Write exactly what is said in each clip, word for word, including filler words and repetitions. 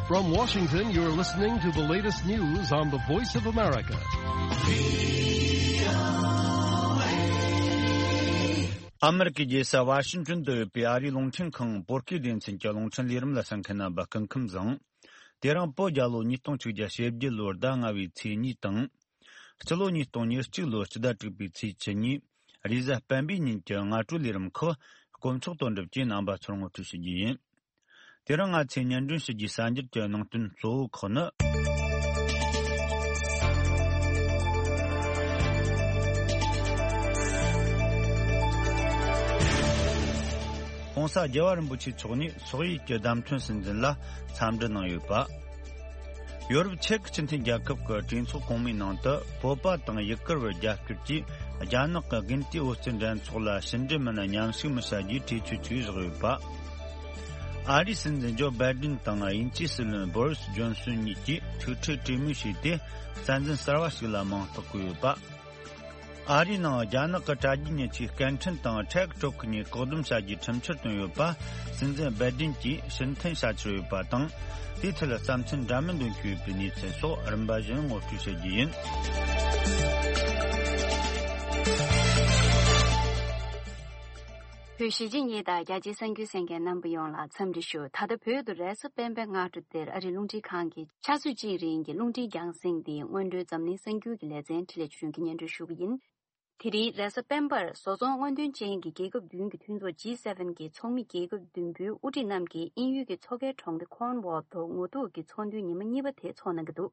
From Washington, you're listening to the latest news on the Voice of America. ཨ་མེ་རི་ཀའི་རྒྱལ་ས་ཝ་ཤིང་ཊོན་དུ་ཡོད་པའི་ཨ་རིའི་རླུང་འཕྲིན་ཁང་བོད་སྐད་སྡེ་ཚན་གྱི་རླུང་འཕྲིན་ལས་རིམ་ལ་གསན་མཁན་རྣམ་པ་སྐུ་ཁམས་བཟང་། དེ་རིང་བོད་རྒྱལ་ལོ་ཉིས་སྟོང་ཆིག་བརྒྱ་ཞེ་བརྒྱད་ལོའི་ཟླ་ལྔ་བའི་ཚེས་གཉིས་དང་། སྤྱི་ལོ་ཉིས་སྟོང་ཉེར་གཅིག་ལོའི་སྤྱི་ཟླ་དྲུག་པའི་ཚེས་བཅུ་གཉིས། རེས་གཟའ་སྤེན་པའི་ཉིན་གྱི་སྔ་དྲོའི་ལས་རིམ་ཁག་དཀོན་མཆོག་དོན་གྲུབ་ཀྱིས་རྣམ་པ་ཚོར་ངོ་སྤྲོད་ཞུ་རྒྱུ་ཡིན། དེ་རིང་ང་ཚོས་སྙན་སྒྲོན་ཞུ་རྒྱུའི་གསར་འགྱུར་གྱི་ནང་དོན་གཙོ་བོ་ཁག་ནི། ྋགོང་ས་རྒྱལ་བ་རིན་པོ་ཆེ་མཆོག་ནས་སོག་ཡུལ་གྱི་བརྡ་མཚོན་སྲིད་འཛིན་ལ་འཚམས་འདྲི་གནང་ཡོད་པ། ཡོ་རོབ་ཆེག་སྤྱི་མཐུན་རྒྱལ་ཁབ་ཀྱི་གྲོས་ཚོགས་གོང་མའི་ནང་དུ་བོད་པ་དང་ཡུ་གུར་བར་རྒྱབ་སྐྱོར་གྱིས་རྒྱ་ནག་གི་དགུན་དུས་འོ་སྐོལ་འགྲན་ཚོགས་ལ་ཕྱི་འབྲེལ་མི་སྣ་མཉམ་ཞུགས་མི་བྱ་རྒྱུའི་གྲོས་ཆོད་ཅིག་བཞག་ཡོད་པ། ཨ་རིའི་སྲིད་འཛིན་ཇོ་བྷའི་ཌེན་དང་དབྱིན་ཇིའི་སྲིད་བློན་བོ་རིས་ཇོན་སོན་གཉིས་ཀྱིས་ཐུག་འཕྲད་གྲོས་མོལ་བྱས་ཏེ། རྩ་འཛིན་གསར་བ་ཞིག་ལ་མིང་རྟགས་བཀོད་ཡོད་པ། ཨ་རིའི་ནང་རྒྱ་ནག་གི་དྲ་རྒྱའི་མྱི་ཆས་སྐད་འཕྲིན་དང་ཊིག་ཊོག་གི་ངོས་བཀག་སྡོམ་བྱ་རྒྱུའི་ཁྲིམས་འཆར་བཏོན་ཡོད་པ། སྲིད་འཛིན་བྷའི་ཌེན་གྱིས་ཕྱིར་འཐེན་བྱ་འཆར་ཡོད་པ་དང་། དེའི་ཐད་ལ་བསམ་ཚུལ་འདྲ་མིན་འདོན་གྱི་ཡོད་པའི་གནས་ཚུལ་སོགས་རིམ་པ་བཞིན་ངོ་སྤྲོད་བྱ་རྒྱུ་ཡིན། བོད་གཞིས་བྱེས་གཉིས་དང་རྒྱ་ཆེའི་གསར་འགྱུར་གསན་མཁན་རྣམ་པ་ཡོངས་ལ་འཚམས་འདྲི་ཞུ། ད་ལྟ་བོད་དུ་རེས་གཟའ་སྤེན་པའི་སྔ་དྲོ་དེར་ཨ་རིའི་རླུང་འཕྲིན་ཁང་གི་ཆུ་ཚོད་གཅིག་རིང་གི་རླུང་འཕྲིན་རྒྱང་སྲིང་འདི་སྔོན་འགྲོའི་འཛམ་གླིང་གསར་འགྱུར་གྱི་ལེ་ཚན་འཕྲིན་ལས་ཆོས་སྒྲོན་གྱིས་སྙན་སྒྲོན་ཞུ་གི་ཡིན། དེ་རིང་རེས་གཟའ་སྤེན་པར་བཟོ་ཚོང་དངོས་དོན་ཅན་གྱི་རྒྱལ་ཁབ་བདུན་གྱི་མཐུན་ཚོགས་ཇི་སེ་ཝེན་གྱི་ཚོགས་མི་རྒྱལ་ཁབ་བདུན་པོའི་དབུ་ཁྲིད་རྣམས་ཀྱིས་དབྱིན་ཡུལ་གྱི་མཚོ་ཁའི་གྲོང་ཁྱེར་ཁོར་ནུ་ཝོལ་དུ་ངོ་ཐུག་གི་ཚོགས་འདུའི་ཉི་མ་གཉིས་པ་དེ་འཚོགས་གནང་གི་འདུག་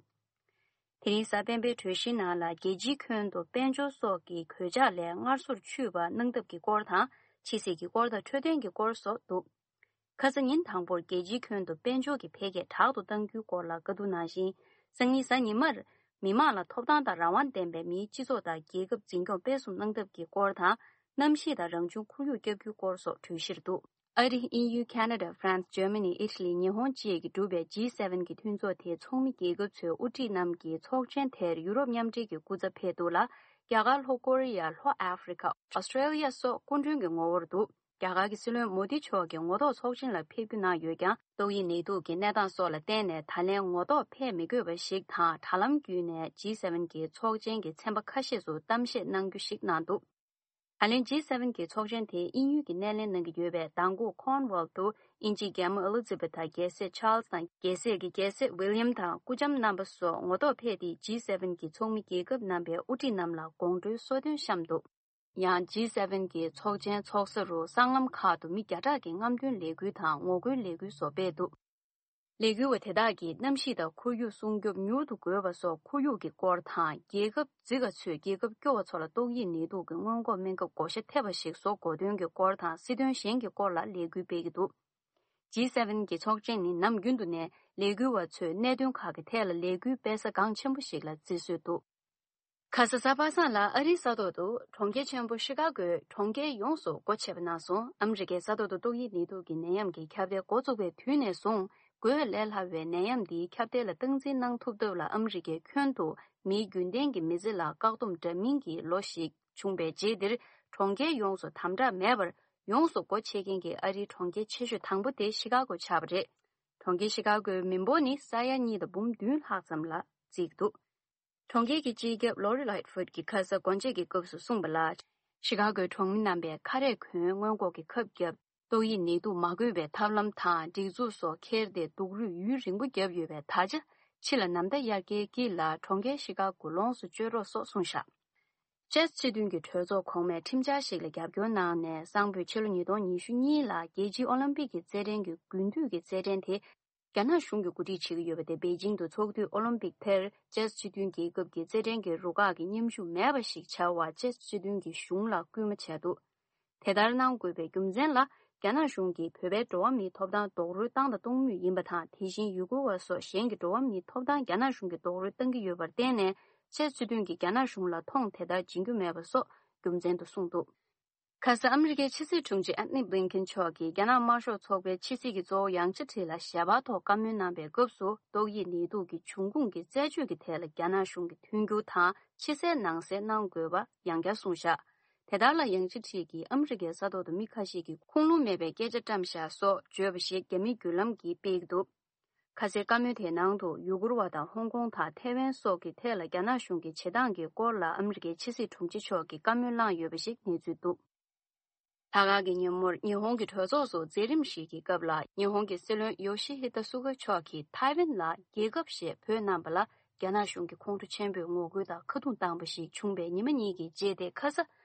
དེ་རིང་གཟའ་སྤེན་པའི་གྲོས་གཞིའི་ནང་ལ་རྒྱལ་སྤྱིའི་ཁྱོན་དུ་དཔལ་འབྱོར་སོགས་ཀྱི་གོད་ཆག་ལས་སྔར་སོར་ཆུད་པ་གནང་ཐབས་ཀྱི་སྐོར་དང་། ཕྱི་སྲིད་ཀྱི་སྐོར་དང་འཕྲོད་བསྟེན་གྱི་སྐོར་སོགས་འདུག་ཁ་ས་ཉིན་དང་པོར་རྒྱལ་སྤྱིའི་ཁྱོན་དུ་དཔལ་འབྱོར་གྱི་འཕེལ་རྒྱས་དྲག་ཏུ་གཏང་རྒྱུའི་སྐོར་ལ་བཀའ་བསྡུར་གནང་ཞིང་། སང་ཉིན་གཟའ་ཉི་མར་མི་དམངས་ལ་ཐོབ་ཐང་དང་རང་དབང་ལྡན་པའི་མིའི་སྤྱི་ཚོགས་དང་རྒྱལ་ཁབ་འཛིན་སྐྱོང་སྤེལ་གསུམ་གནང་ཐབས་ཀྱི་སྐོར་དང་། གནམ་གཤིས་དང་རང་བྱུང་ཁོར་ཡུག་བསྐྱབ་རྒྱུའི་སྐོར་སོགས་གྲོས་གཞིར་འདུག་ཨ་རི། དབྱིན་ཡུལ། ཁ་ན་ཌ། ཧྥ་རན་སི། འཇར་མ་ནི། ཨི་ཊ་ལི། ཉི་ཧོང་བཅས་ཀྱིས་གྲུབ་པའི་ཇི་སེ་ཝེན་གྱི་མཐུན་ཚོགས་དེའི་ཚོགས་མི་རྒྱལ་ཁབ་ཚོའི་དབུ་ཁྲིད་རྣམས་ཀྱི་ཚོགས་ཆེན་དེར་ཡུ་རོབ་མཉམ་འབྲེལ་གྱི་སྐུ་ཚབ་ཕེབས་འདུག་ལ། རྒྱ་གར། ལྷོ་ཀོ་རི་ཡ། ལྷོ་ཨ་ཧྥེ་རི་ཁ། ཨོ་སི་ཀྲེ་ལི་ཡ་སོགས་སྐུ་མགྲོན་གྱི་ངོ་བོར་འདུག་རྒྱ་གར་གྱི་སྲིད་བློན་མོ་དི་མཆོག་གིས་ངོ་ཐོག་ཚོགས་ཆེན་ལ་ཕེབས་རྒྱུ་གནང་ཡོད་ཀྱང་། ཏོག་དབྱིབས་ནད་དུག་གི་གནས་སྟངས་སོགས་ལ་བརྟེན་ནས་ད་ལན་ངོ་ཐོག་ཕེབས་མི་དགོས་པ་ཞིག་དང་། དྲ་ལམ་བརྒྱུད་ནས་ཇི་སེ་ཝེན་གྱི་ཚོགས་ཆེན་གྱི་ཚན་པ་ཁ་ཤས་སུ་གཏམ་བཤད་གནང་རྒྱུ་ཞིག་གནང་འདུག་ད་ལན་ཇི་སེ་ཝེན་གྱི་ཚོགས་ཆེན་དེ་དབྱིན་ཡུལ་གྱི་སྣེ་ལེན་གནང་གི་ཡོད་པས། མདང་དགོང་ཁོར་ནུ་ཝོལ་དུ་དབྱིན་ཇིའི་རྒྱལ་མོ་ཨེ་ལི་ཛི་བེ་ཐ་དང་རྒྱལ་སྲས་ཆཱལ་སི་དང་རྒྱལ་སྲས་ཀྱི་རྒྱལ་སྲས་ཝི་ལི་ཡམ་དང་སྐུ་ལྕམ་རྣམ་པ་སོགས་ངོ་ཐོག་ཕེབས་ཏེ། ཇི་སེ་ཝེན་གྱི་ཚོགས་མི་རྒྱལ་ཁབ་རྣམ་པའི་དབུ་ཁྲིད་རྣམས་ལ་དགོང་དྲོའི་གསོལ་སྟོན་བཤམས་འདུག་ཡང་ཇི་སེ་ཝེན་གྱི་ཚོགས་ཆེན་འཚོགས་ས་རུ་སྲང་ལམ་ཁག་ཏུ་མི་བརྒྱ་ཕྲག་གི་རྔམ་སྟོན་ལས་འགུལ་དང་ངོ་རྒོལ་ལས་འགུལ་སོགས་སྤེལ་འདུག་ལས་འགུལ་བ་དེ་དག་གིས་གནམ་གཤིས་དང་ཁོར་ཡུག་སྲུང་སྐྱོབ་མྱུར་དུ་དགོས་པ་སོགས་ཁོར་ཡུག་གི་སྐོར་དང་། རྒྱལ་ཁབ་འཛི་ག་ཚོས་རྒྱལ་ཁབ་སྐྱོ་བ་ཚོ་ལ་ཏོག་དབྱིབས་ནད་དུག་གི་སྔོན་འགོག་སྨན་ཁབ་བགོ་བཤའ་ཐེབས་པ་ཞིག་བཟོ་དགོས་དོན་གྱི་སྐོར་དང་། སྲིད་དོན་གཞན་གྱི་སྐོར་ལ་ལས་འགུལ་སྤེལ་གྱི་འདུག་ཇི་སེ་ཝེན་གྱི་ཚོགས་ཆེན་ནི་ནམ་རྒྱུན་དུ་ནས་ལས་འགུལ་བ་ཚོས་གནད་དོན་ཁག་གི་ཐད་ལ་ལས་འགུལ་སྤེལ་ས་འགངས་ཆེན་པོ་ཞིག་ལ་བརྩི་སྲོལ་འདུག་ཁ་ས་གཟའ་པ་སངས་ལ་ཨ་རིའི་ས་ཐོག་ཏུ་གྲོང་ཁྱེར་ཆེན་པོ་ཤི་ཀ་གོས་གྲོང་ཁྱེར་ཡོངས་སུ་སྒོ་ཕྱེ་བ་གནང་སོང་། ཨ་མི་རི་ཀའི་ས་ཐོག་ཏུ་ཏོག་དབྱིབས་ནད་དུག་གི་ནད་ཡམས་ཀྱི་ཁྱབ་གདལ་འགོ་བཙུགས་པའི་དུས་ནས་བཟུང་། འགོས་ལས་སླ་བའི་ནད་ཡམས་འདིའི་ཁྱབ་གདལ་ལ་སྟངས་འཛིན་གནང་ཐུབ་ཐབས་ལ་ཨ་མི་རི་ཀའི་ཁྱོན་དུ་མིའི་རྒྱུན་ལྡན་གྱི་མི་ཚེ་ལ་བཀག་སྡོམ་འདྲ་མིན་གྱི་ལོ་ཞིག་བྱུང་བའི་རྗེས་འདིར། གྲོང་ཁྱེར་ཡོངས་སུ་དམ་དྲག་མེད་པར་ཡོངས་སུ་སྒོ་ཕྱེ་མཁན་གྱི་ཨ་རིའི་གྲོང་ཁྱེར་ཆེ་ཤོས་དང་པོ་དེ་ཤི་ཀ་གོ་ཆགས་པ་རེད། གྲོང་ཁྱེར་ཤི་ཀ་གོའི་མི་འབོར་ནི་ས་ཡ་གཉིས་དང་འབུམ་བདུན་ལྷག་ཙམ་ལ་བརྩིས་འདུག་གྲོང་ཁྱེར་གྱི་སྤྱི་ཁྱབ་ལོ་རི་ལའིཊ་ཧྥུཌ་ཀྱིས་ཁ་ས་སྒོ་འབྱེད་ཀྱི་སྐབས་སུ་གསུངས་པ་ལ། ཤི་ཀ་གོའི་གྲོང་མི་རྣམ་པས་ཁ་རས་གོན། སྔོན་འགོག་གི་ཁབ་བརྒྱབ། ཏོག་དབྱིབས་ནད་དུག་མ་འགོས་པའི་ཐབས་ལམ་དང་སྒྲིག་འཛུགས་སོགས་འཁྱེར་ཏེ་སྡུག་རུས་ཡུན་རིང་པོ་བརྒྱབ་ཡོད་པས། ད་ཆ་ཕྱི་ལ་ནམ་ཟླ་དབྱར་ཁའི་དཀྱིལ་ལ་གྲོང་ཁྱེར་ཤི་ཀ་གོ་ལོངས་སུ་སྤྱོད་རོགས་སོགས་གསུངས་བཞག་ཅེས་སྤྱི་མཐུན་གྱི་གྲོས་ཚོགས་གོང་མས་ཁྲིམས་འཆར་ཞིག་ལ་རྒྱབ་སྐྱོར་གནང་ནས། གསང་ཕོད་ཕྱི་ལོ་ཉིས་སྟོང་ཉི་ཤུ་གཉིས་ལ་རྒྱལ་སྤྱིའི་ཨོ་ལིམ་པིག་གི་རྩེད་འགྲན་གྱི་དགུན་དུས་ཀྱི་རྩེད་འགྲན་དེ་རྒྱ་ནག་གཞུང་གིས་གོ་སྒྲིག་བྱེད་ཀྱི་ཡོད་པ་དེ། པེ་ཅིང་དུ་ཚོགས་དུས་ཨོ་ལིམ་པིག་དེར་ཅེས་སྤྱི་མཐུན་རྒྱལ་ཁབ་ཀྱི་རྩེད་འགྲན་གྱི་རུ་ཁག་གི་མཉམ་ཞུགས་མེད་པ་ཞིག་བྱ་བར་ཅེས་སྤྱི་མཐུན་གྱི་གཞུང་ལ་སྐུལ་མ་བྱས་འདུག་དེ་ལྟར་གནང་དགོས་པའི་རྒྱུ་མཚན་ལ། རྒྱ་ནག་གཞུང་གིས་བོད་པའི་འགྲོ་བ་མིའི་ཐོབ་ཐང་རྡོག་རོལ་བཏང་དང་གཏོང་མུས་ཡིན་པ་དང་། དེ་བཞིན་ཡུ་གུར་བ་སོགས་གཞན་གྱི་འགྲོ་བ་མིའི་ཐོབ་ཐང་རྒྱ་ནག་གཞུང་གིས་རྡོག་རོལ་བཏང་གི་ཡོད་པར་བརྟེན་ནས། ཅེས་སྤྱི་མཐུན་གྱིས་རྒྱ་ནག་གཞུང་ལ་མཐོང་དེ་ལྟར་སྦྱིན་རྒྱུ་མེད་པ་སོགས་རྒྱུ་མཚན་དུ་གསུངས་འདུག་ཁ་ས་ཨ་མི་རི་ཀའི་ཕྱི་སྲིད་དྲུང་ཆེ་ཨན་ནི་བྷི་ལིན་ཀེན་མཆོག་གིས་རྒྱ་ནག་དམར་ཤོག་ཚོགས་པའི་ཕྱི་སྲིད་ཀྱི་གཙོ་བོ་ཡང་ཅི་ཁྲི་ལ་ཞལ་པར་ཐོག་བཀའ་མོལ་གནང་བའི་སྐབས་སུ། ཏོག་དབྱིབས་ནད་དུག་གི་འབྱུང་ཁུངས་ཀྱི་རྩད་གཅོད་ཀྱི་ཐད་ལ་རྒྱ་ནག་གཞུང་གི་མཐུན་འགྱུར་དང་། ཕྱི་གསལ་ནང་གསལ་གནང་དགོས་པ་ཡང་བསྐྱར་གསུངས་བཞག་དེ་ལྟར་ལ་ཡང་ཅི་ཁྲི་གིས་ཨ་མི་རི་ཀའི་ས་ཐོག་ཏུ་མི་ཁ་ཤས་ཀྱིས་ཁུངས་ལུང་མེད་པའི་སྐད་ཆ་བཀྲམ་བཞག་སོགས་བརྗོད་པ་ཞིག་རྒྱ་མིའི་བརྒྱུད་ལམ་གྱིས་སྤེལ་གྱི་འདུག་ཁ་སའི་བཀའ་མོལ་དེའི་ནང་དུ་ཡུ་གུར་བ་དང་ཧོང་ཀོང་དང་ཐའེ་ཝན་སོགས་ཀྱི་ཐད་ལ་རྒྱ་ནག་གཞུང་གི་བྱེད་སྟངས་ཀྱི་སྐོར་ལ་ཨ་མི་རི་ཀའི་ཕྱི་སྲིད་དྲུང་ཆེ་མཆོག་གིས་བཀའ་མོལ་གནང་ཡོད་པ་ཞིག་གནས་ཚུལ་འདུག་ད་ག་གི་ཉིན་མོར་ཉི་ཧོང་གི་གྲོས་ཚོགས་སུ་མཛད་རིམ་ཞིག་གི་སྐབས་ལ་ཉི་ཧོང་གི་སྲིད་བློན་ཡོ་ཤི་ཧི་ད་སུ་ག་མཆོག་གིས་ཐའེ་ཝན་ལ་རྒྱལ་ཁབ་ཞེས་འབོད་གནང་པ་ལ་རྒྱ་ནག་གཞུང་གིས་ཁོང་ཁྲོ་ཆེན་པོས་ངོ་རྒོལ་དང་ཁ་རྡུང་བཏང་པ་ཞིག་བྱུང་བའི་ཉི་མ་གཉིས་ཀྱི་རྗེས་དེ་ཁ་ས་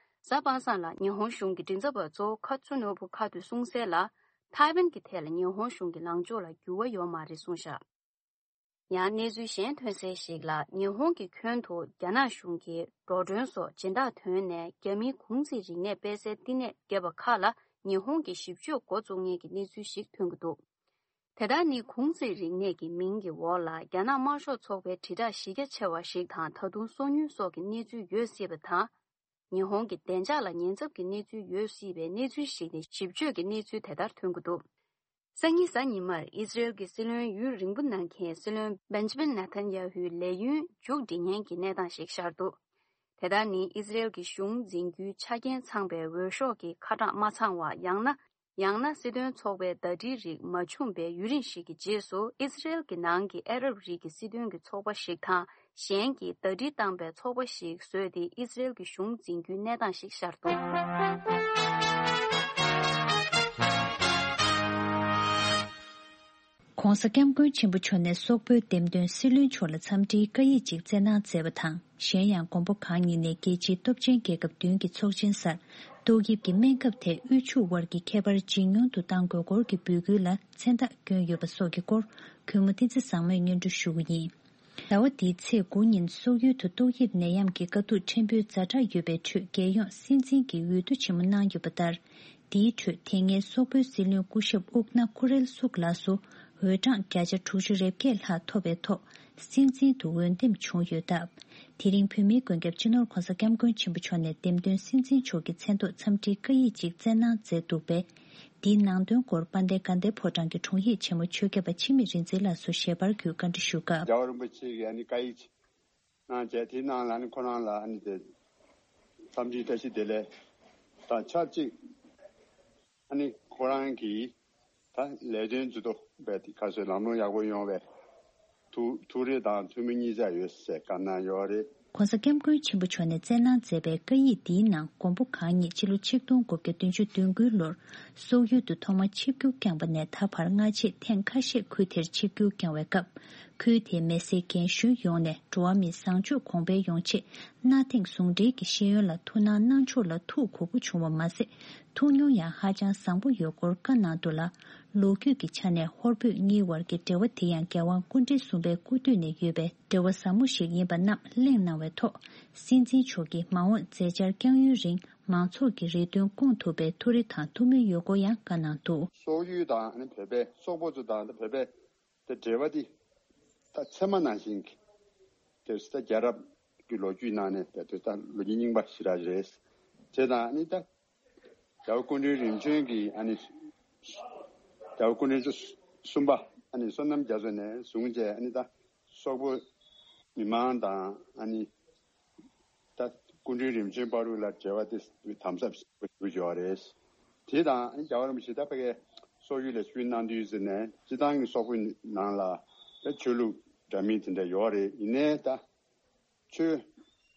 གཟའ་པ་སངས་ལ་ཉི་ཧོང་གཞུང་གི་མགྲིན་ཚབ་པ་ཙོ་ཁ་ཚུ་ནོ་བུ་ཁ་ཐུ་གསུངས་གསལ་ལ། ཐའེ་ཝན་གྱི་ཐད་ལ་ཉི་ཧོང་གཞུང་གི་ལངས་ཕྱོགས་ལ་འགྱུར་བ་ཡོད་མ་རེད་གསུངས་བཞག་ཡང་གནས་ཚུལ་གཞན་ཐོན་གསལ་ཞིག་ལ་ཉི་ཧོང་གི་ཁྱོན་དུ་རྒྱ་ནག་གཞུང་གིས་འགྲོ་གྲོན་སོགས་སྦྱིན་བདག་དོན་ནས་རྒྱ་མིའི་གུང་ཚིགས་རིག་གནས་སྤེལ་སའི་བསྟི་གནས་བརྒྱབ་པ་ཁག་ལ་ཉི་ཧོང་གིས་ཞིབ་དཔྱོད་འགོ་བཙུགས་མཁན་གྱི་གནས་ཚུལ་ཞིག་ཐོན་གྱི་འདུག་དེ་ལྟར་ནི་གུང་ཚིགས་རིག་གནས་ཀྱི་མིང་གི་འོག་ལ་རྒྱ་ནག་དམར་ཤོག་ཚོགས་པའི་དྲིལ་བསྒྲགས་གཞི་རྒྱ་ཆེ་བ་ཞིག་དང་ད་དུང་སོ་ཉུལ་སོགས་ཀྱི་གནས་ཚུལ་ཡོད་སྲིད་པ་དང་། ཉི་ཧོང་གི་བདེ་འཇགས་ལ་ཉེན་ཚབས་ཀྱི་གནས་ཚུལ་ཡོད་སྲིད་པའི་གནས་ཚུལ་ཞིག་ནི་ཞིབ་དཔྱོད་ཀྱི་གནས་ཚུལ་དེ་ལྟར་ཐོན་གྱི་འདུག་སང་ཉིན་གཟའ་ཉི་མར་ཨི་ཟི་རེལ་གྱི་སྲིད་བློན་ཡུན་རིང་པོ་གནང་མཁན་སྲིད་བློན་བེན་ཇི་མིན་ནེ་ཐན་ཡ་ཧུའི་ལས་ཡུན་མཇུག་སྒྲིལ་མཁན་གྱི་གནས་སྟངས་ཤིག་ཤར་འདུག་དེ་ལྟར་ནི་ཨི་ཟི་རེལ་གྱི་གཞུང་འཛིན་རྒྱུའི་ཆ་རྐྱེན་ཚང་པའི་འོས་ཤོག་གི་ཁ་གྲངས་མ་ཚང་བ་ཡང་ན། ཡང་ན་སྲིད་དོན་ཚོགས་པའི་ཟླ་སྒྲིལ་རིགས་མ་བྱུང་པའི་ཡུན་རིང་ཞིག་གི་རྗེས་སུ་ཨི་ཟི་རེལ་གྱི་ནང་གི་ཨ་རབ་རིགས་ཀྱི་སྲིད་དོན་གྱི་ཚོགས་པ་ཞིག་དང་གཞན་གྱིས་ཟླ་སྒྲིལ་བཏང་པའི་ཚོགས་པ་ཞིག་བཟོས་ཏེ་ཨི་ཟི་རེལ་གྱི་གཞུང་འཛིན་རྒྱུའི་གནས་སྟངས་ཤིག་ཤར་འདུག ༸གོང་ས་༸སྐྱབས་མགོན་ཆེན་པོ་མཆོག་ནས་སོག་པོའི་འདེམས་ཐོན་སྲིད་བློན་མཆོག་ལ་འཚམས་འདྲིའི་བཀའ་ཡིག་ཅིག་བསྩལ་གནང་མཛད་པ་དང་། གཞན་ཡང་མགོན་པོ་གང་ཉིད་ནས་རྒྱལ་སྤྱིའི་སྟོབས་ཆེན་རྒྱལ་ཁབ་བདུན་གྱི་ཚོགས་ཆེན་སར་ཏོག་དབྱིབས་ཀྱི་སྨན་ཁབ་དེ་དབུལ་ཕྱུག་དབར་གྱི་ཁྱད་པར་ཇེ་ཉུང་དུ་གཏང་དགོས་སྐོར་གྱི་འབོད་སྐུལ་ལ་མཚན་རྟགས་བསྐྱོན་ཡོད་པ་སོགས་ཀྱི་སྐོར་གུས་མོ་བསྟན་འཛིན་བཟང་མོས་སྙན་སྒྲོན་ཞུ་གི་ཡིན། ཟླ་བ་འདིའི་ཚེས་དགུ་ཉིན་སོག་ཡུལ་དུ་ཏོག་དབྱིབས་ནད་ཡམས་ཀྱི་དཀའ་སྡུག་ཕྲན་བུའི་ཛ་དྲག་ཡོད་པའི་ཁྲོད་རྒྱལ་ཡོངས་སྲིད་འཛིན་གྱི་འོས་བསྡུ་ཆེན་མོ་གནང་ཡོད་པ་ལྟར། འདིའི་ཁྲོད་དེ་སྔའི་སོག་པོའི་སྲིད་བློན་སྐུ་ཞབས་ཨུག་ན་ཁུ་རེལ་སུག་ལགས་སུ་འོས་གྲངས་བརྒྱ་ཆ་དྲུག་ཅུ་རེ་བརྒྱད་ལྷག་ཐོབ་པའི་ཐོག་སྲིད་འཛིན་དུ་འོས་འདེམས་བྱུང་ཡོད་སྟབས། དེ་རིང་བོད་མིའི་མགོན་སྐྱབས་སྤྱི་ནོར་༸གོང་ས་༸སྐྱབས་མགོན་ཆེན་པོ་མཆོག་ནས་འདེམས་ཐོན་སྲིད་འཛིན་མཆོག་གི་མཚན་ཐོག་འཚམས་འདྲིའི་བཀའ་ཡིག་ཅིག་བསྩལ་གནང་མཛད་འདུག་པས། འདིའི་ནང་དོན་སྐོར་དཔལ་ལྡན་དགའ་ལྡན་ཕོ་བྲང་གི་དྲུང་ཡིག་ཆེན་མོ་ཆོས་སྐྱབས་པ་འཆི་མེད་རིག་འཛིན་ལགས་སུ་ཞལ་པར་བརྒྱུད་བཀའ་འདྲི་ཞུ་སྐབས། རྒྱལ་བ་རིན་པོ་ཆེ་གིས་ཨ་ནི་བཀའ་ཡིག་གནང་བྱས་དེའི་ནང་ལ་ཨ་ནི་ཁོ་རང་ལ་ཨ་ནི་དེ་འཚམས་འདྲིའི་བཀྲ་ཤིས་བདེ་ལེགས་དང་ཆབས་ཅིག་ཨ་ནི་ཁོ་རང་གིས་ད་ལས་དོན་ཇུས་གཏོགས་པའི་ཁ་སོའི་ལམ་ལྷོང་ཡག་པོ་ཡོང་བའི་ཐུགས་ཐུགས་རེ་དང་ཐུགས་སྨོན་གཉིས་ཆ་ཡོད་ཟེར་བཀའ་གནང་ཡོད་རེད། ༸གོང་ས་༸སྐྱབས་མགོན་ཆེན་པོ་མཆོག་ནས་བསྩལ་གནང་མཛད་པའི་བཀའ་ཡིག་འདིའི་ནང་མགོན་པོ་གང་ཉིད་ཕྱི་ལོ་ཆིག་སྟོང་དགུ་བརྒྱ་བདུན་ཅུ་དོན་དགུའི་ལོར་སོག་ཡུལ་དུ་ཐོག་མར་ཆིབས་བསྒྱུར་བསྐྱངས་པ་ནས་ད་བར་སྔ་རྗེས་ཐེངས་ཁ་ཤས་ཁུལ་དེར་ཆིབས་བསྒྱུར་བསྐྱངས་བའི་སྐབས། ཁུལ་དེའི་མི་སེར་རྒན་གཞོན་ཡོངས་ནས་འགྲོ་བ་མིའི་བཟང་སྤྱོད་གོང་འཕེལ་ཡོང་ཆེད་གནའ་དེང་ཟུང་འབྲེལ་གྱི་ཤེས་ཡོན་ལ་ཐུགས་སྣང་གནང་ཕྱོགས་ལ་ཐུགས་མགུ་པོ་བྱུང་བ་མ་ཟད། ཐུགས་མྱོང་ཡང་ཧ་ཅང་བཟང་པོ་ཡོད་སྐོར་བཀའ་གནང་འདུག་ལ། ལོ་རྒྱུས་ཀྱི་ཆ་ནས་ཧོར་བོད་གཉིས་བར་གྱི་འབྲེལ་བ་དེ་ཡང་རྒྱལ་དབང་སྐུ་ཕྲེང་གསུམ་པའི་སྐུ་དུས་ནས་ཡོད་པའི་འབྲེལ་བ་ཟབ་མོ་ཞིག་ཡིན་པ་རྣམས་གླེང་གནང་བའི་ཐོག་སྲིད་འཛིན་མཆོག་གིས་མ་འོངས་མཛད་འཆར་བསྐྱང་ཡུན་རིང་མང་ཚོགས་ཀྱི་རེ་འདུན་སྐོང་ཐུབ་པའི་ཐུགས་རེ་དང་ཐུགས་སྨོན་ཡོད་སྐོར་ཡང་བཀའ་གནང་འདུག་སོག་ཡུལ་དང་ཨ་ནི་བོད་པའི་སོག་པོ་ཚོ་དང་བོད་པའི་དེ་འབྲེལ་བ་འདི་ད་ཚད་མ་ནང་བཞིན་གྱི་དེ་ད་རྒྱལ་རབས་ཀྱི་ལོ་རྒྱུས་ནང་ནས་དེ་ད་ལོ་རྒྱུས་རྙིང་པ་ཞེ་དྲག་རེད། དེ་དང་ཨ་ནི་ད་རྒྱལ་བ་སྐུ་ཕྲེང་རིམ་བྱོན་གྱི་ཨ་ནི་རྒྱལ་བ་སྐུ་ཕྲེང་བཅུ་གསུམ་པ་ཨ་ནི་བསོད་ནམས་རྒྱ་མཚོ་ནས་བཟུང་བྱས་ཨ་ནི་ད་སོག་པོ་མི་མང་དང་ཨ་ནི་ད་སྐུ་ཕྲེང་རིམ་བྱོན་བར་དུ་ལ་འབྲེལ་བ་དེ་དམ་ཟབ་ཞིག་ཡོད་རེད། དེ་དང་རྒྱལ་བ་རིན་པོ་ཆེ་ད་ཕ་གིའི་སོག་ཡུལ་ལ་ཆིབས་བསྒྱུར་གནང་དུས་ཟེར་ནས་སྤྱི་བཏང་གི་སོག་པོའི་ནང་ལ་ད་ཆོས་ལུགས་འདྲ་མིན་དེ་འདྲ་ཡོད་རེད། ཡིན་ནའི་ད་ཆོས་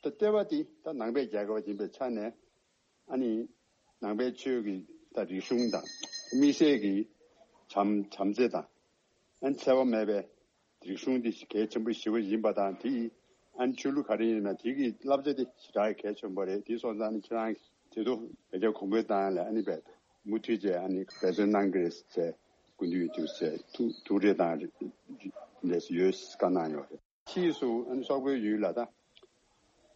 ད་ལྟེ་བ་དེ་ད་ནང་པའི་རྒྱལ་ཁབ་ཡིན་པའི་ཆ་ནས་ཨ་ནི་ནང་པའི་ཆོས་ཀྱི་ད་རིག་གཞུང་དང་དམིགས་བསལ་གྱི་བྱམས་བྱམས་བརྩེ་དང་། ཨ་ནི་འཚེ་བ་མེད་པའི་རིག་གཞུང་འདི་གལ་ཆེན་པོ་ཞེ་པོ་ཡིན་པ་དང་། དེ་ཡིས་ཨ་ནི་ཆོས་ལུགས་ག་རེ་ཡིན་ན་དེ་གི་བསླབ་བྱ་དེ་ཞེ་དྲག་གལ་ཆེན་པོ་རེད། དེ་སོང་ཙང་ཨ་ནི་ཁྱེད་རང་གིས་དེ་ཚོ་བོད་རྒྱ་གོང་འཕེལ་བཏང་ཡ་ལ་ཨ་ནི་བས་མུ་མཐུད་བྱས་ཨ་ནི་འབད་བརྩོན་གནང་གི་རེད་ཟེར་སྐུ་མདུན་དུ་ཟེར་ཐུགས་ཐུགས་རེ་དང་ལས་སུ་ཡོད་བཀའ་གནང་ཡོད་རེད། ཕྱིས་སུ་ཨ་ནི་སོག་པོའི་ཡུལ་ལ་ད་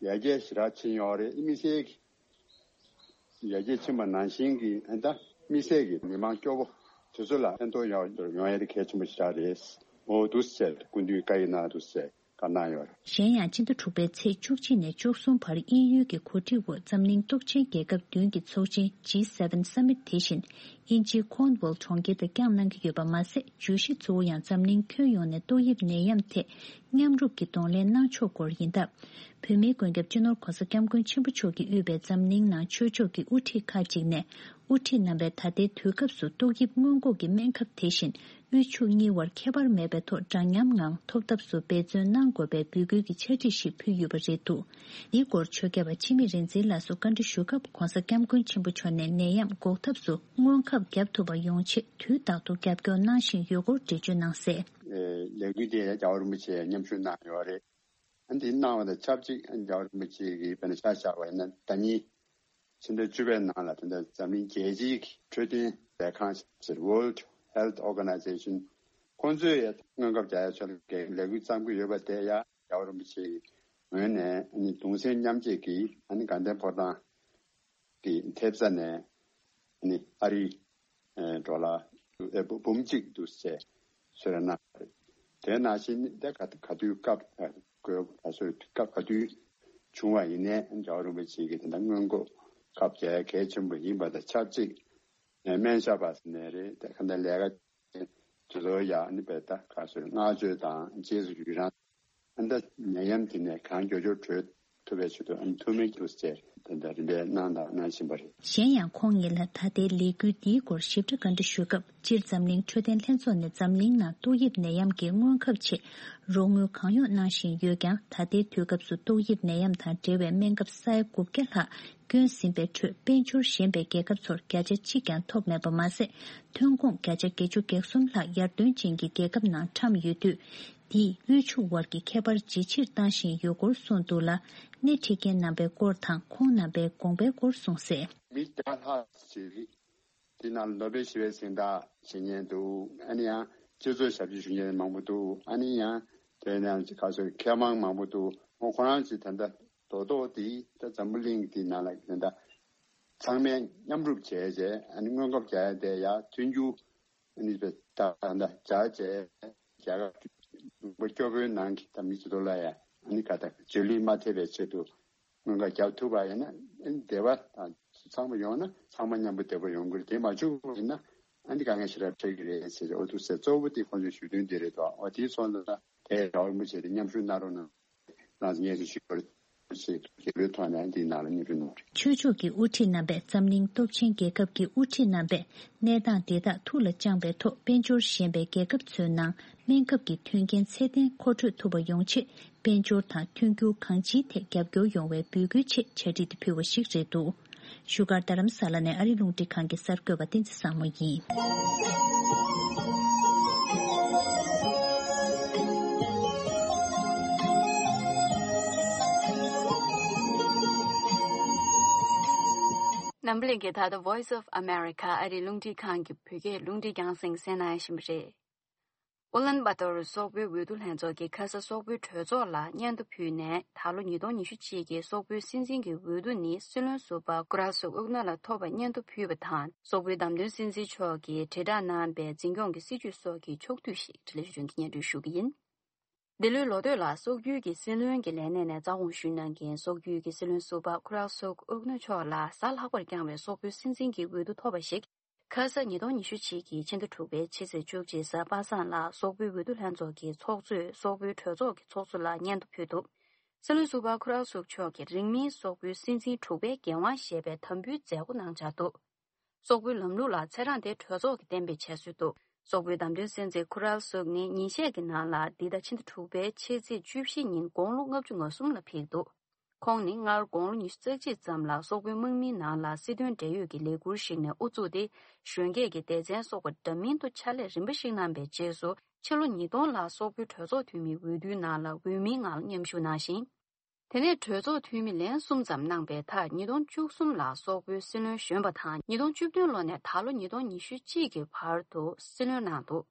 ཡར་རྒྱས་ཞེ་དྲག་ཕྱིན་ཡོད་རེད། དམིགས་བསལ་གྱི་ཡར་རྒྱས་ཕྱིན་པ་ནང་བཞིན་གྱི་ཨ་ད་དམིགས་བསལ་གྱི་མི་མང་སྐྱོ་བོ་དེ་ཚོ་ལ་ཕན་ཐོགས་ཡོང་ཡོང་ཡ་དེ་གལ་ཆེན་པོ་ཞེ་དྲག་རེད། འོ་འདུག་ཟེར་སྐུ་མདུན་བཀའ་ཡིག་གནང་འདུག་ཟེར་བཀའ་གནང་ཡོད་རེད། གཞན་ཡང་སྤྱི་ཟླ་དྲུག་པའི་ཚེས་བཅུ་གཅིག་ནས་བཅུ་གསུམ་བར་དབྱིན་ཡུལ་གྱི་གོ་སྒྲིག་འོག་འཛམ་གླིང་སྟོབས་ཆེན་རྒྱལ་ཁབ་བདུན་གྱི་ཚོགས་ཆེན་G seven Summit དེ་བཞིན་དབྱིན་ཇིའི་Cornwall གྲོང་ཁྱེར་དུ་བསྐྱངས་གནང་གི་ཡོད་པ་མ་ཟད། བརྗོད་གཞི་གཙོ་བོ་ཡང་འཛམ་གླིང་ཁྱོན་ཡོངས་ནས་ཏོག་དབྱིབས་ནད་ཡམས་ཐད་ མཉམ་རུབ་ཀྱིས་གདོང་ལེན་གནང་ཕྱོགས་སྐོར་ཡིན་སྟབས། བོད་མིའི་མགོན་སྐྱབས་སྤྱི་ནོར་༧གོང་ས་༧སྐྱབས་མགོན་ཆེན་པོ་མཆོག་གིས་དབུས་པའི་འཛམ་གླིང་ནང་ཆོས་ཕྱོགས་ཀྱི་དབུ་ཁྲིད་ཁག་ཅིག་ནས། དབུ་ཁྲིད་རྣམ་པས་ད་ལྟའི་དུས་སྐབས་སུ་ཏོག་དབྱིབས་སྔོན་འགོག་གི་སྨན་ཁབ་དེ་བཞིན་དབུལ་ཕྱུག་གཉིས་བར་ཁྱད་པར་མེད་པའི་ཐོག་འདྲ་མཉམ་ངང་ཐོབ་ཐབས་སུ་འབད་བརྩོན་གནང་དགོས་པའི་འབོད་སྐུལ་གྱི་ཕྱག་བྲིས་ཤིག་ཕུལ་ཡོད་པ་རེད་འདུག་འདིའི་སྐོར་ཆོས་སྐྱབས་པ་འཆི་མེད་རིག་འཛིན་ལགས་སུ་བཀའ་འདྲི་ཞུ་སྐབས་༧གོང་ས་༧སྐྱབས་མགོན་ཆེན་པོ་མཆོག་ནས་ནད་ཡམས་འགོག་ཐབས་སུ་སྔོན་ཁབ་བརྒྱབ་ཐུབ་པ་ཡོང་ཆེད་དུས་རྟག་ཏུ་རྒྱབ་སྐྱོར་གནང་བཞིན་ཡོད་སྐོར་འགྲེལ་བརྗོད་གནང་གསལ། ལས་འགུལ་དེ་རྒྱལ་བ་རིན་པོ་ཆེས་མཉམ་ཞུགས་གནང་ཡོད་རེད། ཨ་འདི་གནང་བ་དང་ཆབས་ཅིག་ཨ་རྒྱལ་བ་རིན་པོ་ཆེ་གིས་དཔེར་ན་ཆ་བཞག་པ་ཡིན་ན་ཟླ་ཉིན་ཕྱི་ཟླ་བཅུ་པའི་ནང་ལ་དེ་འདྲ་འཛམ་གླིང་རྒྱལ་སྤྱིའི་འཕྲོད་བསྟེན་ལས་ཁང་ཟེར་World Health Organization ཁོང་ཚོས་ཡང་སྔོན་ཁབ་རྒྱག་ཡ་ཆེད་ལས་འགུལ་བརྩམས་ཀྱི་ཡོད་པ་དེ་ཡང་རྒྱལ་བ་རིན་པོ་ཆེ་གི་ངོས་ནས་ཨ་ནི་གདུང་སེམས་མཉམ་སྐྱེད་ཀྱིས་ཨ་ནི་དགའ་ལྡན་ཕོ་བྲང་གི་ཐེབས་རྩ་ནས་ནི་ཨ་རིའི་ཨེ་ཌོ་ལར་ཨེ་འབུམ་གཅིག་འདུག་ཟེར་གསོལ་རས་གནང་བ་རེད། དེ་ནང་བཞིན་དེ་ག་ག་དུས་སྐབས་དགོས་ག་སོའི་སྐབས་ག་དུས་བྱུང་བ་ཡིན་ནའི་རྒྱལ་བ་རིན་པོ་ཆེ་གིས་དེ་འདྲ་སྔོན་འགོག་ཁབ་རྒྱག་གལ་ཆེན་པོ་ཡིན་པ་དང་ཆབས་ཅིག་ནས་སྨན་ཞབས་པ་ཟེར་ནས་རེད་དེ་ག་འདྲ་ལས་ཀ་དེ་ཚོ་ཡང་ནི་བེ་ད་ག་སོའི་བསྔགས་བརྗོད་དང་རྗེས་སུ་ཡི་རང་། ཨ་ནི་ད་ནད་ཡམས་དེ་ནས་གང་མགྱོགས་མགྱོགས་གྲོལ་ཐུབ་པའི་ཆེད་དུ་ཨ་ནི་ཐུགས་སྨོན་རྒྱུགས་བཅས་དེ་འདྲ་རིམ་པས་གནང་དང་གནང་བཞིན་པ་རེད། གཞན་ཡང་ཁོང་ཉིད་ལ་ད་ལྟའི་ལས་འགུལ་འདིའི་སྐོར་ཞིབ་ཕྲ་བཀའ་འདྲི་ཞུས་སྐབས་སྤྱིར་འཛམ་གླིང་འཕྲོད་བསྟེན་ལྷན་ཚོགས་ནས་འཛམ་གླིང་ནང་ཏོག་དབྱིབས་ནད་ཡམས་ཀྱི་སྔོན་ཁབ་ཆེད་རོགས་དངུལ་གང་ཡོང་གནང་བཞིན་ཡོད་ཀྱང་ད་ལྟའི་དུས་སྐབས་སུ་ཏོག་དབྱིབས་ནད་ཡམས་དང་འབྲེལ་བའི་སྨན་ཁབ་ས་ཡ་དགུ་བརྒྱ་ལྷག་བསྐྱོན་ཟིན་པའི་ཁྲོད་དཔལ་འབྱོར་ཞན་པའི་རྒྱལ་ཁབ་ཚོར་བརྒྱ་ཆ་གཅིག་ཀྱང་ཐོབ་མེད་པ་མ་ཟད་ཐོན་ཁུངས་བརྒྱ་ཆ་བརྒྱད་ཅུ་གྱ་གསུམ་ལྷག་ཡར་ཐོན་ཅན་གྱི་རྒྱལ་ཁབ་ནང་འཁྲམ་ཡོད་དུས། འདིས་དབུལ་ཕྱུག་དབར་གྱི་ཁྱད་པར་ཇེ་ཆེར་བཏང་བཞིན་ཡོད་སྐོར་གསུངས་འདུག་ལ། སྣེ་ཁྲིད་མཁན་རྣམ་པའི་སྐོར་དང་ཁོང་རྣམ་པའི་དགོངས་པའི་སྐོར་གསུངས་གསལ། མི་བརྒྱ་ལྷག་ཅིག་དེ་ནང་ལ་ནོ་བེལ་ཞི་བའི་གཟེངས་རྟགས་བཞེས་མཁན་འདུག་ཨ་ནི་ཡང་སྤྱི་ཚོགས་ཞབས་ཕྱི་ཞུ་མཁན་མང་པོ་འདུག་ཨ་ནི་ཡང་དེ་ནང་ག་ཚོད་མཁས་མང་མང་པོ་འདུག་ཁོ་ཁོ་རང་ཚོས་ད་ལྟ་རྡོག་རྡོག་དེ་ད་འཛམ་བུ་གླིང་དེ་ནང་ལ་ད་ལྟ་ཚང་མས་མཉམ་རུབ་བྱས་རྗེས་ཨ་ནི་སྔོན་ཁབ་རྒྱག་ཡ་དེ་ཡར་ཐོན་རྒྱུ། ཨ་ནི་ད་ད་ད་བྱ་བྱས་རྒྱལ་ཁབ་ཀྱི་ལུང་པ་སྐྱོ་པོའི་ནང་གི་ད་མི་ཚོ་ལ་ཡ་ཨ་ནི་ག་ད་འཇོན་ལུས་མ་ཐེབས་པའི་ཆེད་དུ་སྔོན་ཁ་རྒྱབ་ཐུབ་པ་ཡིན་ན་ཨ་ནི་བདེ་བ་དང་ཚང་མ་ཡོང་ན་ཚང་མ་མཉམ་པོ་བདེ་པོ་ཡོང་གི་རེད། དེ་མ་བྱུང་བ་ཡིན་ན་ཨ་ནི་དཀའ་ངལ་ཞེ་དྲག་འཕྲད་ཀྱི་རེད་ཟེར་ཏེ་འོ་འདུག་ཟེར། གཙོ་བོ་དེ་ཁོང་ཚོའི་ཞུ་དོན་དེ་རེད་དོ། འོ་དེའི་སོང་ཙང་དེ་རྒྱལ་བ་རིན་པོ་ཆེ་དེ་མཉམ་ཞུགས་གནང་རོགས་གནང་། རང་ཉེས་སུ་ཞུགས་པར་ཞེས་རྒྱལ་པོའི་ཐོག་ནས་འདིའི་ནང་ལ་སྙན་སྒྲོན་གནང་བ་རེད། ཆོས་ཕྱོགས་ཀྱི་དབུ་ཁྲིད་རྣམ་པས་འཛམ་གླིང་སྟོབས་ཆེན་རྒྱལ་ཁབ་ཀྱི་དབུ་ཁྲིད་རྣམ་པས་གནས་སྟངས་དེ་དག་ཐུགས་ལ་བཅངས་པའི་ཐོག་དཔལ་འབྱོར་ཞན་པའི་རྒྱལ་ཁབ་ཚོའི་ནང་སྨན་ཁབ་ཀྱི་མཐུན་རྐྱེན་ཚད་ལྡན་མཁོ་སྤྲོད་ཐུབ་པ་ཡོང་ཆེད་དཔལ་འབྱོར་དང་མཐུན་འགྱུར་གང་ཅིའི་ཐད་རྒྱབ་སྐྱོར་ཡོང་བའི་འབོད་སྐུལ་ཆེད་ཕྱག་བྲིས་དེ་ཕུལ་བ་ཞིག་རེད་འདུག་བཞུགས་སྒར་རྡ་རམ་ས་ལ་ནས་ཨ་རི་རླུང་འཕྲིན་ཁང་གི་གསར་འགོད་པ་བསྟན་འཛིན་བཟང་མོ་ཡིན། འཛམ་གླིང་གི་ད་ལྟ་Voice of America ཨ་རིའི་རླུང་འཕྲིན་ཁང་གི་བོད་སྐད་རླུང་འཕྲིན་རྒྱང་སྲིང་གསན་གནང་བཞིན་པ་རེད། ཨུ་ལན་བ་ཏོར་སོག་པོའི་འོས་བསྡུ་ལྷན་ཚོགས་ཀྱིས་ཁ་ས་སོག་པོའི་གྲོས་ཚོགས་ལ་སྙན་ཐོ་ཕུལ་ནས་ད་ལོ་ཉིས་སྟོང་ཉི་ཤུ་གཅིག་གི་སོག་པོའི་སྲིད་འཛིན་གྱི་འོས་བསྡུ་ནི་སྲིད་བློན་ཟུར་པ་ཀུ་ར་སུག་ཨུག་ན་ལ་ཐོབ་པ་སྙན་ཐོ་ཕུལ་བ་དང་སོག་པོའི་བདམས་ཐོན་སྲིད་འཛིན་མཆོག་གིས་དྲིལ་བསྒྲགས་གནང་པའི་འཛིན་སྐྱོང་གི་སྲིད་ཇུས་སོགས་ཀྱི་ཕྱོགས་བསྡུས་ཤིག་འཕྲིན་ལས་ཞུ་རྒྱུ་སྙན་སྒྲོན་ཞུ་གི་ཡིན། འདི་ལོའི་ལོ་སྟོད་ལ་སོག་ཡུལ་གྱི་སྲིད་བློན་གྱི་ལས་གནས་ནས་རྩ་དགོངས་ཞུས་གནང་མཁན་སོག་ཡུལ་གྱི་སྲིད་བློན་ཟུར་པ་ཁུ་རལ་སུག་ཨུག་ནུ་མཆོག་ལ་གཟའ་ལྷག་པར་བསྐྱངས་པའི་སོག་པོའི་སྲིད་འཛིན་གྱི་འོས་བསྡུ་ཐོབ་པ་ཞིག་ཁ་ས་ཉིས་སྟོང་ཉི་ཤུ་གཅིག་གི་ཕྱི་ཟླ་དྲུག་པའི་ཕྱི་ཚེས་བཅུ་གཅིག་གཟའ་པ་སངས་ལ་སོག་པོའི་འོས་བསྡུ་ལྷན་ཚོགས་ཀྱི་ཚོགས་གཙོས་སོག་པོའི་གྲོས་ཚོགས་ཀྱི་ཚོགས་གཙོ་ལ་སྙན་ཐོ་ཕུལ་འདུག་སྲིད་བློན་ཟུར་པ་ཁུ་རལ་སུག་མཆོག་གིས་རིང་མིན་སོག་པོའི་སྲིད་འཛིན་དྲུག་པའི་འགན་དབང་བཞེས་པའི་དམ་འབུལ་མཛད་སྒོ་གནང་འཆར་འདུག་སོག་པོའི་ལམ་ལུགས་ལ་ཚེ་རིང་དེ་གྲོས་ཚོགས་ཀྱིས་གཏན་འབེབས་བྱས་སྲོལ་འདུག་སོག་པོའི་བདམས་ཐོན་སྲིད་འཛིན་ཁུ་རལ་སུག་ནི་ཉིན་ཤས་ཀྱི་ནང་ལ་འདི་ཟླ་ཕྱི་ཟླ་དྲུག་པའི་ཕྱི་ཚེས་བཅུ་བཞི་ཉིན་དགུང་ལོ་ལྔ་བཅུ་ང་གསུམ་ལ་ཕེབས་འདུག་ཁོང་ནི་སྔར་དགུང་ལོ་ཉི་ཤུ་རྩ་གཅིག་ཙམ་ལ་སོག་པོའི་དམག་མིའི་ནང་ལ་སྲིད་དོན་འབྲེལ་ཡོད་ཀྱི་ལས་འཁུར་ཞིག་ནས་དབུ་བཙུགས་ཏེ་གཞོན་སྐྱེས་ཀྱི་སྡེ་ཚན་སོགས་པ་འདྲ་མིན་དུ་ཕྱག་ལས་རིམ་པ་ཞིག་གནང་པའི་རྗེས་སུ་ཕྱི་ལོ་ཉིས་སྟོང་ལ་སོག་པོའི་གྲོས་ཚོགས་འཐུས་མིའི་འོས་བསྡུའི་ནང་ལ་འོས་མིའི་ངང་མཉམ་ཞུགས་གནང་ཞིང་། དེ་ནས་གྲོས་ཚོགས་འཐུས་མི་ལན་གསུམ་ཙམ་གནང་པའི་མཐར་ཉིས་སྟོང་བཅུ་གསུམ་ལ་སོག་པོའི་སྲིད་བློན་གཞོན་པ་དང་ཉིས་སྟོང་བཅུ་བདུན་ལོ་ནས་ད་ལོ་ཉིས་སྟོང་ཉི་ཤུ་གཅིག་གི་བར་དུ་སྲིད་བློན་གནང་འདུག་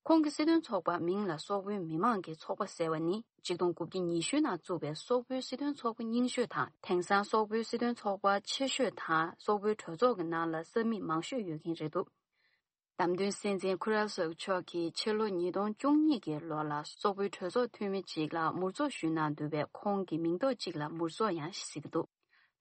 ཁོང་གི་སྲིད་དོན་ཚོགས་པ་མིང་ལ་སོག་པོའི་མི་མང་གི་ཚོགས་པ་ཟེར་བ་ནི་ཆིག་སྟོང་དགུ་བརྒྱ་ཉི་ཤུ་ནང་བཙུགས་པའི་སོག་པོའི་སྲིད་དོན་ཚོགས་པ་རྙིང་ཤོས་དང་དེང་སང་སོག་པོའི་སྲིད་དོན་ཚོགས་པ་ཆེ་ཤོས་དང་སོག་པོའི་གྲོས་ཚོགས་ཀྱི་ནང་ལ་ས་མིག་མང་ཤོས་ཡོད་མཁན་རེད་འདུག་བདམས་ཐོན་སྲིད་འཛིན་ཁུ་རལ་སུག་མཆོག་གིས་ཕྱི་ལོ་ཉིས་སྟོང་བཅུ་གཉིས་ཀྱི་ལོ་ལ་སོག་པོའི་གྲོས་ཚོགས་འཐུས་མི་གཅིག་ལ་མུར་ཚོགས་ཞུས་གནང་འདུག་པས་ཁོང་གི་མིང་འདོགས་གཅིག་ལ་མུར་ཚོགས་ཡང་ཟེར་གྱི་འདུག་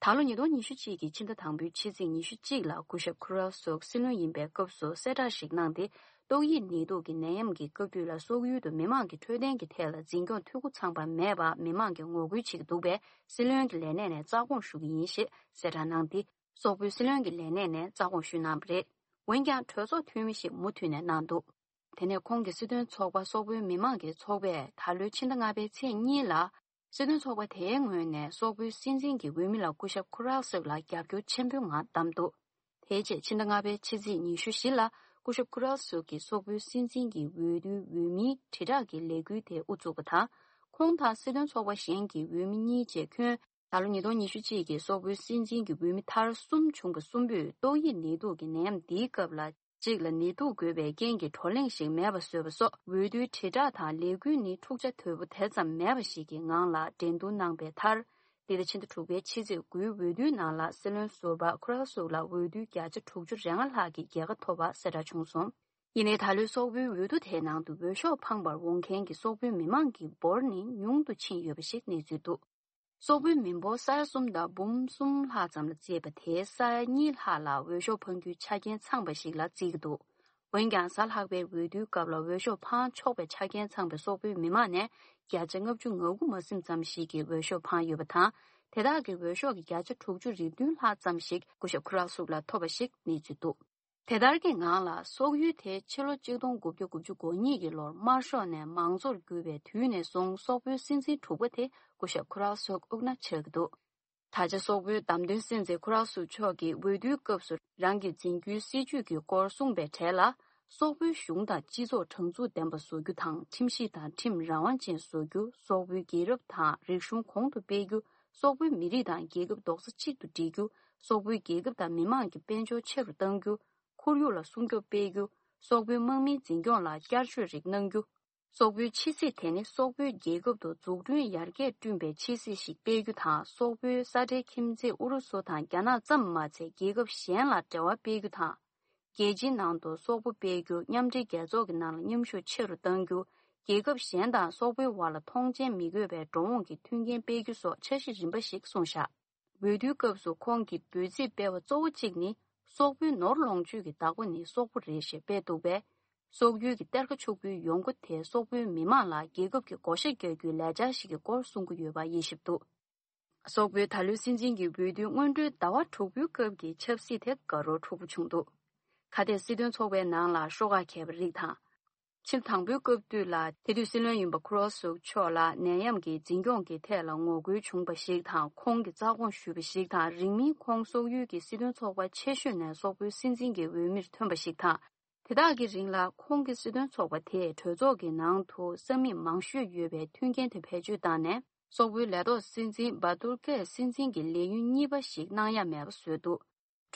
ད་ལོ་ཉིས་སྟོང་ཉི་ཤུ་གཅིག་གི་ཕྱི་ཟླ་དང་པོའི་ཕྱི་ཚེས་ཉི་ཤུ་གཅིག་ལ་སྐུ་ཞབས་ཁུ་རལ་སུག་སྲིད་བློན་ཡིན་པའི་སྐབས་སུ་གསལ་བསྒྲགས་ཤིག་གནང་སྟེ་ ཏོག་དབྱིབས་ནད་དུག་གི་ནད་ཡམས་ཀྱི་སྐབས་དུས་ལ་སོག་ཡུལ་དུ་མི་མང་གི་འཕྲོད་བསྟེན་གྱི་ཐད་ལ་འཛིན་སྐྱོང་འཐུས་སྒོ་ཚང་བ་མེད་པར་མི་མང་གིས་ངོ་རྒོལ་བྱེད་ཀྱི་འདུག་པས། སྲིད་བློན་གྱི་ལས་གནས་ནས་རྩ་དགོངས་ཞུ་གི་ཡིན་ཞེས་གསལ་བསྒྲགས་གནང་སྟེ། སོག་པོའི་སྲིད་བློན་གྱི་ལས་གནས་ནས་རྩ་དགོངས་ཞུས་གནང་བ་རེད། འོན་ཀྱང་གྲོས་ཚོགས་འཐུས་མི་ཞིག་མུ་མཐུད་ནས་གནང་འདུག་དེ་ནས་ཁོང་གི་སྲིད་དོན་ཚོགས་པ་སོག་པོའི་མི་མང་གི་ཚོགས་པས་ད་ལོའི་ཕྱི་ཟླ་ལྔ་པའི་ཚེས་གཉིས་ལ། སྲིད་དོན་ཚོགས་པ་དེའི་ངོས་ནས་སོག་པོའི་སྲིད་འཛིན་གྱི་འོས་མི་ལ་སྐུ་ཞབས་ཁུ་རལ་སུག་ལ་རྒྱབ་སྐྱོར་ཆེན་པོའི་ངང་བདམས་འདུག་དེའི་རྗེས་ཕྱི་ཟླ་ལྔ་པའི་ཕྱི་ཚེས་ཉི་ཤུ་བཞི་ལ་སྐུ་ཞབས་ཁུ་རལ་སུག་གིས་སོག་པོའི་སྲིད་འཛིན་གྱི་འོས་བསྡུའི་འོས་མིའི་དྲིལ་བསྒྲགས་ཀྱི་ལས་འགུལ་དེ་དབུ་བཙུགས་པ་དང་། ཁོང་དང་སྲིད་དོན་ཚོགས་པ་གཞན་གྱི་འོས་མི་གཉིས་བཅས་ཁྱོན། ད་ལོ་ཉིས་སྟོང་ཉི་ཤུ་གཅིག་གི་སོག་པོའི་སྲིད་འཛིན་གྱི་འོས་མི་མཐར་གསུམ་བྱུང་བ་གསུམ་པོས་ཏོག་དབྱིབས་ནད་དུག་གི་ནད་ཡམས་འདིའི་སྐབས་ལ། གཅིག་ལ་ནད་དུག་འགོས་པའི་རྐྱེན་གྱིས་བགྲོ་གླེང་ཞིག་མེད་པ་བཟོས་པ་སོགས་འོས་བསྡུའི་དྲིལ་བསྒྲགས་དང་ལས་འགུལ་ནི་འཁྲུག་ཆ་དོད་པོ་དེ་ཙམ་མེད་པ་ཞིག་གི་ངང་ལ་འགྲན་བསྡུར་གནང་པའི་མཐར། འདི་ཟླ་ཕྱི་ཟླ་དྲུག་པའི་ཕྱི་ཚེས་དགུའི་འོས་བསྡུའི་ནང་ལ་སྲིད་བློན་ཟུར་པ་ཁུ་རལ་སུག་ལ་འོས་བསྡུའི་བརྒྱ་ཆ་དྲུག་ཅུ་རེ་ལྔ་ལྷག་གི་རྒྱལ་ཁ་ཐོབ་པ་གསལ་བསྒྲགས་བྱུང་སོང་། ཡིན་ནའི་ད་ལོའི་སོག་པོའི་འོས་བསྡུ་དེའི་ནང་དུ་འོས་ཤོག་འཕངས་པར་འོང་མཁན་གྱི་སོག་པོའི་མི་མང་གི་འབོར་ནི་ཉུང་དུ་ཕྱིན་ཡོད་པ་ཞིག་གནས་ཚུལ་འདུག་སོག་པོའི་མི་འབོར་ས་ཡ་གསུམ་དང་འབུམ་གསུམ་ལྷག་ཙམ་ལ་བརྩིས་པ་དེའི་ས་ཡ་གཉིས་ལྷག་ལ་འོས་ཤོག་འཕང་རྒྱུའི་ཆ་རྐྱེན་ཚང་བ་ཞིག་ལ་བརྩི་གི་འདུག་འོན་ཀྱང་གཟའ་ལྷག་པའི་འོས་བསྡུའི་སྐབས་ལ་འོས་ཤོག་འཕང་ཆོག་པའི་ཆ་རྐྱེན་ཚང་བའི་སོག་པོའི་མི་མང་ནས་བརྒྱ་ཆ་ལྔ་བཅུ་ང་དགུ་མ་ཟིན་ཙམ་ཞིག་གིས་འོས་ཤོག་འཕངས་ཡོད་པ་དང་། དེ་དག་གི་འོས་ཤོག་གི་བརྒྱ་ཆ་དྲུག་ཅུ་རེ་བདུན་ལྷག་ཙམ་ཞིག་སྐུ་ཞབས་ཁུ་རལ་སུག་ལ་ཐོབ་པ་ཞིག་གནས་ཚུལ་འདུག་དེ་ལྟར་གྱི་ངང་ལ་སོག་ཡུལ་དེ་ཕྱི་ལོ་གཅིག་སྟོང་དགུ་བརྒྱ་དགུ་བཅུ་གོ་གཉིས་ཀྱི་ལོར་དམར་ཤོག་ནས་མང་གཙོར་གྱུར་པའི་དུས་ནས་བཟུང་སོག་པོའི་སྲིད་འཛིན་དྲུག་པ་དེ་སྐུ་ཞབས་ཁུ་རལ་སུག་དབུ་ན་ཆགས་ཀྱི་འདུག་ད་ཆ་སོག་པོའི་བདམས་ཐོན་སྲིད་འཛིན་ཁུ་རལ་སུག་མཆོག་གིས་འོས་བསྡུའི་སྐབས་སུ་རང་གི་འཛིན་རྒྱུའི་སྲིད་ཇུས་ཀྱི་སྐོར་གསུངས་པའི་གྲས་ལ། སོག་པོའི་གཞུང་དང་སྤྱི་ཚོགས་དྲང་ཚུགས་ལྡན་པ་བཟོ་རྒྱུ་དང་། ཁྲིམས་ཞིབ་དང་ཁྲིམས་རང་དབང་ཅན་བཟོ་རྒྱུ། སོག་པོའི་རྒྱལ་རབས་དང་རིག་གཞུང་གོང་དུ་སྤེལ་རྒྱུ། སོག་པོའི་མི་རིགས་དང་རྒྱལ་ཁབ་རྡོག་རྩ་གཅིག་ཏུ་སྒྲིལ་རྒྱུ། སོག་པོའི་རྒྱལ་ཁབ་དང་མི་དམངས་ཀྱི་དཔལ་འབྱོར་ཆེ་རུ་གཏང་རྒྱུ། ཁོར་ཡུག་ལ་སྲུང་སྐྱོབ་སྤེལ་རྒྱུ། སོག་པོའི་དམག་མིའི་འཛིན་སྐྱོང་ལ་བསྐྱར་བཅོས་རིགས་གནང་རྒྱུ། སོག་པོའི་ཕྱི་སྲིད་དེ་ནི་སོག་པོའི་རྒྱལ་ཁབ་ཏུ་འཛུགས་སྐྲུན་ཡར་རྒྱས་བསྐྲུན་པའི་ཕྱི་སྲིད་ཞིག་སྤེལ་རྒྱུ་དང་། སོག་པོའི་ས་འབྲེལ་ཁྱིམ་མཚེས་ཨུ་རུ་སུ་དང་རྒྱ་ནག་ཙམ་མ་ཚད་རྒྱལ་ཁབ་གཞན་ལ་འབྲེལ་བ་སྤེལ་རྒྱུ་དང་། རྒྱལ་སྤྱིའི་ནང་དུ་སོག་པོ་སྤེལ་རྒྱུ། མཉམ་འབྲེལ་རྒྱལ་ཚོགས་ཀྱི་ནང་ལ་མཉམ་ཞུགས་ཆེ་རུ་གཏང་རྒྱུ། རྒྱལ་ཁབ་གཞན་དང་སོག་པོའི་བར་ལ་མཐོང་མཆན་མི་དགོས་པའི་འགྲོ་འོང་གི་མཐུན་རྐྱེན་སྤེལ་རྒྱུ་སོགས་འཆར་གཞི་རིམ་པ་ཞིག་གསུངས་བཞག་འོས་བསྡུའི་སྐབས་སུ་ཁོང་གི་འབོད་ཚིག་སྤེལ་བ་གཙོ་བོ་གཅིག་ནི། སོག་པོའི་ནོར་ལོངས་སྤྱོད་ཀྱི་བདག་པོ་ནི་སོག་པོ་རེད་ཞེས་སྤེལ་འདུག་པས། སོག་ཡུལ་གྱི་གཏེར་ཁ་ཕྱུག་པོའི་ཡོང་སྒོ་དེ་སོག་པོའི་མི་དམངས་ལ་རྒྱལ་ཁབ་ཀྱི་བགོ་བཤའ་རྒྱག་རྒྱུའི་ལས་འཆར་ཞིག་གི་སྐོར་གསུང་གི་ཡོད་པ་དབྱེ་ཞིབ་འདུག་སོག་པོའི་ད་ལོའི་སྲིད་འཛིན་གྱི་འོས་བསྡུའི་སྔོན་འགྲོའི་ཟླ་བ་དྲུག་པའི་སྐབས་ཀྱི་ཆབ་སྲིད་དེ་དགའ་རབ་འཁྲུག་པོ་བྱུང་འདུག་ཁ་གཏད་སྲིད་དོན་ཚོགས་པའི་ནང་ལ་ཤོག་ཁག་གས་པ་རིགས་དང་། ཕྱི་ཟླ་དང་པོའི་སྐབས་དུས་ལ་དེ་དུས་སྲིད་བློན་ཡིན་པ་ཁུ་རོ་སུག་མཆོག་ལ་ནད་ཡམས་ཀྱི་འཛིན་སྐྱོང་གི་ཐད་ལ་ངོ་རྒོལ་བྱུང་བ་ཞིག་དང་། ཁོང་གིས་རྩ་དགོངས་ཞུས་པ་ཞིག་དང་། རིང་མིན་ཁོང་སོག་ཡུལ་གྱི་སྲིད་དོན་ཚོགས་པ་ཆེ་ཤོས་ནས་སོག་པོའི་སྲིད་འཛིན་གྱི་འོས་མིར་ཐོན་པ་ཞིག་དང་། དེ་དག་གི་རིང་ལ་ཁོང་གི་སྲིད་དོན་ཚོགས་པ་དེས་གྲོས་ཚོགས་ཀྱི་ནང་དུ་ས་མིག་མང་ཤོས་ཡོད་པའི་མཐུན་རྐྱེན་དེ་བེད་སྤྱོད་བཏང་ནས། སོག་པོའི་ལས་ཐོག་སྲིད་འཛིན་བྷ་ཏུར་ཀས་སྲིད་འཛིན་གྱི་ལས་ཡུན་གཉིས་པ་ཞིག་གནང་ཡ་མེད་པ་བཟོས་འདུག་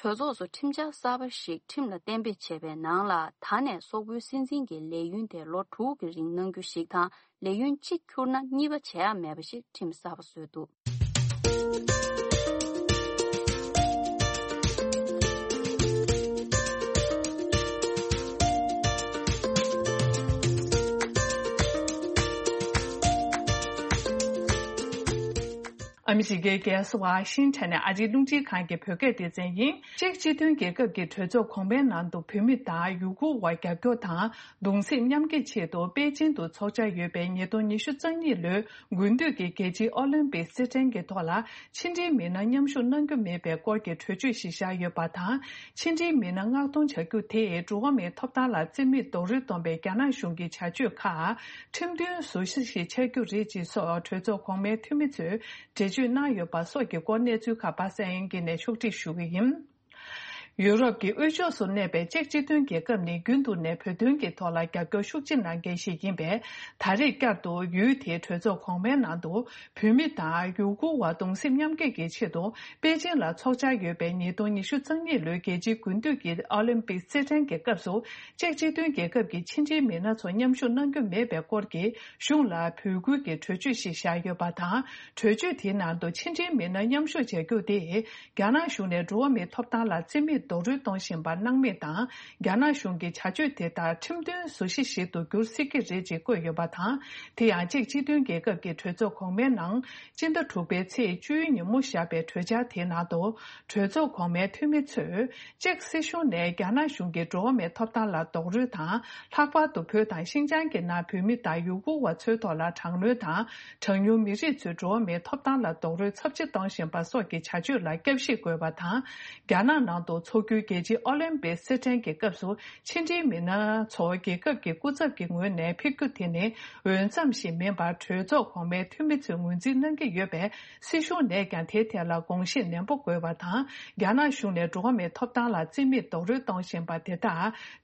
གྲོས་ཚོགས་སུ་ཁྲིམས་འཆར་གསར་པ་ཞིག་ཁྲིམས་ལ་གཏན་འབེབས་བྱས་པའི་ནང་ལ། ད་ནས་སོག་པོའི་སྲིད་འཛིན་གྱི་ལས་ཡུན་དེ་ལོ་དྲུག་གི་རིང་གནང་རྒྱུ་ཞིག་དང་། ལས་ཡུན་གཅིག་འཁྱུར་ན་གཉིས་པ་བྱེད་ཡ་མེད་པ་ཞིག་ཁྲིམས་གསར་པ་བཟོས་འདུག་ཨ་མི་རི་ཀའི་རྒྱལ་ས་ཝ་ཤིང་ཊོན་ནས་ཨ་རིའི་རླུང་འཕྲིན་ཁང་གི་བོད་སྐད་སྡེ་ཚན་ཡིན། ཅེཀ་སྤྱི་མཐུན་རྒྱལ་ཁབ་ཀྱི་གྲོས་ཚོགས་གོང་མའི་ནང་དུ་བོད་མི་དང་ཡུ་གུར་བ་རྒྱབ་སྐྱོར་དང་གདུང་སེམས་མཉམ་སྐྱེད་ཆེད་དུ་པེ་ཅིན་དུ་འཚོགས་འཆར་ཡོད་པའི་ཉིས་སྟོང་ཉི་ཤུ་རྩ་གཉིས་ལོའི་དགུན་དུས་ཀྱི་རྒྱལ་སྤྱིའི་ཨོ་ལིམ་པིག་རྩེད་འགྲན་གྱི་ཐོག་ལ་ཕྱི་འབྲེལ་མི་སྣ་མཉམ་ཞུགས་གནང་རྒྱུ་མེད་པའི་སྐོར་གྱི་གྲོས་ཆོད་ཞིག་བཞག་ཡོད་པ་དང་། ཕྱི་འབྲེལ་མི་སྣ་མངགས་གཏོང་བྱ་རྒྱུ་དེས་འགྲོ་བ་མིའི་ཐོབ་ཐང་ལ་རྩིས་མེད་རྡོག་རོལ་གཏོང་པའི་རྒྱ་ནག་གཞུང་གི་བྱ་སྤྱོད་ཁག་ཁྲིམས་མཐུན་བཟོ་གཞི་ཞིག་ཆགས་རྒྱུ་རེད་ཅེས་སོགས་གྲོས་ཚོགས་གོང་མའི་འཐུས་མི་ཚོས་འགྲེལ་བརྗོད་གནང་ཡོད་པ་སོགས་ཀྱི་སྐོར་གནས་ཚུལ་ཁག་པ་སངས་དབྱངས་སྐྱིད་ནས་ཕྱོགས་སྒྲིག་ཞུ་གི་ཡིན། ཡུ་རོབ་ཀྱི་དབུས་ཕྱོགས་སུ་གནས་པའི་ཅེཀ་སྤྱི་མཐུན་རྒྱལ་ཁབ་ནི་རྒྱུན་དུ་ནས་བོད་དོན་གྱི་ཐོག་ལ་རྒྱབ་སྐྱོར་ཤུགས་ཆེ་གནང་མཁན་ཞིག་ཡིན་པས། ད་རེས་བསྐྱར་དུ་ཡུལ་དེའི་གྲོས་ཚོགས་གོང་མའི་ནང་དུ་བོད་མི་དང་ཡུ་གུར་བ་གདུང་སེམས་མཉམ་སྐྱེད་ཀྱི་ཆེད་དུ་པེ་ཅིན་ལ་འཚོགས་འཆར་ཡོད་པའི་ཉིས་སྟོང་ཉི་ཤུ་རྩ་གཉིས་ལོའི་རྒྱལ་སྤྱིའི་དགུན་དུས་ཀྱི་ཨོ་ལིམ་པིག་རྩེད་འགྲན་གྱི་སྐབས་སུ། ཅེཀ་སྤྱི་མཐུན་རྒྱལ་ཁབ་ཀྱི་ཕྱི་འབྲེལ་མི་སྣ་ཚོ་མཉམ་ཞུགས་གནང་རྒྱུ་མེད་པའི་སྐོར་གྱི་གཞུང་ལ་འབོད་སྐུལ་གྱི་གྲོས་ཆོད་ཞིག་བཞག་ཡོད་པ་དང་། གྲོས་ཆོད་དེའི་ནང་དུ་ཕྱི་འབྲེལ་མི་སྣ་མཉམ་ཞུགས་བྱ་རྒྱུ་དེ་རྒྱ་ནག་གཞུང་ནས་འགྲོ་བ་མིའི་ཐོབ་ཐང་ལ་རྩིས་མེད་ རྡོག་རོལ་གཏོང་བཞིན་པ་སྣང་མེད་དང་། རྒྱ་ནག་གཞུང་གི་བྱ་སྤྱོད་དེ་དག་ཁྲིམས་མཐུན་བཟོ་གཞི་ཞིག་ཏུ་འགྱུར་སྲིད་ཀྱི་རེད་ཅེས་བཀོད་ཡོད་པ་དང་། དེ་ཡང་ཅེཀ་སྤྱི་མཐུན་རྒྱལ་ཁབ་ཀྱི་གྲོས་ཚོགས་གོང་མའི་ནང་སྤྱི་ཟླ་དྲུག་པའི་ཚེས་བཅུའི་ཉིན་མོ་བཞག་པའི་གྲོས་འཆར་དེའི་ནང་དུ། གྲོས་ཚོགས་གོང་མའི་འཐུས་མི་ཚོས། ཅེཀ་སྲིད་གཞུང་ནས་རྒྱ་ནག་གཞུང་གིས་འགྲོ་བ་མིའི་ཐོབ་ཐང་ལ་རྡོག་རོལ་དང་། ལྷག་པར་དུ་བོད་དང་ཤིན་ཅང་གི་ནང་བོད་མི་དང་ཡུ་གུར་བ་ཚོའི་ཐོག་ལ་དྲག་གནོན་དང་། གྲངས་ཉུང་མི་རིགས་ཚོའི་འགྲོ་བ་མིའི་ཐོབ་ཐང་ལ་རྡོག་རོལ་ཚབས་ཆེ་གཏོང་བཞིན་པ་སོགས་ཀྱི་བྱ་སྤྱོད་ལ་བསྐྱར་ཞིབ་དགོས་པ་དང་། རྒྱ་ནག་ནང་དུ་འཚོགས་རྒྱུའི་རྒྱལ་སྤྱིའི་ཨོ་ལིམ་པིག་རྩེད་འགྲན་གྱི་སྐབས་སུ་ཕྱི་འབྲེལ་མི་སྣ་ཚོ་རྒྱལ་ཁབ་ཀྱི་སྐུ་ཚབ་ཀྱི་ངོས་ནས་ཕེབས་རྒྱུ་དེ་ནི། འོས་འཚམ་ཞིག་མིན་པར་གྲོས་ཚོགས་གོང་མའི་འཐུས་མི་ཚོས་ངོས་འཛིན་གནང་གི་ཡོད་པས། སྲིད་གཞུང་ནས་ཀྱང་དེའི་ཐད་ལ་དགོངས་བཞེས་ནན་པོ་དགོས་པ་དང་། རྒྱ་ནག་གཞུང་ནས་འགྲོ་བ་མིའི་ཐོབ་ཐང་ལ་རྩིས་མེད་རྡོག་རོལ་གཏོང་བཞིན་པ་དེ་དག་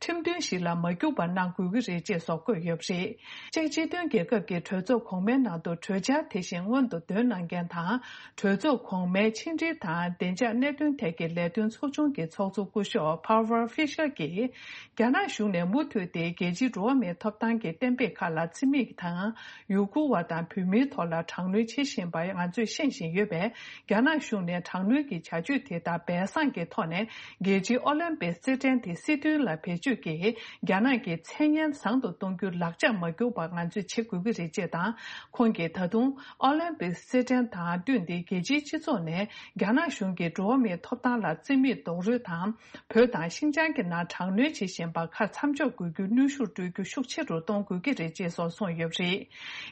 ཁྲིམས་མཐུན་ཞིག་ལ་མ་གྱུར་པ་གནང་དགོས་ཀྱི་རེད་ཅེས་སོགས་བཀོད་ཡོད་པ་རེད། ཅེཀ་སྤྱི་མཐུན་རྒྱལ་ཁབ་ཀྱི་གྲོས་ཚོགས་གོང་མའི་ནང་དུ་གྲོས་འཆར་དེ་བཞིན་སྔོན་དུ་འདོན་གནང་མཁན་དང་། གྲོས་ཚོགས་གོང་མའི་ཕྱི་འབྲེལ་དང་བདེ་འཇགས་གནད་དོན་ཐད་ཀྱི་ལས་དོན་ཚོགས་ཆུང་གི་ཚོགས་གཙོ་སྐུ་ཞབས་Barbara Fisher གྱིས། རྒྱ་ནག་གཞུང་ནས་མུ་མཐུད་དེ་རྒྱལ་སྤྱིའི་འགྲོ་བ་མིའི་ཐོབ་ཐང་གི་གཏན་འབེབས་ཁག་ལ་རྩིས་མེད་དང་། ཡུ་གུར་བ་དང་བོད་མིའི་ཐོག་ལ་དྲག་གནོན་བྱེད་བཞིན་པ་ང་ཚོས་ཤེས་བཞིན་ཡོད་པས། རྒྱ་ནག་གཞུང་ནས་དྲག་གནོན་གྱི་བྱ་སྤྱོད་དེ་དག་སྦས་གསང་གི་ཐོག་ནས་རྒྱལ་སྤྱིའི་ཨོ་ལིམ་པིག་རྩེད་འགྲན་དེ་སྲིད་དོན་ལ་བེད་སྤྱོད་ཀྱིས་རྒྱ་ནག་གི་མཚན་སྙན་བཟང་དུ་གཏོང་རྒྱུའི་ལག་ཆ་མ་གྱུར་པ་ང་ཚོས་བྱེད་དགོས་ཀྱི་རེད་ཅེས་དང་། ཁོང་གིས་ད་དུང་ཨོ་ལིམ་པིག་རྩེད་འགྲན་དང་བསྟུན་ཏེ་རྒྱལ་སྤྱིའི་སྤྱི་ཚོགས་ནས་རྒྱ་ནག་གཞུང་གིས་འགྲོ་བ་མིའི་ཐོབ་ཐང་ལ་རྩིས་མེད་རྡོག་རོལ་དང་། བོད་དང་ཤིན་ཅང་གི་ནང་དྲག་གནོན་བྱེད་བཞིན་པ་ཁག་མཚམས་འཇོག་དགོས་རྒྱུའི་གནོན་ཤུགས་སྤྲོད་རྒྱུ་ཤུགས་ཆེ་རུ་གཏོང་དགོས་ཀྱི་རེད་ཅེས་སོགས་གསུངས་ཡོད་པ་རེད།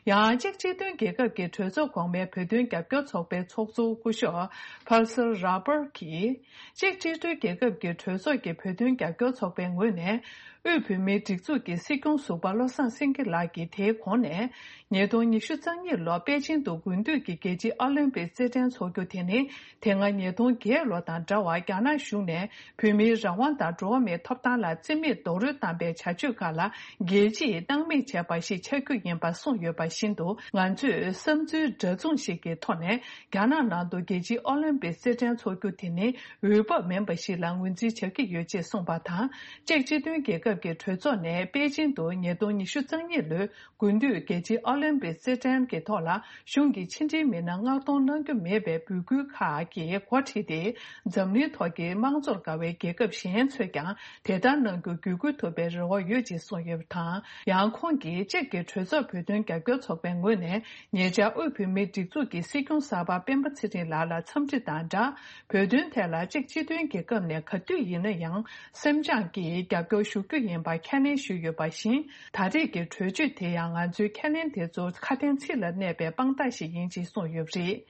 ཡང་ཅེཀ་སྤྱི་མཐུན་རྒྱལ་ཁབ་ཀྱི་གྲོས་ཚོགས་གོང་མའི་བོད་དོན་རྒྱབ་སྐྱོར་ཚོགས་པའི་ཚོགས་གཙོ་སྐུ་ཞབས་Pulser Rubber གྱིས། ཅེཀ་སྤྱི་མཐུན་རྒྱལ་ཁབ་ཀྱི་གྲོས་ཚོགས་ཀྱི་བོད་དོན་རྒྱབ་སྐྱོར་ཚོགས་པའི་ངོས་ནས། དབུས་བོད་མིའི་སྒྲིག་འཛུགས་ཀྱི་སྲིད་སྐྱོང་ཟུར་པ་བློ་བཟང་སེང་གེ་ལགས་ཀྱིས་དེའི་གོང་ནས། ཉིས་སྟོང་ཉི་ཤུ་རྩ་གཉིས་ལོར་པེ་ཅིང་དུ་དགུན་དུས་ཀྱི་རྒྱལ་སྤྱིའི་ཨོ་ལིམ་པིག་རྩེད་འགྲན་འཚོགས་རྒྱུ་དེ་ནི། དེ་སྔ་ཉིས་སྟོང་བརྒྱད་ལོ་དང་འདྲ་བར་རྒྱ་ནག་གཞུང་ནས་བོད་མིའི་རང་དབང་དང་འགྲོ་བ་མིའི་ཐོབ་ཐང་ལ་རྩིས་མེད་རྡོག་རོལ་བཏང་པའི་བྱ་སྤྱོད་ཁག་ལ་རྒྱལ་སྤྱིས་སྣང་མེད་བྱས་པ་ཞིག་ཆགས་རྒྱུ་ཡིན་པ་གསུངས་ཡོད་པ་བཞིན་དུ། ང་ཚོས་བསམ་ཚུལ་འདྲ་མཚུངས་ཤིག་གི་ཐོག་ནས་རྒྱ་ནག་ནང་དུ་རྒྱལ་སྤྱིའི་ཨོ་ལིམ་པིག་རྩེད་འགྲན་འཚོགས་རྒྱུ་དེ་ནི་འོས་བབ་མིན་པ་ཞིག་ལ་ངོས་འཛིན་བྱ་གི་ཡོད་ཅེས་གསུངས་པ་དང་། ཅེཀ་སྤྱི་མཐུན་རྒྱལ་ཁབ་ཀྱི་གྲོས་ཚོགས་ནས་པེ་ཅིང་དུ་ཉིས་སྟོང་ཉི་ཤུ་རྩ་གཉིས་ལོའི་དགུན་དུས་རྒྱལ་སྤྱིའི་ཨོ་ལིམ་པིག་རྩེད་འགྲན་གྱི་ཐོག་ལ་གཞུང་གི་ཕྱི་འབྲེལ་མི་སྣ་མངགས་གཏོང་གནང་རྒྱུ་མེད་པའི་འབོད་སྐུལ་ཁག་གིས་འགོ་ཁྲིད་དེ། འཛམ་གླིང་ཐོག་གི་དམངས་གཙོར་དགའ་བའི་རྒྱལ་ཁབ་གཞན་ཚོས་ཀྱང་དེ་ལྟར་གནང་རྒྱུར་བརྒྱུད་སྐུལ་ཐུབ་པའི་རེ་བ་ཡོད་ཅེས་གསུངས་ཡོད་པ་དང་། ཡང་ཁོང་གིས་ཅེཀ་གི་གྲོས་ཚོགས་བོད་དོན་རྒྱབ་སྐྱོར་ཚོགས་པའི་ངོས་ནས་ཉེ་ཆར་དབུས་བོད་མིའི་སྒྲིག་འཛུགས་ཀྱི་སྲིད་སྐྱོང་གསར་པ་སྤེན་པ་ཚེ་རིང་ལགས་ལ་འཚམས་འདྲི་དང་སྦྲགས། བོད་དོན་ཐད་ལ་ཅེཀ་སྤྱི་མཐུན་རྒྱལ་ཁབ་ནས་ག་དུས་ཡིན་ན་ཡང་སེམས་ཅན་གྱིས་རྒྱབ་སྐྱོར་ཞུ་རྒྱུ་ཡིན་པ་ཁས་ལེན་ཞུས་ཡོད་པ་བཞིན། ད་རེས་ཀྱི་གྲོས་ཆོད་དེ་ཡང་ང་ཚོའི་ཁས་ལེན་དེ་ཚོ་ཁ་དན་ཚིག་ལ་གནས་པའི་དཔང་རྟགས་ཤིག་ཡིན་ཅེས་གསུངས་ཡོད་པ་རེད།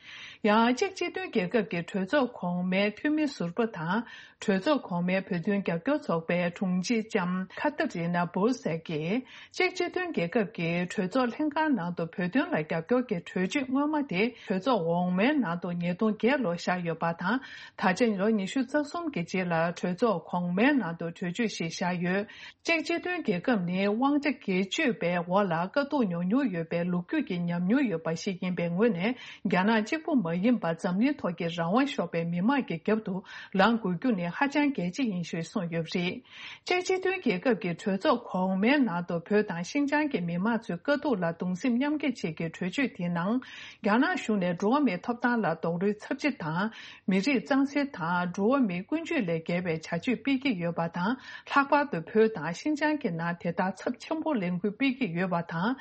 ཡང་ཅེཀ་སྤྱི་མཐུན་རྒྱལ་ཁབ་ཀྱི་གྲོས་ཚོགས་གོང་མའི་འཐུས་མི་ཟུར་པ་དང་། གྲོས་ཚོགས་གོང་མའི་བོད་དོན་རྒྱབ་སྐྱོར་ཚོགས་པའི་དྲུང་ཆེ་ལྕམ་ཁ་ཏ་རི་ན་བོལ་སེག་གིས། ཅེཀ་སྤྱི་མཐུན་རྒྱལ་ཁབ་ཀྱི་གྲོས་ཚོགས་ལྷན་ཁང་ནང་དུ་བོད་དོན་ལ་རྒྱབ་སྐྱོར་གྱི་གྲོས་ཆོད་སྔོན་མ་དེ་གྲོས་ཚོགས་འོག་མའི་ནང་དུ་ཉིས་སྟོང་བརྒྱད་ལོར་བཞག་ཡོད་པ་དང་། ད་ཆ་ལོ་ཉི་ཤུ་རྩ་གསུམ་གྱི་རྗེས་ལ་གྲོས་ཚོགས་གོང་མའི་ནང་དུ་གྲོས་ཆོད་ཞིག་བཞག་ཡོད། ཅེཀ་སྤྱི་མཐུན་རྒྱལ་ཁབ་ནི་དབང་ཆ་སྒེར་གཅོད་པའི་འོག་ལ་དཀའ་སྡུག་མྱོང་མྱོང་ཡོད་པའི་ལོ་རྒྱུས་ཀྱི་ཉམས་མྱོང་ཡོད་པ་ཞིག་ཡིན་པའི་ངོས་ནས། རྒྱ་ནག་གཅིག་པུ་མ་ཡིན་པར་འཛམ་གླིང་ཐོག་གི་རང་དབང་ཤོར་བའི་མི་མང་གི་རྒྱབ་ཏུ་ལངས་དགོས་རྒྱུ་ནི་ཧ་ཅང་གལ་ཆེ་ཡིན་ཞེས་གསུངས་ཡོད་པ་རེད། ཅེཀ་སྤྱི་མཐུན་རྒྱལ་ཁབ་ཀྱི་གྲོས་ཚོགས་གོང་མའི་ནང་དུ་བོད་དང་ཤིན་ཅང་གི་མི་མང་ཚོའི་དཀའ་སྡུག་ལ་གདུང་སེམས་མཉམ་སྐྱེད་ཆེད་ཀྱི་གྲོས་ཆོད་དེའི་ནང་། རྒྱ་ནག་གཞུང་ནས་འགྲོ་བ་མིའི་ཐོབ་ཐང་ལ་རྡོག་རོལ་ཚབས་ཆེ་དང་། མི་རིགས་གཙང་སེལ་དང་འགྲོ་བ་མིའི་ཀུན་སྤྱོད་ལས་བརྒལ་བའི་བྱ་སྤྱོད་སྤེལ་གྱི་ཡོད་པ་དང་། ལྷག་པར་དུ་བོད་དང་ཤིན་ཅང་གི་ནང་དེ་ལྟར་ཚབས་ཆེན་པོ་ལས་འགུལ་སྤེལ་གྱི་ཡོད་པ་དང་།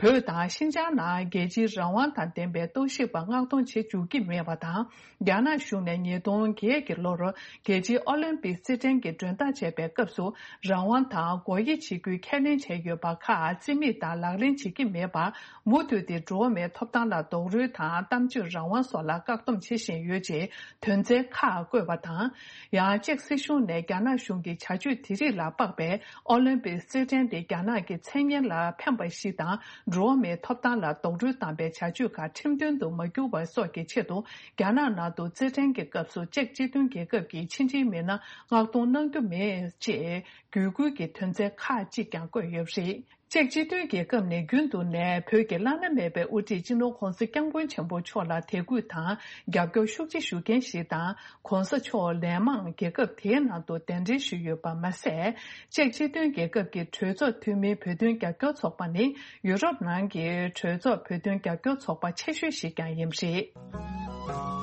བོད་དང་ཤིན་ཅང་ནང་རྒྱལ་སྤྱིའི་རང་དབང་དང་ལྡན་པའི་རྟོག་ཞིབ་པ་མངགས་གཏོང་བྱེད་འཇུག་གི་མེད་པ་དང་། རྒྱ་ནག་གཞུང་ནས་ཉིས་སྟོང་བརྒྱད་ཀྱི་ལོར་རྒྱལ་སྤྱིའི་ཨོ་ལིམ་པིག་རྩེད་འགྲན་གྱི་མགྲོན་བདག་བྱས་པའི་སྐབས་སུ། རང་དབང་དང་སྒོ་དབྱེ་བྱེད་རྒྱུའི་ཁས་ལེན་བྱས་ཡོད་པ་ཁག་རྩིས་མེད་དང་ལག་ལེན་བྱེད་ཀྱི་མེད་པར། མུ་མཐུད་དེ་འགྲོ་བ་མིའི་ཐོབ་ཐང་ལ་རྡོག་རོལ་དང་གཏམ་བརྗོད་རང་དབང་སོགས་ལ་བཀག་སྡོམ་བྱེད་བཞིན་ཡོད་ཅེས་དོན་ཚན་ཁག་བཀོད་པ་དང་། ཡང་ཅེཀ་སྲིད་གཞུང་ནས་རྒྱ་ནག་གཞུང་གི་བྱ་སྤྱོད་དེ་རིགས་ལ་དཔག་པའི་ཨོ་ལིམ་པིག་རྩེད་འགྲན་དེ་རྒྱ་ནག་གི་མཚན་སྙན་ལ་ཕན་པ་ཞིག་དང་། འགྲོ་བ་མིའི་ཐོབ་ཐང་ལ་རྡོག་རོལ་བཏང་པའི་བྱ་སྤྱོད་ཁག་ཁྲིམས་མཐུན་དུ་མ་གྱུར་བ་སོགས་ཀྱི་ཆེད་དུ། རྒྱ་ནག་ནང་དུ་རྩེད་འགྲན་གྱི་སྐབས་སུ་ཅེཀ་སྤྱི་མཐུན་རྒྱལ་ཁབ་ཀྱི་ཕྱི་འབྲེལ་མི་སྣ་མངགས་གཏོང་གནང་རྒྱུ་མེད་ཅེས་བརྒྱུད་སྐུལ་གྱི་དོན་ཚན་ཁག་ཅིག་ཀྱང་བཀོད་ཡོད་པ་རེད། ཅེཀ་སྤྱི་མཐུན་རྒྱལ་ཁབ་ནས་རྒྱུན་དུ་ནས་བོད་ཀྱི་བླ་ན་མེད་པའི་དབུ་ཁྲིད་སྤྱི་ནོར་༧གོང་ས་༧སྐྱབས་མགོན་ཆེན་པོ་མཆོག་ལ་དད་གུས་དང་རྒྱབ་སྐྱོར་ཤུགས་ཆེ་ཞུ་མཁན་ཞིག་དང་། ༧གོང་ས་མཆོག་ལན་མང་རྒྱལ་ཁབ་དེའི་ནང་དུ་གདན་འདྲེན་ཞུས་ཡོད་པ་མ་ཟད། ཅེཀ་སྤྱི་མཐུན་རྒྱལ་ཁབ་ཀྱི་གྲོས་ཚོགས་འཐུས་མིའི་བོད་དོན་རྒྱབ་སྐྱོར་ཚོགས་པ་ནི་ཡུ་རོབ་ནང་གི་གྲོས་ཚོགས་བོད་དོན་རྒྱབ་སྐྱོར་ཚོགས་པ་ཆེ་ཤོས་ཤིག་ཀྱང་ཡིན་པ་རེད།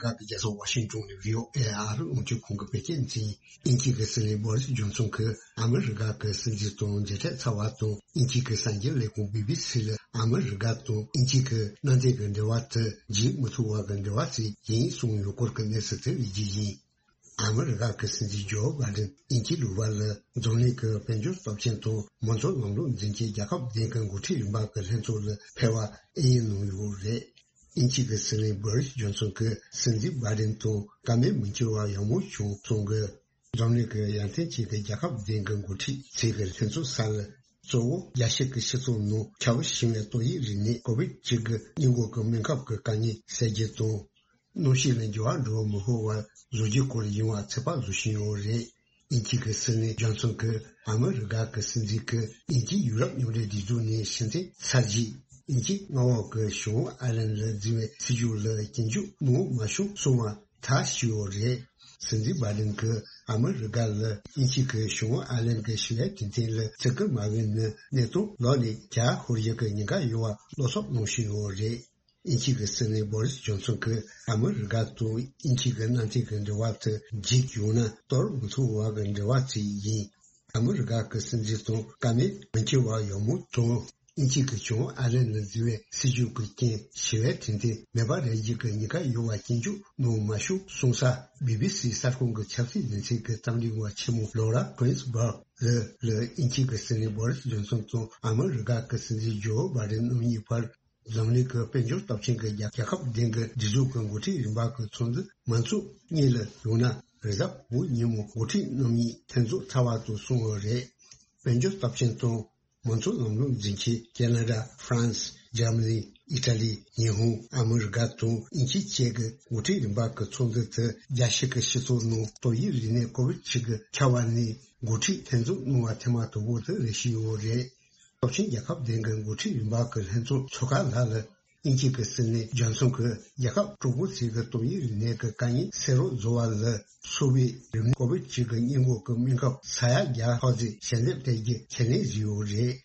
ཁག་གི་རྒྱལ་ས་ཝ་ཤིང་ཏོན་ནས་བྷི་ཨོ་ཨེ་ཨར་རླུང་འཕྲིན་ཁང་གི་བོད་སྐད་སྡེ་ཚན་ཡིན། དབྱིན་ཇི་གི་སྲིད་བློན་བྷོ་རིས་ཇོན་སོན་གྱིས་ཨ་མི་རི་ཀ་གི་སྲིད་འཛིན་དང་མཇལ་འཕྲད་ཚར་བ་དང་། དབྱིན་ཇི་གི་གསར་འགྱུར་ལས་ཁང་བི་བི་སི་ལ་ཨ་མི་རི་ཀ་དང་དབྱིན་ཇི་གི་ནང་བསྟན་གྱི་འབྲེལ་བ་དེ་བརྗེད་མི་ཐུབ་པ་གི་འབྲེལ་བ་ཞིག་ཡིན་གསུངས་ཡོད་སྐོར་གྱི་གནས་ཚུལ་དེ་རིགས་ཀྱི་ཡིན། ཨ་མི་རི་ཀ་གི་སྲིད་འཛིན་ཇོ་བྷའི་ཌེན་དབྱིན་ཇི་ལུང་པ་ལ་འཛམ་གླིང་གི་དཔལ་འབྱོར་སྟོབས་ཆེན་དང་མང་གཙོ་ལམ་ལུགས་འཛིན་ཆེད་རྒྱལ་ཁབ་བདུན་གྱི་འགོ་ཁྲིད་རིམ་པ་གི་ལྷན་ཚོགས་ལ་ཕེབས་པ་ཨེ་ཡིན་གནང་ཡོད་རེད། དབྱིན་ཇི་གི་སྲིད་བློན་བྷོ་རིས་ཇོན་སོན་གྱིས་སྲིད་འཛིན་བྷའི་ཌེན་དང་བཀའ་མོལ་མི་འཁྱོལ་བ་ཡག་མོ་བྱུང་གསུངས་གི། འཛམ་གླིང་གི་ཡ་མཚན་ཅན་གྱི་རྒྱལ་ཁབ་བདུན་གྱི་འགོ་ཁྲིད་ཚོས་ཀྱི་ལྷན་ཚོགས་ས་ལ་གཙོ་བོ་རྒྱལ་སྤྱི་གི་སྤྱི་ཚོགས་ནང་ཁྱབ་ཞིང་བའི་ཏོག་དབྱིབས་རིམས་ནད་ཀོ་བིད་བཅུ་དགུ་སྔོན་འགོག་གི་སྨན་ཁབ་ཀྱི་དཀའ་ངལ་སེལ་རྒྱུ་དང་། གནམ་གཤིས་ལ་འགྱུར་བ་འགྲོ་མི་ཕོད་པར་བཟོ་རྒྱུའི་སྐོར་ཡིན་པ་ཚོད་དཔག་བཟོ་བཞིན་ཡོད་རེད། དབྱིན་ཇི་གི་སྲིད་བློན་ཇོན་སོན་གྱིས་ཨ་མི་རི་ཀ་གི་སྲིད་འཛིན་གྱིས་དབྱིན་ཇི་ཡུ་རོབ་མཉམ་འབྲེལ་སྒྲིག་འཛུགས་ནས་ཕྱིར་འཐེན་ཚར་རྗེས། དབྱིན་ཇི་མངའ་འོག་གི་ཞུང་ཨའི་ལན་ལ་འཛུལ་བའི་སྲིད་ཇུས་ལ་སྐྱོན་བརྗོད་གནང་མ་བྱུང་གསུངས་པ་ཐག་ཆོད་ཡོད་རེད། སྲིད་འཛིན་བྷའི་ཌེན་གྱིས་ཨ་མི་རི་ཀ་ལ་དབྱིན་ཇི་གིས་ཞུང་ཨའི་ལན་གྱི་ཞི་བའི་གྲོས་མཐུན་ལ་བརྩི་བཀུར་མ་འོས་ན་གནས་སྟངས་ལོག་ནས་རྒྱ་ཤོར་རྒྱུ་གི་ཉེན་ཁ་ཡོད་པ་བློ་འཚབ་གནང་བཞིན་ཡོད་རེད། དབྱིན་ཇི་གི་སྲིད་བློན་བྷོ་རིས་ཇོན་སོན་གྱིས་ཨ་མི་རི་ཀ་དང་དབྱིན་ཇི་གི་གནམ་བསྟན་གྱི་འབྲེལ་བ་དེ་བརྗེད་ཡོང་ན་གཏོར་མི་ཐུབ་པ་གི་འབྲེལ་བ་ཅིག་ཡིན། ཨ་མི་རི་ཀ་གི་སྲིད་འཛིན་དང་བཀའ་མོལ་མི་འཁྱོལ་བ་ཡག་མོ་དང་། དབྱིན་ཇི་གི་ཞུང་ཨའི་ལན་ལ་འཛུལ་བའི་སྲིད་ཇུས་ཀྱི་རྐྱེན་ཞི་བའི་གྲོས་མཐུན་མེད་པ་རེད་རྒྱུ་གི་ཉེན་ཁ་ཡོད་པ་སྐྱོན་བརྗོད་གནང་མ་བྱུང་གསུངས་ས་བི་བི་སི་གསར་ཁང་གི་ཆབ་སྲིད་སྡེ་ཚན་གྱི་རྩོམ་སྒྲིག་པ་ཆེན་མོ་ལོ་ར་གུན་སི་བྷར་ལ་ལ་དབྱིན་ཇི་གི་སྲིད་བློན་བྷོ་རིས་ཇོན་སོན་དང་ཨ་མི་རི་ཀ་གི་སྲིད་འཛིན་ཇོ་བྷའི་ཌེན་རྣམ་གཉིས་བར་འཛམ་གླིང་གི་དཔལ་འབྱོར་སྟོབས་ཆེན་གྱི་རྒྱལ་རྒྱལ་ཁབ་བདུན་གྱི་སྒྲིག་འཛུགས་ཀྱི་འགོ་ཁྲིད་རིམ་པ་གྱི་ཚོགས་འདུ་མང་ཚོགས་གཉིས་ལ་ཡོང་ན་རེས་གཟའ་ཕུར་བུ་ཉིན་མོ་འགོ་ཁྲིད་རྣམ་གཉིས་ལྷན་འཛོམས་ཚར་བ་དང་གསུངས་ཡོད་རེད། དཔལ་འབྱོར་སྟོབས་ཆེན་དང་མང་གཙོ་ལམ་ལུགས་འཛིན་ཆེད་ཁེ་ན་ཌ། ཧྥ་རན་སི། འཇར་མ་ནི། ཨི་ཊ་ལི། ཉི་ཧོང་། ཨ་མི་རི་ཀ་དང་དབྱིན་ཇི་བཅས་ཀྱི་འགོ་ཁྲིད་རིམ་པ་གྱི་ཚོགས་འདུ་དེ་རྒྱལ་སྤྱི་གི་སྤྱི་ཚོགས་ནང་ཏོག་དབྱིབས་རིམས་ནད་ཀོ་བིད་བཅུ་དགུ་ཁྱབ་པ་ནས་འགོ་ཁྲིད་ལྷན་འཛོམས་གནང་བ་ཐེངས་མ་དང་པོ་དེ་རེད་བཞིན་ཡོད་རེད། སྟོབས་ཆེན་རྒྱལ་ཁབ་བདུན་གྱི་འགོ་ཁྲིད་རིམ་པ་གྱི་ལྷན་ཚོགས་འཚོགས་ཁང་ལྷ་ལ་དབྱིན་ཇི་གི་སྲིད་བློན་ཇོན་སོན་གྱིས་རྒྱལ་ཁབ་གྲོགས་པོ་ཚོས་ཀྱི་ཏོག་དབྱིབས་རིམས་ནད་ཀྱི་དཀའ་ངལ་སེལ་རོགས་བཟོ་བ་ལ་སོགས་པའི་རིམས་ནད་ཀོ་བིད་བཅུ་དགུ་སྔོན་འགོག་གི་སྨན་ཁབ་ས་ཡ་བརྒྱ་ལྷག་ཙམ་ཞལ་འདེབས་སྤྲད་རྒྱུ་ཁས་ལེན་བཟོས་ཡོད་རེད།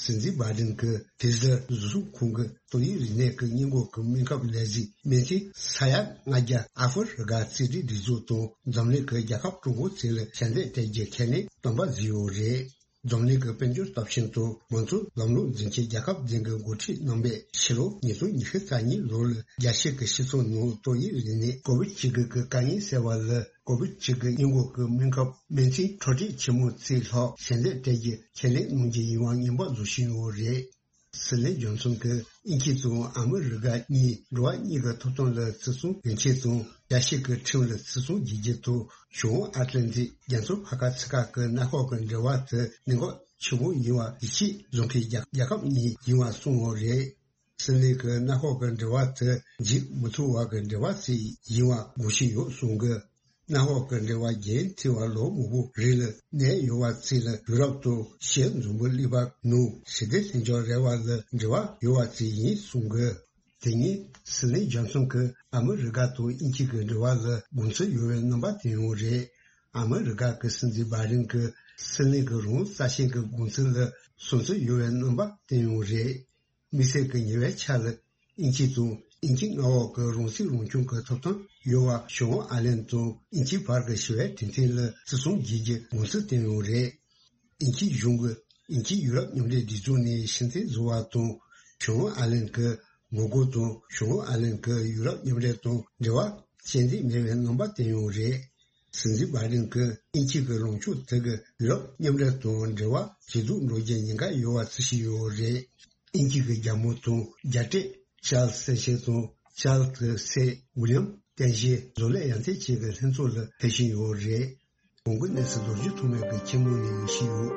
སྲིད་འཛིན་བྷའི་ཌེན་གྱིས་ཕི་ཛར་བཟོ་ཚོང་ཁང་གི་ཏོག་དབྱིབས་རིམས་ནད་ཀྱི་སྔོན་འགོག་གི་སྨན་ཁབ་ལས་གཞི་སྨན་ཐུན་ས་ཡ་ལྔ་བརྒྱ་ཨ་ཧྥེ་རི་ཀ་རྩིས་སྤྲོད་སྒྲིག་འཛུགས་དང་འཛམ་གླིང་གི་རྒྱལ་ཁབ་གྲོགས་པོ་ཚོ་ལ་ཞལ་འདེབས་སྤྲད་རྒྱུ་ཁས་ལེན་དམ་པ་བཟོས་ཡོད་རེད། འཛམ་གླིང་གི་དཔལ་འབྱོར་སྟོབས་ཆེན་དང་མང་གཙོ་ལམ་ལུགས་འཛིན་ཆེད་རྒྱལ་ཁབ་བདུན་གྱི་འགོ་ཁྲིད་རྣམ་པས་ཕྱི་ལོ་ཉིས་སྟོང་ཉི་ཤུ་རྩ་གཉིས་ལོ་ལ་རྒྱལ་སྤྱི་གི་སྤྱི་ཚོགས་ནང་ཏོག་དབྱིབས་རིམས་ནད་ཀོ་བིད་བཅུ་དགུ་གི་དཀའ་ངལ་སེལ་བ་ལ་ཀོ་བིད་བཅུ་དགུ་སྔོན་འགོག་གི་སྨན་ཁབ་སྨན་ཐུན་འཕྲོད་བསྟེན་ཆེན་མོ་ཚོ་ལ་ཞལ་འདེབས་སྤྲད་རྒྱུ་ཁས་ལེན་གནང་རྒྱུ་ཡིན་པ་ངན་པ་བཟོ་བཞིན་ཡོད་རེད། སྲིད་བློན་ཇོན་སོན་གྱིས་དབྱིན་ཇི་དང་ཨ་མི་རི་ཀ་གཉིས་འགྲོ་བ་གཉིས་ཀྱི་ཐོབ་ཐང་ལ་བརྩི་སྲུང་ཡོང་ཆེད་དང་རྒྱལ་སྤྱི་གི་ཁྲིམས་ལ་བརྩི་སྲུང་བྱེད་རྒྱུ་དང་བྱང་ཨ་ཏི་ལན་ཏི་རྒྱ་མཚོ་ཕར་ཁ་ཚུར་ཁ་གི་གནམ་འོག་གི་འབྲེལ་བ་དེ་གནད་འགག་ཆེན་པོ་ཡིན་པ་ཡིད་ཆེས་བཟུང་མཁན་རྒྱལ་རྒྱལ་ཁབ་གཉིས་ཡིན་པ་གསུངས་ཡོད་རེད། སྲིད་བློན་གྱིས་གནམ་འོག་གི་འབྲེལ་བ་དེ་འཇིག་མི་ཐུབ་པ་གི་འབྲེལ་བ་ཞིག་ཡིན་པ་དགོངས་བཞེས་ཡོད་གསུངས་གི། གནམ་འོག་གི་འབྲེལ་བ་རྒྱུན་མཐུད་པར་ལོ་མང་པོ་རིང་ལ་གནས་ཡོད་པ་ཚོ་ལ་ཡུ་རོབ་དང་ཤར་འཛམ་བུ་གླིང་པ་ནང་ཞི་བདེ་ལྷིང་འཇགས་རེ་བ་ལ་འབྲེལ་བ་ཡོད་པ་ཞིག་ཡིན་གསུངས་གི། དེ་ཉིན་སྲིད་བློན་ཇོན་སོན་གྱིས་ཨ་མི་རི་ཀ་དང་དབྱིན་ཇི་གི་འབྲེལ་བ་ལ་དགོངས་ཚུལ་ཡོད་པའི་རྣམ་པ་བསྟན་ཡོད་རེད། ཨ་མི་རི་ཀ་གི་སྲིད་འཛིན་བྷའི་ཌེན་གྱིས་སྲིད་བློན་གྱི་རང་རྩ་ཆེན་གྱི་དགོངས་ཚུལ་ལ་བསམ་ཚུལ་ཡོད་པའི་རྣམ་པ་བསྟན་ཡོད་རེད། དམིགས་བསལ་གྱི་ཉེ་བའི་ཆར་ལ་དབྱིན་ཇི་དང་དབྱིན་ཇི་མངའ་འོག་གི་རང་སྲིད་རང་སྐྱོང་གི་ཐོབ་ཐང་ཡོད་པ་བྱང་ཨ་ལན་དང་དབྱིན་ཇི་བར་གྱི་ཞི་བའི་གྲོས་མཐུན་ལ་བརྩི་སྲུང་བྱེད་རྒྱུ་དགོངས་ཚུལ་བསྟན་ཡོད་རེད། དབྱིན་ཇིའི་གཞུང་གིས་དབྱིན་ཇི་ཡུ་རོབ་མཉམ་འབྲེལ་སྒྲིག་འཛུགས་ནས་ཕྱིར་འཐེན་བཟོ་བ་དང་བྱང་ཨ་ལན་གྱི་ངོ་རྒོལ་དང་བྱང་ཨ་ལན་གྱིས་ཡུ་རོབ་མཉམ་འབྲེལ་དང་འབྲེལ་བ་གཅོད་འཛིན་མེད་པའི་རྣམ་པ་བསྟན་ཡོད་རེད། སྲིད་འཛིན་བྷའི་ཌེན་གྱིས་དབྱིན་ཇི་གི་ལངས་ཕྱོགས་དེ་གིས་ཡུ་རོབ་མཉམ་འབྲེལ་དང་འབྲེལ་བ་ཇེ་སྡུག་འགྲོ་རྒྱུའི་ཉེན་ཁ་ཡོད་པ་བརྩི་བཞིན་ཡོད་རེད། དབྱིན་ཇི་གི་རྒྱལ་མོ་དང་རྒྱལ་སྲས་ཆཱལ་སི་སེ་ཤན་དང་ཆཱལ་གྱི་སྲས་ཝི་ལི་ཡམ་སྟངས་དཔྱལ་བཟོ་ལས་ཡར་ཐོན་བཅས་ཀྱི་ལྷན་ཚོགས་ལ་ཕེབས་བཞིན་ཡོད་རེད། གོང་གི་གནས་ཚུལ་རྡོ་རྗེ་ཐོགས་མེད་ཀྱི་ཁྱིམ་ནང་ནས་ཞུས་ཡོད།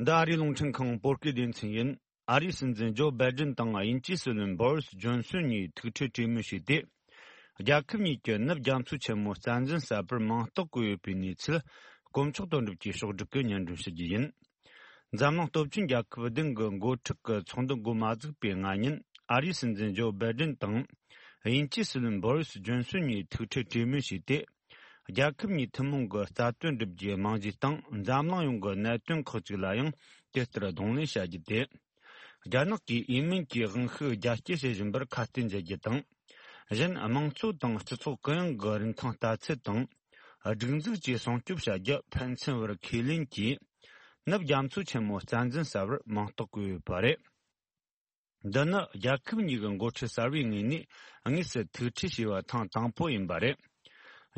འདི་ཨ་རིའི་རླུང་འཕྲིན་ཁང་བོད་སྐད་སྡེ་ཚན་ཡིན། ཨ་རིའི་སྲིད་འཛིན་ཇོ་བྷའི་ཌེན་དང་དབྱིན་ཇིའི་སྲིད་བློན་བྷོ་རིས་ཇོན་སོན་གཉིས་ཐུག་འཕྲད་གྲོས་མོལ་བྱས་ཏེ། རྒྱལ་ཁབ་གཉིས་ཀྱི་ནུབ་རྒྱ་མཚོ་ཆེན་མོ་རྩ་འཛིན་གསར་པར་མིང་རྟགས་བཀོད་ཡོད་པའི་གནས་ཚུལ་དཀོན་མཆོག་དོན་གྲུབ་ཀྱིས་ཕྱོགས་བསྒྲིགས་ཀྱིས་སྙན་སྒྲོན་ཞུ་རྒྱུ་ཡིན། འཛམ་གླིང་སྟོབས་ཆེན་རྒྱལ་ཁབ་བདུན་གྱི་འགོ་ཁྲིད་ཀྱི་ཚོགས་འདུ་འགོ་མ་ཚུགས་པའི་སྔ་ཉིན། ཨ་རིའི་སྲིད་འཛིན་ཇོ་བྷའི་ཌེན་དང་དབྱིན་ཇིའི་སྲིད་བློན་བྷོ་རིས་ཇོན་སོན་གཉིས་ཐུག་འཕྲད་གྲོས་མོལ་བྱས་ཏེ། རྒྱལ་ཁབ་གཉིས་ཐུན་མོང་གི་རྩ་དོན་སྒྲུབ་རྒྱུའི་རྨང་གཞི་དང་འཛམ་གླིང་ཡོངས་ཀྱི་གནད་དོན་ཁག་ཅིག་ལ་ཡང་དེ་ལྟར་གདོང་ལེན་བྱ་རྒྱུ་སྟེ། རྒྱ་ནག་གིས་ཡེ་མེན་གྱི་དབང་ཤུགས་རྒྱ་སྐྱེད་བྱེད་བཞིན་པར་ཁ་གཏད་འཇལ་རྒྱུ་དང་། གཞན་དམངས་གཙོ་དང་སྤྱི་ཚོགས་གུ་ཡངས་ཀྱི་རིན་ཐང་ལྟ་ཚུལ་དང་། སྒྲིག་འཛུགས་བཅས་སྲུང་སྐྱོབ་བྱ་རྒྱུ་ཕན་ཚུན་བར་ཁས་ལེན་གྱིས། ནུབ་རྒྱ་མཚོ་ཆེན་མོ་རྩ་འཛིན་གསར་བར་མིང་རྟགས་བཀོད་ཡོད་པ་རེད། འདི་ནི་རྒྱལ་ཁབ་གཉིས་ཀྱི་འགོ་ཁྲིད་གསར་བའི་ངོས་ནས་དངོས་སུ་ཐུག་འཕྲད་བྱས་པ་ཐེངས་དང་པོ་ཡིན་པ་རེད།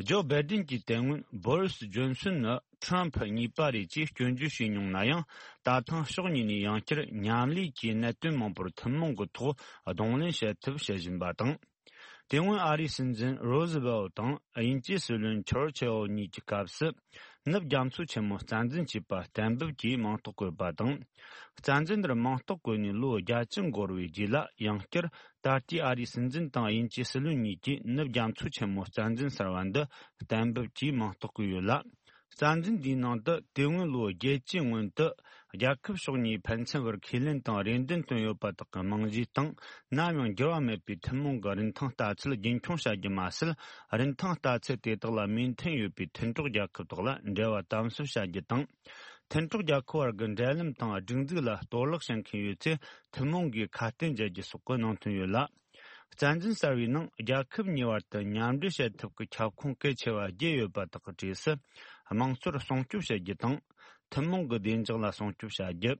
ཇོ་བྷའི་ཏིན་གྱི་དེ་སྔོན་བོ་རི་སི་ཇོན་སོན་ནི་ཁྲམ་ཕུ་གཉིས་པ་རེད་ཅེས་སྐྱོན་བརྗོད་བྱས་མྱོང་ན་ཡང་། ད་ཐེངས་ཕྱོགས་གཉིས་ནས་ཡང་བསྐྱར་མཉམ་ལས་ཀྱི་གནད་དོན་མང་པོར་ཐུན་མོང་གི་ཐོག་གདོང་ལེན་བྱེད་ཐབས་བྱེད་བཞིན་པ་དང་། དེ་སྔོན་ཨ་རིའི་སྲིད་འཛིན་རོ་ཟི་ཝེལ་དང་དབྱིན་ཇིའི་སྲིད་བློན་ཆར་ཆི་ལ་གཉིས་ཀྱི་སྐབས་སུ། ནུབ་རྒྱ་མཚོ་ཆེན་མོ་རྩ་འཛིན་བྱས་པ་གཏན་འབེབས་ཀྱིས་མིང་རྟགས་བཀོད་པ་དང་། རྩ་འཛིན་འདིར་མིང་རྟགས་བཀོད་ནས་ལོ་བརྒྱད་ཅུ་འགོར་བའི་རྗེས་ལ་ཡང་བསྐྱར་ད་ལྟའི་ཨ་རིའི་སྲིད་འཛིན་དང་དབྱིན་ཇིའི་སྲིད་བློན་གཉིས་ཀྱིས་ནུབ་རྒྱ་མཚོ་ཆེན་མོ་རྩ་འཛིན་གསར་བ་འདི་གཏན་འབེབས་ཀྱིས་མིང་རྟགས་བཀོད་ཡོད་ལ། རྩ་འཛིན་འདིའི་ནང་དུ་དེ་སྔོན་ལོ་བརྒྱད་ཅུའི་སྔོན་དུ་རྒྱལ་ཁབ་ཕྱོགས་གཉིས་ཕན་ཚུན་བར་ཁས་ལེན་དང་རེ་འདུན་བཏོན་ཡོད་པ་དག་གི་རྨང་གཞིའི་སྟེང་ནམ་ཡང་འགྱུར་བ་མེད་པའི་ཐུན་མོང་གི་རིན་ཐང་ལྟ་ཚུལ་རྒྱུན་འཁྱོངས་བྱ་རྒྱུ་མ་ཟད། རིན་ཐང་ལྟ་ཚུལ་དེ་དག་ལ་མོས་མཐུན་ཡོད་པའི་མཐུན་གྲོགས་རྒྱལ་ཁབ་དག་ལ་འབྲེལ་བ་དམ་ཟབ་བྱ་རྒྱུ་དང་། མཐུན་གྲོགས་རྒྱལ་ཁབ་བར་གྱི་འབྲེལ་ལམ་དང་སྒྲིག་འཛུགས་ལ་གཏོར་བརླག་བྱེད་མཁན་ཡོད་ཚེ་ཐུན་མོང་གིས་ཁ་གཏད་འཇལ་རྒྱུ་སོགས་ཀྱི་ནང་དོན་ཡོད་ལ། རྩ་འཛིན་གསར་བའི་ནང་རྒྱལ་ཁབ་གཉིས་བར་དུ་མཉམ་འབྲེལ་བྱེད་ཐབས་ཀྱི་ཁྱབ་ཁོངས་གལ་ཆེ་བ་བརྒྱད་ཡོད་པ་དག་གི་གྲས་སུ། དམངས་གཙོར་སྲུང་སྐྱོབ་བྱེད་རྒྱུ་དང་། ཐུན་མོང་གི་བདེ་འཇགས་ལ་སྲུང་སྐྱོབ་བྱ་རྒྱུ།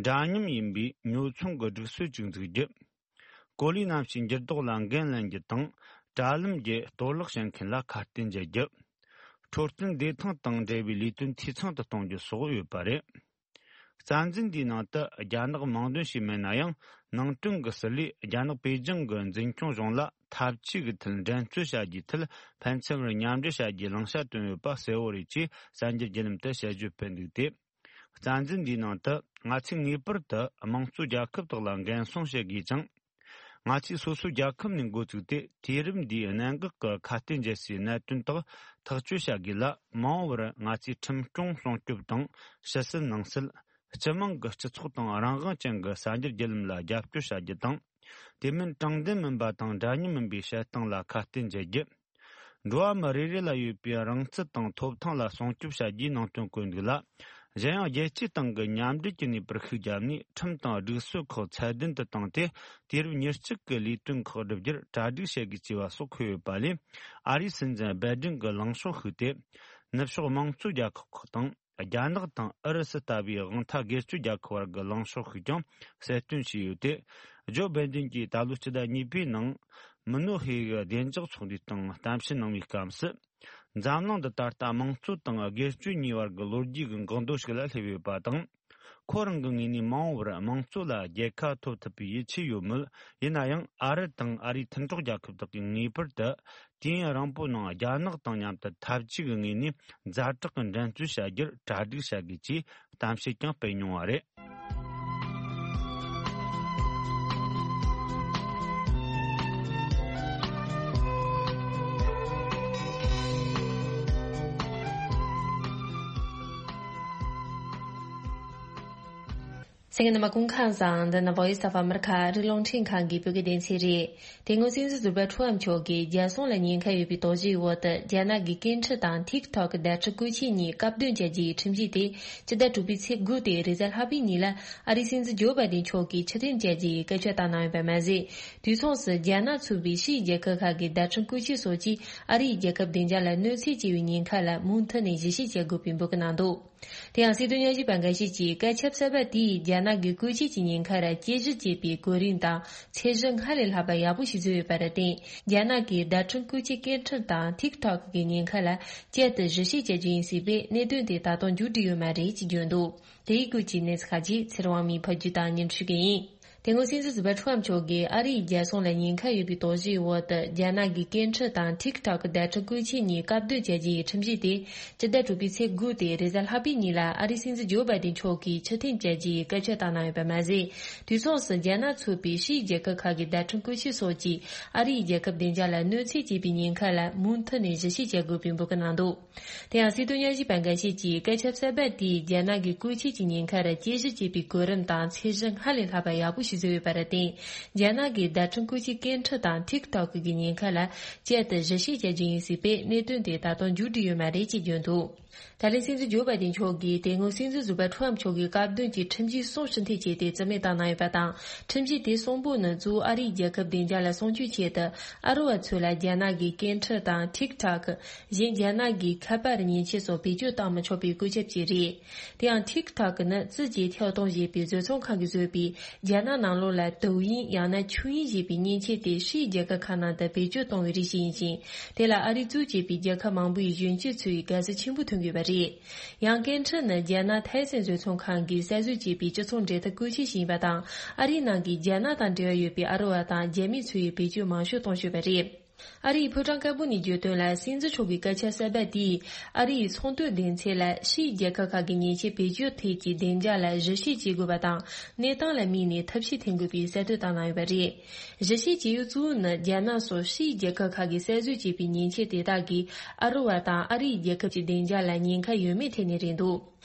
འདྲ་མཉམ་ཡིན་པའི་ཉོ་ཚོང་གི་སྒྲིག་སྲོལ་ཅིག་འཛུགས་རྒྱུ། གོ་ལའི་གནམ་གཤིས་འགྱུར་ལྡོག་ལ་འགན་ལེན་རྒྱུ་དང་། དྲ་ལམ་བརྒྱུད་གཏོར་བརླག་བྱེད་མཁན་ལ་ཁ་གཏད་འཇལ་རྒྱུ། འཕྲོད་བསྟེན་བདེ་ཐང་དང་འབྲེལ་བའི་ལས་དོན་འཐུས་ཚང་དུ་གཏོང་རྒྱུ་སོགས་ཡོད་པ་རེད། རྩ་འཛིན་འདིའི་ནང་དུ་རྒྱ་ནག་མིང་འདོན་བྱས་མེད་ན་ཡང་། ནང་དོན་གྱི་ཟུར་ལས་རྒྱ་ནག་པེ་ཅིང་གི་འཛིན་སྐྱོང་གཞུང་ལ་འཐབ་ཇུས་ཀྱི་ཐད་འགྲན་རྩོད་བྱ་རྒྱུའི་ཐད་ཕན་ཚུན་བར་མཉམ་འབྲེལ་བྱ་རྒྱུའི་བླང་བྱ་བཏོན་ཡོད་པ་གསལ་བོ་རེད་ཅེས་གསར་འགྱུར་བརྒྱུད་ལམ་དུ་དཔྱད་བརྗོད་སྤེལ་འདུག་སྟེ། རྩ་འཛིན་འདིའི་ནང་དུ་ང་ཚོས་ངེས་པར་དུ་དམངས་གཙོའི་རྒྱལ་ཁབ་དག་ལ་འགན་སྲུང་བྱེད་དགོས་ཅིང་། ང་ཚོས་སོ་སོའི་རྒྱལ་ཁབ་ནས་འགོ་བཙུགས་ཏེ། དུས་རབས་འདིའི་གནད་འགག་གི་ཁ་གཏད་འཇལ་སའི་གནད་དོན་དག་ཐག་གཅོད་བྱ་དགོས་ལ། མ་འོངས་པར་ང་ཚོས་ཁྲིམས་སྐྱོང་སྲུང་སྐྱོབ་དང་། ཕྱི་སྲིད་ནང་སྲིད། སྤྱི་དམངས་ཀྱི་སྤྱི་ཚོགས་དང་རང་དབང་ཅན་གྱི་གསར་འགྱུར་བརྒྱུད་ལམ་ལ་རྒྱབ་སྐྱོར་བྱ་རྒྱུ་དང་། དེ་མིན་དྲང་བདེན་མིན་པ་དང་འདྲ་མཉམ་མིན་པའི་བྱེད་སྟངས་ལ་ཁ་གཏད་འཇལ་རྒྱུ། འགྲོ་བ་མི་རེ་རེ་ལ་ཡོད་པའི་རང་རྩལ་དང་ཐོབ་ཐང་ལ་སྲུང་སྐྱོབ་བྱ་རྒྱུའི་ནང་དོན་བཀོད་འདུག་ལ། གཞན་ཡང་རྒྱལ་སྤྱིའི་སྟེང་གི་མཉམ་འབྲེལ་གྱི་ནུས་པར་ཤུགས་བརྒྱབ་ནས། ཁྲིམས་དང་སྒྲིག་སྲོལ་ཁག་ཚད་ལྡན་དུ་བཏང་སྟེ། དུས་རབས་ཉེར་གཅིག་གི་ལས་དོན་ཁག་བསྒྲུབ་རྒྱུར་གྲ་སྒྲིག་བྱེད་དགོས་ཅེས་པ་སོགས་འཁོད་ཡོད་པ་ལས། ཨ་རིའི་སྲིད་འཛིན་སྦེ་ཏིན་གྱི་ལངས་ཕྱོགས་ཤིག་སྟེ། ནུབ་ཕྱོགས་དམངས་གཙོ་རྒྱལ་ཁབ་ཁག་དང་། རྒྱ་ནག་དང་ཨུ་རུ་སུ་ལྟ་བུའི་དབང་ཐང་སྒེར་གཅོད་རྒྱལ་ཁབ་བར་གྱི་ལངས་ཕྱོགས་ཤིག་ཀྱང་གསལ་སྟོན་བྱས་ཡོད་དེ། ཇོ་བྷའི་ཏིན་གྱིས་ད་ལོའི་སྤྱི་ཟླ་གཉིས་པའི་ནང་། མི་ནོ་ཧེ་གི་བདེ་འཇགས་ཚོགས་འདུའི་སྟེང་གཏམ་བཤད་གནང་བའི་སྐབས་སུ། འཛམ་གླིང་འདི་ད་ལྟ་དམངས་གཙོ་དང་སྒེར་གཅོད་གཉིས་བར་གྱི་ལོ་རྒྱུས་ཀྱི་འགག་སྡོད་ཞིག་ལ་སླེབས་ཡོད་པ་དང་། ཁོ་རང་གི་ངོས་ནས་མ་འོངས་པར་དམངས་གཙོ་ལ་རྒྱལ་ཁ་ཐོབ་ཐུབ་པའི་ཡིད་ཆེས་ཡོད་མོད། ཡིན་ན་ཡང་ཨ་རི་དང་ཨ་རིའི་མཐུན་གྲོགས་རྒྱལ་ཁབ་དག་གིས་ངེས་པར་དུ་དུས་ཡུན་རིང་པོའི་ནང་རྒྱ་ནག་དང་མཉམ་དུ་འཐབ་ཇུས་ཀྱི་ངོས་ནས་ཛ་དྲག་གི་འགྲན་རྩོད་བྱ་རྒྱུར་གྲ་སྒྲིག་བྱ་དགོས་ཅེས་གཏམ་བཤད་ཀྱང་སྤེལ་མྱོང་བ་རེད། གསན་མཁན་རྣམ་པ་སྐུ་ཁམས་བཟང་། འདི་ནི་Voice of America ཨ་རིའི་རླུང་འཕྲིན་ཁང་གི་བོད་སྐད་སྡེ་ཚན་རེད། དེ་སྔོན་སྲིད་འཛིན་ཟུར་པ་ཁྲུའུ་ཨམ་མཆོག་གིས་རྒྱལ་སྲུང་ལ་ཉེན་ཁ་ཡོད་པའི་དོགས་གཞིའི་འོག་ཏུ། རྒྱ་ནག་གི་སྐད་འཕྲིན་དང་ཐིག་ཐོག་གི་བརྡ་འཕྲིན་བཀོལ་ཆས་གཉིས་བཀག་སྡོམ་བྱ་རྒྱུའི་ཁྲིམས་གཞི་དེ་སྤྱི་ཟླ་དྲུག་པའི་ཚེས་དགུ་སྟེ་རེས་གཟའ་ལྷག་པའི་ཉིན་ལ་ཨ་རིའི་སྲིད་འཛིན་ཇོ་བྷའི་ཏིན་མཆོག་གིས་ཕྱིར་འཐེན་བྱ་རྒྱུའི་སྐད་ཆ་བཏང་གནང་ཡོད་པ་མ་ཟད། དུས་མཚུངས་སུ་རྒྱ་ནག་ཚུད་པའི་ཕྱིའི་རྒྱལ་ཁབ་ཁག་གི་བརྡ་འཕྲིན་བཀོལ་ཆས་སོགས་ཀྱིས་ཨ་རིའི་རྒྱལ་ཁབ་བདེ་འཇགས་ལ་གནོད་འཚེ་བྱས་པའི་ཉེན་ཁ་ལ་མུ་མཐུད་ནས་ཞིབ་བཤེར་བྱེད་དགོས་པའི་འབོད་སྐུལ་གནང་འདུག་དེ་ཡང་སྲིད་དོན་ཉམས་ཞིབ་པ་འགའ་ཤས་ཀྱིས་སྐད་ཆ་གསར་པ་དེས་རྒྱ་ནག་གི་བཀོལ་ཆས་ཀྱི་ཉེན་ཁ་ལ་དཔྱད་ཞིབ་བྱེད་པའི་གོ་རིམ་དང་ཚད་གཞི་སྔར་ལས་ལྷག་པ་ཡག་པོ་ཞིག་བཟོས་ཡོད་པར་བརྟེན། རྒྱ་ནག་གིས་བརྡ་འཕྲིན་བཀོལ་ཆས་སྐད་འཕྲིན་དང་ཐིག་ཐོག་གི་ཉེན་ཁ་ལ་བསྐྱར་དུ་ཞིབ་བཤེར་བྱ་རྒྱུ་ཡིན་སྲིད་པས། གནད་དོན་དེ་ད་དུང་མཇུག་སྒྲིལ་ཡོད་མ་རེད་ཅེས་བརྗོད་འདུག་དེ་ཡི་སྐོར་གྱི་གནས་ཚུལ་ཁག་ཅིག་ཚེ་རིང་དབང་མོས་ཕབ་སྒྱུར་དང་སྙན་སྒྲོན་ཞུ་གི་ཡིན། དེ་སྔོན་སྲིད་འཛིན་ཟུར་པ་ཁྲུའུ་ཨམ་མཆོག་གིས་ཨ་རིའི་རྒྱལ་སྲུང་ལ་ཉེན་ཁ་ཡོད་པའི་དོགས་གཞིའི་འོག་ཏུ། རྒྱ་ནག་གི་སྐད་འཕྲིན་དང་ཐིག་ཐོག་གི་བརྡ་འཕྲིན་བཀོལ་ཆས་གཉིས་བཀག་སྡོམ་བྱ་རྒྱུ་ཡི་ཁྲིམས་གཞི་དེ་སྤྱི་ཟླ་དྲུག་པའི་ཚེས་དགུ་སྟེ་རེས་གཟའ་ལྷག་པའི་ཉིན་ལ་ཨ་རིའི་སྲིད་འཛིན་ཇོ་བྷའི་ཏིན་མཆོག་གིས་ཕྱིར་འཐེན་བྱ་རྒྱུའི་སྐད་ཆ་བཏང་གནང་ཡོད་པ་མ་ཟད། དུས་མཚུངས་སུ་རྒྱ་ནག་ཚུད་པའི་ཕྱིའི་རྒྱལ་ཁབ་ཁག་གི་བརྡ་འཕྲིན་བཀོལ་ཆས་སོགས་ཀྱིས་ཨ་རིའི་རྒྱལ་ཁབ་བདེ་འཇགས་ལ་གནོད་འཚེ་བྱས་པའི་ཉེན་ཁ་ལ་མུ་མཐུད་ནས་ཞིབ་བཤེར་བྱེད་དགོས་པའི་འབོད་སྐུལ་གནང་འདུག་དེ་ཡང་སྲིད་དོན་ཉམས་ཞིབ་པ་འགའ་ཤས་ཀྱིས་སྐད་ཆ་གསར་པ་དེས་རྒྱ་ནག་གི་བཀོལ་ཆས་ཀྱི་ཉེན་ཁ་ལ་དཔྱད་ཞིབ་བྱེད་པའི་གོ་རིམ་དང་ཚད་གཞི་སྔར་ལས་ལྷག་པ་ཡག་པོ་ཞིག་བཟོས་ཡོད་པར་བརྟེན། རྒྱ་ནག་གིས་བརྡ་འཕྲིན་བཀོལ་ཆས་སྐད་འཕྲིན་དང་ཐིག་ཐོག་གི་ཉེན་ཁ་ལ་བསྐྱར་དུ་གཞི་བྱེད་བྱ་རྒྱུ་ཡིན་ཟེར་བས། གནད་དོན་དེ་ད་དུང་མཇུག་སྒྲིལ་ཡོད་མ་རེད་ཅེས་བརྗོད་འདུག་ད་ལན་སྲིད་འཛིན་ཇོ་བྷའི་ཏིན་མཆོག་གིས་དེ་སྔོན་སྲིད་འཛིན་ཟུར་པ་ཁྲོམ་མཆོག་གི་བཀའ་བསྡུར་གྱི་ཁྲིམས་གཞི་གསུམ་ཕྱིར་འཐེན་བྱས་ཏེ་རྩིས་མེད་བཏང་གནང་ཡོད་པ་དང་། ཁྲིམས་གཞི་དེ་གསུམ་པོ་ནི་གཙོ་བོ་ཨ་རིའི་རྒྱལ་ཁབ་བདེ་འཇགས་ལ་སྲུང་སྐྱོབ་ཆེད་དུ། ཨ་རི་བ་ཚོ་ལ་རྒྱ་ནག་གི་སྐད་འཕྲིན་དང་ཐིག་ཐོག་གཞན་རྒྱ་ནག་གི་ཁ་པར་མཉེན་ཆས་སོགས་བེད་སྤྱོད་བཏང་མི་ཆོག་པའི་བཀོད་ཁྱབ་བྱས་རེད། དེ་ཡང་ཐིག་ཐོག་ནི་ཙི་ཅི་ཐའོ་ཏུང་ཞེས་པའི་བཟོ་ཚོང་ཁང་གིས་བཟོས་པའི་རྒྱ་ནག་ནང་ལོགས་ལ་ཏུའུ་ཡིན་ཡང་ན་ཆུ་ཡིན་ཞེས་པའི་མཉེན་ཆས་དེ་ཕྱིའི་རྒྱལ་ཁབ་ཁག་ནང་དུ་བེད་སྤྱོད་གཏོང་བའི་རིགས་ཤིག་ཡིན་ཞིང་། དེ་ལ་ཨ་རི་གཙོས་བྱས་པའི་རྒྱལ་ཁབ་མང་པོའི་གཞོན་སྐྱེས་ཚོས་དགའ་བསུ་ཆེན་པོ་ཐོན་གྱི་ཡོད་པ་རེད། ཡང་སྐད་འཕྲིན་ནི་རྒྱ་ནག་ཐའེ་སན་བཟོ་ཚོང་ཁང་གིས་གསར་བཟོ་བྱས་པའི་སྤྱི་ཚོགས་འབྲེལ་མཐུད་བཀོལ་ཆས་ཤིག་ཡིན་པ་དང་། ཨ་རིའི་ནང་གི་རྒྱ་ནག་དང་འབྲེལ་བ་ཡོད་པའི་ཨ་རི་བ་དང་རྒྱ་མི་ཚོས་བེད་སྤྱོད་མང་ཤོས་གཏོང་བཞིན་པ་རེད། ཨ་རིའི་ཕོ་བྲང་དཀར་པོ་ནས་བརྗོད་དོན་ལ། སྲིད་འཛིན་མཆོག་གི་བཀའ་ཁྱབ་གསར་པ་དེས་ཨ་རིའི་ཚོང་དོན་སྡེ་ཚན་ལ་ཕྱིའི་རྒྱལ་ཁབ་ཁག་གི་མཉེན་ཆས་བེད་སྤྱོད་ཐད་ཀྱི་བདེ་འཇགས་ལ་གཞི་བྱེད་བྱེད་དགོས་པ་དང་། གནས་སྟངས་ལ་དམིགས་ནས་ཐབས་ཤེས་འཐེན་དགོས་པའི་གསལ་སྟོན་བཏང་གནང་ཡོད་པ་རེད། གཞི་བྱེད་བྱེད་ཡུལ་གཙོ་བོ་ནི་རྒྱ་ནག་སོགས་ཕྱིའི་རྒྱལ་ཁབ་ཁག་གིས་གསར་བཟོས་བྱས་པའི་མཉེན་ཆས་དེ་དག་གིས་ཨ་རི་བ་དང་ཨ་རིའི་རྒྱལ་ཁབ་ཀྱི་བདེ་འཇགས་ལ་ཉེན་ཁ་ཡོད་མེད་ཐད་ནས་རེད་འདུག་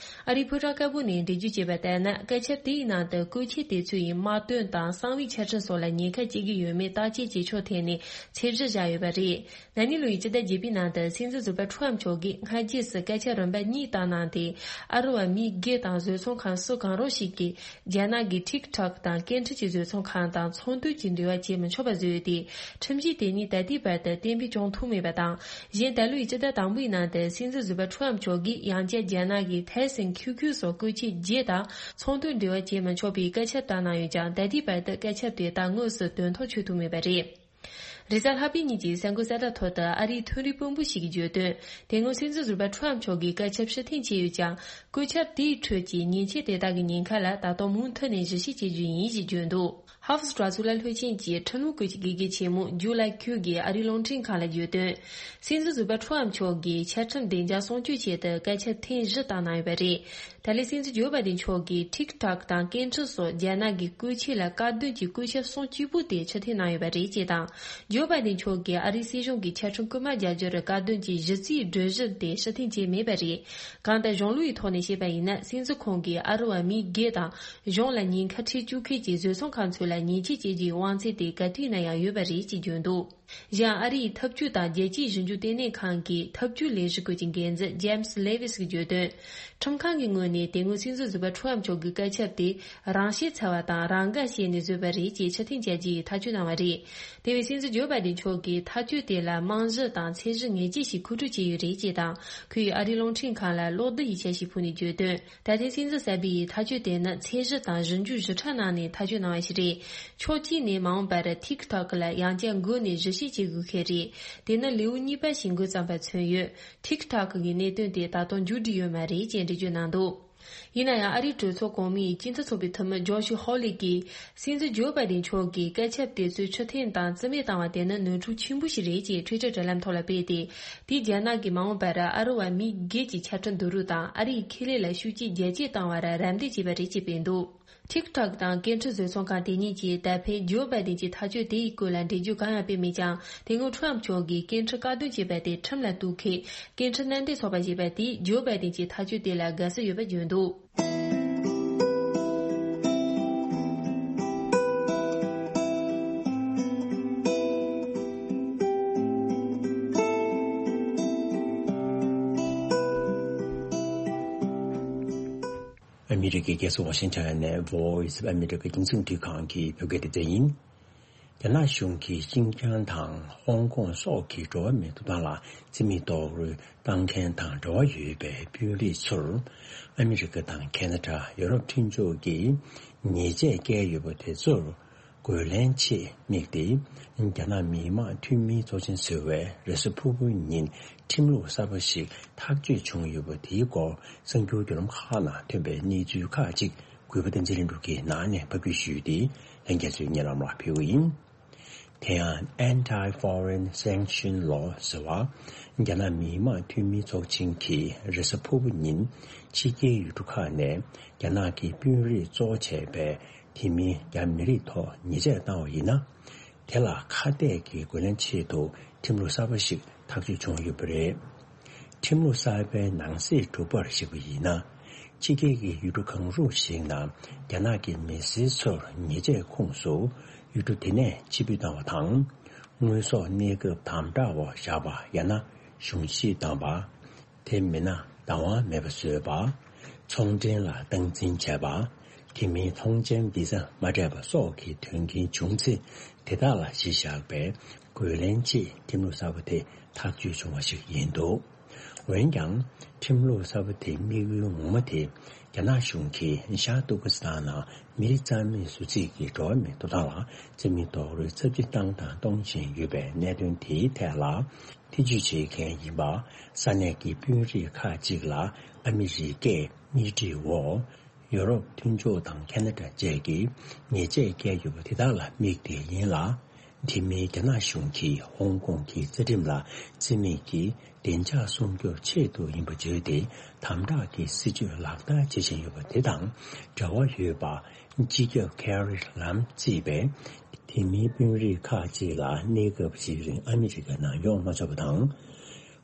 ཨ་རིའི་ཕོ་བྲང་དཀར་པོ་ནས་འགྲེལ་བརྗོད་བྱས་པ་ལྟར་ན། བཀའ་ཁྱབ་དེའི་ནང་དུ་བཀོལ་ཆས་དེ་ཚོ་ཡི་དམག་དོན་དང་གསང་བའི་ཆ་འཕྲིན་སོགས་ལ་ཉེན་ཁ་སྐྱེལ་གྱི་ཡོད་མེད་བརྟག་དཔྱད་བྱེད་ཕྱོགས་ཐད་ནས་ཚད་གཞི་བཞག་ཡོད་པ་རེད། ན་ནིང་ལོའི་སྤྱི་ཟླ་བརྒྱད་པའི་ནང་དུ་སྲིད་འཛིན་ཟུར་པ་ཁྲོམ་མཆོག་གིས་སྔ་རྗེས་སུ་སྐད་ཆ་རིམ་པ་གཉིས་བཏང་གནང་སྟེ། ཨ་རི་བ་མི་སྒེར་དང་བཟོ་ཚོང་ཁང་སུ་གང་རུང་ཞིག་གིས་རྒྱ་ནག་གི་ཐིག་ཐོག་དང་སྐད་འཕྲིན་གྱི་བཟོ་ཚོང་ཁང་དང་ཚོང་དོན་གྱི་འབྲེལ་བ་བྱེད་མི་ཆོག་པ་བཟོས་ཏེ། ཁྲིམས་གཞི་དེ་ཉིད་ད་ལྟའི་བར་དུ་གཏན་འབེབས་བྱུང་ཐུབ་མེད་པ་དང་། གཞན་ད་ལོའི་སྤྱི་ཟླ་དང་པོའི་ནང་དུ་སྲིད་འཛིན་ཟུར་པ་ཁྲོམ་མཆོག་གིས་ཡང་བསྐྱར་རྒྱ་ནག་གི་ཐའེ་སན་ཁྱུ་ཁྱུ་སོགས་བཀོལ་ཆས་བརྒྱད་དང་ཚོང་དོན་འབྲེལ་བ་བྱེད་མི་ཆོག་པའི་བཀའ་ཁྱབ་བཏང་གནང་ཡོད་ཀྱང་། ད་ལྟའི་བར་དུ་བཀའ་ཁྱབ་དེ་དག་དངོས་སུ་དོན་ཐོག་ཆུད་ཐུབ་མེད་པ་རེད། རེས་གཟའ་ལྷག་པའི་ཉིན་གྱི་གསར་འགོད་གསལ་བསྒྲགས་ཐོག་ཏུ་ཨ་རིའི་འཕྲིན་ལས་དཔོན་པོ་ཞིག་གིས་བརྗོད་དོན། དེ་སྔོན་སྲིད་འཛིན་ཟུར་པ་ཁྲོམ་མཆོག་གིས་བཀའ་ཁྱབ་ཕྱིར་འཐེན་བྱས་ཡོད་ཀྱང་། བཀོད་ཁྱབ་དེའི་ཁྲོད་ཀྱི་མཉེན་ཆས་དེ་དག་གི་ཉེན་ཁ་ལ་ད་དུང་མུ་མཐུད་ནས་གཞི་བྱེད་བྱེད་རྒྱུ་ཡིན་ཞེས་བརྗོད་འདུག་ཧོབ་སི་གྲོས་ཚོགས་ལ་བློན་ཆེན་གྱི་ཁྲིམས་ལུགས་སྐོར་གྱི་དགེ་རྒན་ཆེན་མོ་ཇུ་ལའི་ཁུའུ་གིས་ཨ་རིའི་རླུང་འཕྲིན་ཁང་ལ་བརྗོད་དོན། སྲིད་འཛིན་ཟུར་པ་ཁྲོམ་མཆོག་གིས་ཆ་ཁྲིམས་བདེ་འཇགས་སྲུང་སྐྱོབ་ཆེད་དུ་བཀའ་ཁྱབ་ཐེངས་བཞི་བཏང་གནང་ཡོད་པ་རེད། ད་ལན་སྲིད་འཛིན་ཇོ་བྷའི་ཏིན་མཆོག་གིས་ཐིག་ཐོག་དང་སྐད་འཕྲིན་སོགས་རྒྱ་ནག་གི་བཀོལ་ཆས་ལ་བཀག་སྡོམ་གྱི་བཀོད་ཁྱབ་གསུམ་གཅིག་པུ་དེ་ཕྱིར་འཐེན་གནང་ཡོད་པ་རེད་ཅེས་དང་། ཇོ་བྷའི་ཏིན་མཆོག་གིས་ཨ་རིའི་སྲིད་གཞུང་གི་ཆ་ཁྲིམས་རྐུན་མ་རྒྱག་རྒྱུར་བཀག་སྡོམ་གྱི་གཞི་རྩའི་གྲོས་གཞི་དེ་ཕྱིར་འཐེན་བྱས་མེད་པ་རེད། གང་ལྟར་གཞུང་ལུགས་ཀྱི་ཐོག་ནས་བཤད་པ་ཡིན་ན། སྲིད་འཛིན་ཁོང་གིས་ཨ་རི་བ་མི་སྒེར་དང་གཞུང་ལ་ཉེན་ཁ་འཕྲད་བཅུག་མཁན་གྱི་བཟོ་ཚོང་ཁང་ཚོ་ལ་ཉེས་ཆད་གཅོད་རྒྱུའི་དབང་ཚད་དེ་ག་དུས་ན་ཡང་ཡོད་པ་རེད་ཅེས་བརྗོད་འདུག་གཞན་ཨ་རིའི་འཐབ་ཇུས་དང་རྒྱལ་སྤྱིའི་ཞིབ་འཇུག་ལྟེ་གནས་ཁང་གི་འཐབ་ཇུས་ལས་གཞི་ཁུལ་གྱི་འགན་འཛིན་ཇེམ་སི་ལེ་ཝི་སི་གིས་བརྗོད་དོན། ཁྲིམས་ཁང་གི་ངོས་ནས་དེ་སྔོན་སྲིད་འཛིན་ཟུར་པ་ཁྲོམ་མཆོག་གི་བཀའ་ཁྱབ་དེ་རང་ཤེད་ཚ་བ་དང་རང་དགའ་བྱས་ནས་བཟོས་པ་རེད་ཅེས་ཕྱིར་འཐེན་བྱ་རྒྱུའི་ཐག་གཅོད་གནང་བ་རེད། དེ་བས་སྲིད་འཛིན་ཇོ་བྷའི་ཏིན་མཆོག་གིས་ཐག་གཅོད་དེ་ལ་རྨང་གཞི་དང་ཚད་གཞི་ངེས་ཅན་ཞིག་མཁོ་སྤྲོད་བྱས་ཡོད་རེད་ཅེས་དང་། ཁོས་ཨ་རིའི་རླུང་འཕྲིན་ཁང་ལ་གློག་རྡུལ་གྱི་འཆར་གཞིའི་ཕུགས་ནས་བརྗོད་དོན། ད་ཐེངས་སྲིད་འཛིན་གསར་པའི་ཐག་གཅོད་དེ་ནི་ཚད་གཞི་དང་ཞིབ་འཇུག་ཞིབ་ཕྲ་གནང་ནས་ཐག་གཅོད་གནང་བ་ཞིག་རེད། ཕྱོགས་གཅིག་ནས་མ་འོངས་པར་ཐིག་ཐོག་ལ་ཡང་བསྐྱར་འགོ་ནས་གཞི་བྱེད་བྱེད་དགོས་ཁེལ་རེད། དེ་ནི་ལེའུ་གཉིས་པ་ཞིག་འགོ་བརྩམས་པ་མཚོན་ཡོད། ཐིག་ཐོག་གི་གནད་དོན་དེ་ད་དུང་མཇུག་སྒྲིལ་ཡོད་མ་རེད་ཅེས་འགྲེལ་བརྗོད་གནང་འདུག་ཡིན་ན་ཡང་ཨ་རིའི་གྲོས་ཚོགས་གོང་མའི་སྤྱི་མཐུན་ཚོགས་པའི་འཐུས་མི་ཇོ་ཤི་ཧོ་ལི་གིས་སྲིད་འཛིན་ཇོ་བྷའི་ཏིན་མཆོག་གིས་བཀའ་ཁྱབ་དེ་ཚོའི་ཕྱིར་འཐེན་དང་རྩིས་མེད་བཏང་བ་དེ་ནི་ནོར་འཁྲུལ་ཆེན་པོ་ཞིག་རེད་ཅེས་ཊུའི་ཊར་དྲ་ལམ་ཐོག་ལ་སྤེལ་ཏེ། དེས་རྒྱ་ནག་གིས་མ་འོངས་པར་ཨ་རི་བ་མི་སྒེར་གྱི་ཆ་འཕྲིན་བསྡུ་རུབ་དང་ཨ་རིའི་ཁེ་ལས་ལ་ཤུགས་རྐྱེན་རྒྱ་སྐྱེད་བཏང་བར་རམ་འདེགས་བྱས་པ་རེད་ཅེས་སྤེལ་འདུག་ཐིག་ཐོག་དང་སྐད་འཕྲིན་བཟོ་ཚོང་ཁང་དེ་གཉིས་ཀྱིས་ད་ཕན་ཇོ་བྷའི་ཏིན་གྱི་ཐག་གཅོད་དེ་ཡི་སྐོར་ལ་འགྲེལ་བརྗོད་གང་ཡང་སྤེལ་མེད་ཀྱང་། དེ་སྔོན་ཁྲོམ་མཆོག་གིས་སྐད་འཕྲིན་བཀག་སྡོམ་བྱས་པ་དེ་ཁྲིམས་ལ་གཏུག་མཁན་སྐད་འཕྲིན་མནའ་འབྲེལ་ཚོགས་པ་ཞེས་པ་དེས་ཇོ་བྷའི་ཏིན་གྱི་ཐག་གཅོད་དེ་ལ་དགའ་བསུ་ཡོད་པ་བརྗོད་འདུག་ཨ་མི་རི་ཀའི་རྒྱལ་ས་ཝ་ཤིང་ཊོན་ནས་Voice of America རྒྱང་སྲིང་རླུང་འཕྲིན་ཁང་གི་བོད་སྐད་སྡེ་ཚན་ཡིན། རྒྱ་ནག་གཞུང་གིས་ཤིན་ཅང་དང་ཧོང་ཀོང་སོགས་ཀྱི་འགྲོ་བ་མིའི་ཐོབ་ཐང་ལ་རྩིས་མེད་རྡོག་རོལ་བཏང་མཁན་དང་འབྲེལ་བ་ཡོད་པའི་དཔོན་རིགས་ཚོར་ཨ་མི་རི་ཀ་དང་ཁེ་ན་ཌ། ཡོ་རོབ་མཐུན་ཕྱོགས་ཀྱིས་ཉེས་ཆད་བཀལ་ཡོད་པ་དེ་ཚོར་རྒོལ་ལན་ཆེད་དམིགས་ཏེ། རྒྱ་ནག་མི་དམངས་འཐུས་མིའི་ཚོགས་ཆེན་ཟུར་པས་རེས་གཟའ་ཕུར་བུའི་ཉིན་ཁྲིམས་ལུགས་གསར་པ་ཞིག་ཐག་གཅོད་བྱུང་ཡོད་པ་དེའི་སྐོར་གསར་འགྱུར་བརྒྱུད་ལམ་ཁག་ནང་ཐོན་པའི་གནས་ཚུལ་ཁག་ཅིག་གུས་པ་བསྟན་འཛིན་ལྷུན་གྲུབ་ཀྱིས་ནང་ནས་ཕབ་སྒྱུར་ཞུས་ཏེ། ལྷན་རྒྱས་ཚོའི་སྙན་ལམ་ལ་ཕུལ་གྱི་ཡིན། དེ་ཡང་Anti-Foreign Sanction Law ཟེར་བ། རྒྱ་ནག་མི་དམངས་འཐུས་མིའི་ཚོགས་ཆེན་གྱིས་རེས་གཟའ་ཕུར་བུ་ཉིན་ཕྱི་རྒྱལ་ཡུལ་གྲུ་ཁག་ནས་རྒྱ་ནག་གི་དཔོན་རིགས་གཙོ་བྱས་པའི་དེ་མིན་རྒྱ་མི་རིགས་ཐོག་ཉེས་ཆད་བཏང་བ་ཡིན་ན། དེ་ལ་ཁ་གཏད་ཀྱི་རྒོལ་ལན་ཆེད་དུ་ཁྲིམས་ལུགས་གསར་པ་ཞིག་ཐག་གཅོད་བྱུང་ཡོད་པ་རེད། ཁྲིམས་ལུགས་གསར་པའི་ནང་གསེས་དྲུག་པར་གཞིགས་པ་ཡིན་ན། ཕྱི་རྒྱལ་གྱི་ཡུལ་གྲུ་གང་རུང་ཞིག་ནང་རྒྱ་ནག་གི་མི་སེར་ཚོར་ཉེས་ཆད་ཁུངས་སུ་ཡུལ་གྲུ་དེ་ནས་ཕྱིར་འབུད་བཏང་བ་དང་། དངོས་ཟོག་གནས་སྐབས་དམ་དྲག་འོག་བཞག་པ་ཡང་ན་གཞུང་བཞེས་བཏང་བ། དེ་མིན་ན་བདག་དབང་མེད་པ་བཟོས་པ། ཚོང་འབྲེལ་ལ་སྟངས་འཛིན་བྱས་པ། དེ་མིན་ཐོངས་མཆན་བི་ཟ་མ་སྤྲད་པ་སོགས་ཀྱི་དོན་རྐྱེན་བྱུང་ཚེ། དེ་དག་ལ་གཞི་བཞག་པའི་རྒོལ་ལན་ཆེད་ཁྲིམས་ལུགས་གསར་པ་དེ་ཐག་གཅོད་བྱུང་བ་ཞིག་ཡིན་འདུག་འོན་ཀྱང་། ཁྲིམས་ལུགས་གསར་པ་དེའི་དམིགས་ཡུལ་ངོ་མ་དེ། རྒྱ་ནག་གཞུང་གིས་ཤར་ཏུར་ཀི་སི་ཐན་ནང་མི་རིགས་རྩ་མེད་བཟོ་རྩིས་ཀྱི་འགྲོ་བ་མིའི་ཐོབ་ཐང་ལ་བརྩི་མེད་རྡོག་རོལ་ཚབས་ཆེ་བཏང་དང་གཏོང་བཞིན་ཡོད་པའི་གནད་དོན་དེའི་ཐད་ལ། ཐེ་ཇུས་བྱེད་མཁན་ཡིན་པ། ས་གནས་ཀྱི་དཔོན་རིགས་ཁག་ཅིག་ལ་ཨ་མི་རི་ཀས་སྣེ་ཁྲིད་འོག་ཡུ་རོབ་མཐུན་ཕྱོགས་དང་ཁ་ན་ཌ་བཅས་ཀྱིས་ཉེས་ཆད་བཀལ་ཡོད་པ་དེ་དག་ལ་དམིགས་ཏེ་ཡིན་ལ། དེ་མིན་རྒྱ་ནག་གཞུང་གིས་ཧོང་ཀོང་གི་རྩ་ཁྲིམས་ལ་བརྩི་མེད་ཀྱིས་བདེ་འཇགས་སྲུང་སྐྱོབ་ཆེད་དུ་ཡིན་པ་བརྗོད་དེ། དམ་དྲག་གི་སྲིད་བྱུས་ལག་བསྟར་བྱེད་བཞིན་ཡོད་པ་དེ་དང་འབྲེལ་བ་ཡོད་པ། སྤྱི་ཁྱབ་ཁེ་རི་ལམ་གཙོས་པའི་དེ་མིན་དཔོན་རིགས་ཁག་ཅིག་ལ་གནས་སྐབས་ཤིག་རིང་ཨ་མི་རི་ཀ་ནང་ཡོང་མ་ཆོག་པ་དང་།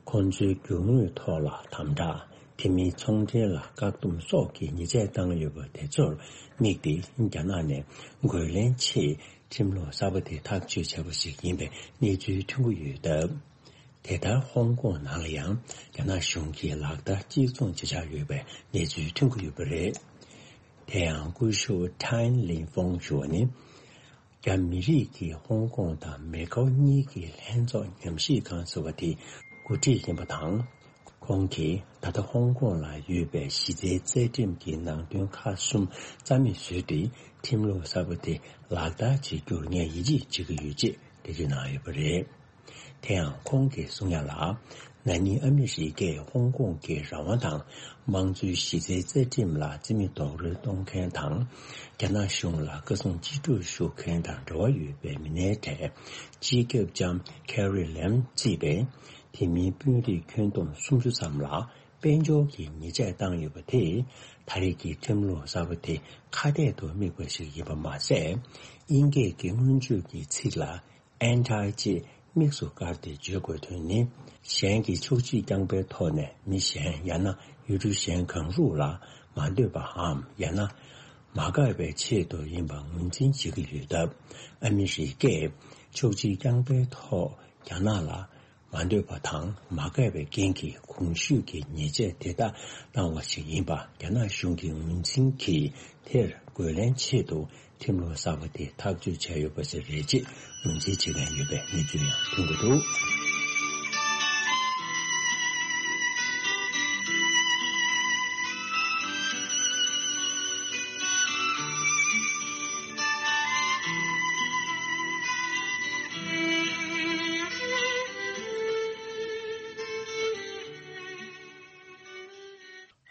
ཁོང་ཚོའི་རྒྱུ་དངོས་ཐོག་ལ་དམ་དྲག་དེ་མིན་ཚོང་འབྲེལ་ལ་བཀག་སྡོམ་སོགས་ཀྱི་ཉེས་ཆད་བཏང་ཡོད་པ་དེ་ཚོར་དམིགས་ཏེ། རྒྱ་ནག་ནས་རྒོལ་ལན་ཆེད་ཁྲིམས་ལུགས་གསར་པ་དེ་ཐག་གཅོད་བྱས་པ་ཞིག་ཡིན་པའི་གནས་ཚུལ་ཐོན་གྱི་ཡོད་སྟབས། དེ་ལྟར་ཧོང་ཀོང་ནང་ལ་ཡང་རྒྱ་ནག་གཞུང་གིས་ལག་བསྟར་གཅིག་མཚུངས་བྱེད་འཆར་ཡོད་པའི་གནས་ཚུལ་ཐོན་གྱི་ཡོད་པ་རེད། དེ་ཡང་སྐུ་ཞབས་ཊན་ལིན་ཧྥོང་ཞུ་བ་ནི། རྒྱ་མི་རིགས་ཀྱི་ཧོང་ཀོང་དང་མེ་ཀའོ་གཉིས་ཀྱི་ལྷན་ཚོགས་ཉམས་ཞིབ་ཁང་ཟེར་བ་དེ་འགོ་ཁྲིད་ཡིན་པ་དང་། ཁོང་གིས་ད་ལྟ་ཧོང་ཀོང་ལ་ཡོད་པའི་གཞི་རྩའི་རྩ་ཁྲིམས་ཀྱི་ནང་དོན་ཁག་གསུམ་རྩ་མེད་བཟོས་ཏེ། ཁྲིམས་ལུགས་གསར་པ་དེ་ལག་བསྟར་བྱེད་རྒྱུར་ངས་ཡིད་ཆེས་བྱེད་ཀྱི་ཡོད་ཅེས་འགྲེལ་བརྗོད་གནང་ཡོད་པ་རེད། དེ་ཡང་ཁོང་གིས་གསུང་ཡ་ལ། ན་ནིང་ཨ་མི་རི་ཀས་ཧོང་ཀོང་གི་རང་དབང་དང་དམངས་གཙོའི་གཞི་རྩའི་རྩ་ཁྲིམས་ལ་བརྩི་མེད་རྡོག་རོལ་གཏོང་མཁན་དང་། རྒྱ་ནག་གཞུང་ལ་བཀའ་བཟང་ཅི་སྒྲུབ་ཞུ་མཁན་དང་འབྲེལ་བ་ཡོད་པའི་མི་སྣའི་གྲས་སྤྱི་ཁྱབ་ལྕམ་ཁེ་རི་ལེམ་གཙོས་པའི་དེ་མིན་དཔོན་རིགས་ཁྱོན་བསྡོམས་སུམ་ཅུ་ཙམ་ལ་དཔལ་འབྱོར་གྱི་ཉེས་ཆད་བཏང་ཡོད་པ་དེས། ད་རེས་ཀྱི་ཁྲིམས་ལུགས་གསར་པ་དེ་ཁ་གཏད་དུ་དམིགས་པ་ཞིག་ཡིན་པ་མ་ཟད། དབྱིན་སྐད་ཀྱི་སྔོན་བརྗོད་ཀྱི་ཚིག་ལ། ཨན་ཊི་ཅེས་དམིགས་སུ་བཀར་ཏེ་བརྗོད་དགོས་དོན་ནི། གཞན་གྱི་ཕྱོགས་གཅིག་རྐྱང་པའི་ཐོག་ནས་མི་གཞན་ཡང་ན་ཡུལ་གྲུ་གཞན་གང་རུང་ལ་མ་འདོད་པའམ་ཡང་ན་མ་དགའ་བའི་ཆེད་དུ་ཡིན་པ་ངོས་འཛིན་བྱེད་ཀྱི་ཡོད་སྟབས། ཨ་མི་རི་ཀས་ཕྱོགས་གཅིག་རྐྱང་པའི་ཐོག་རྒྱ་ནག་ལ་མ་འདོད་པ་དང་མ་དགའ་བའི་རྐྱེན་གྱིས་གོང་ཞུས་ཀྱི་ཉེས་ཆད་དེ་དག་བཏང་བ་ཞིག་ཡིན་པ་རྒྱ་ནག་གཞུང་གིས་ངོས་འཛིན་གྱིས། དེར་རྒོལ་ལན་ཆེད་དུ། ཁྲིམས་ལུགས་གསར་པ་དེ་ཐག་གཅོད་བྱས་ཡོད་པ་ཞིག་རེད་ཅེས་ངོས་འཛིན་བྱེད་མཁན་ཡོད་པའི་གནས་ཚུལ་ཡང་ཐོན་གྱི་འདུག་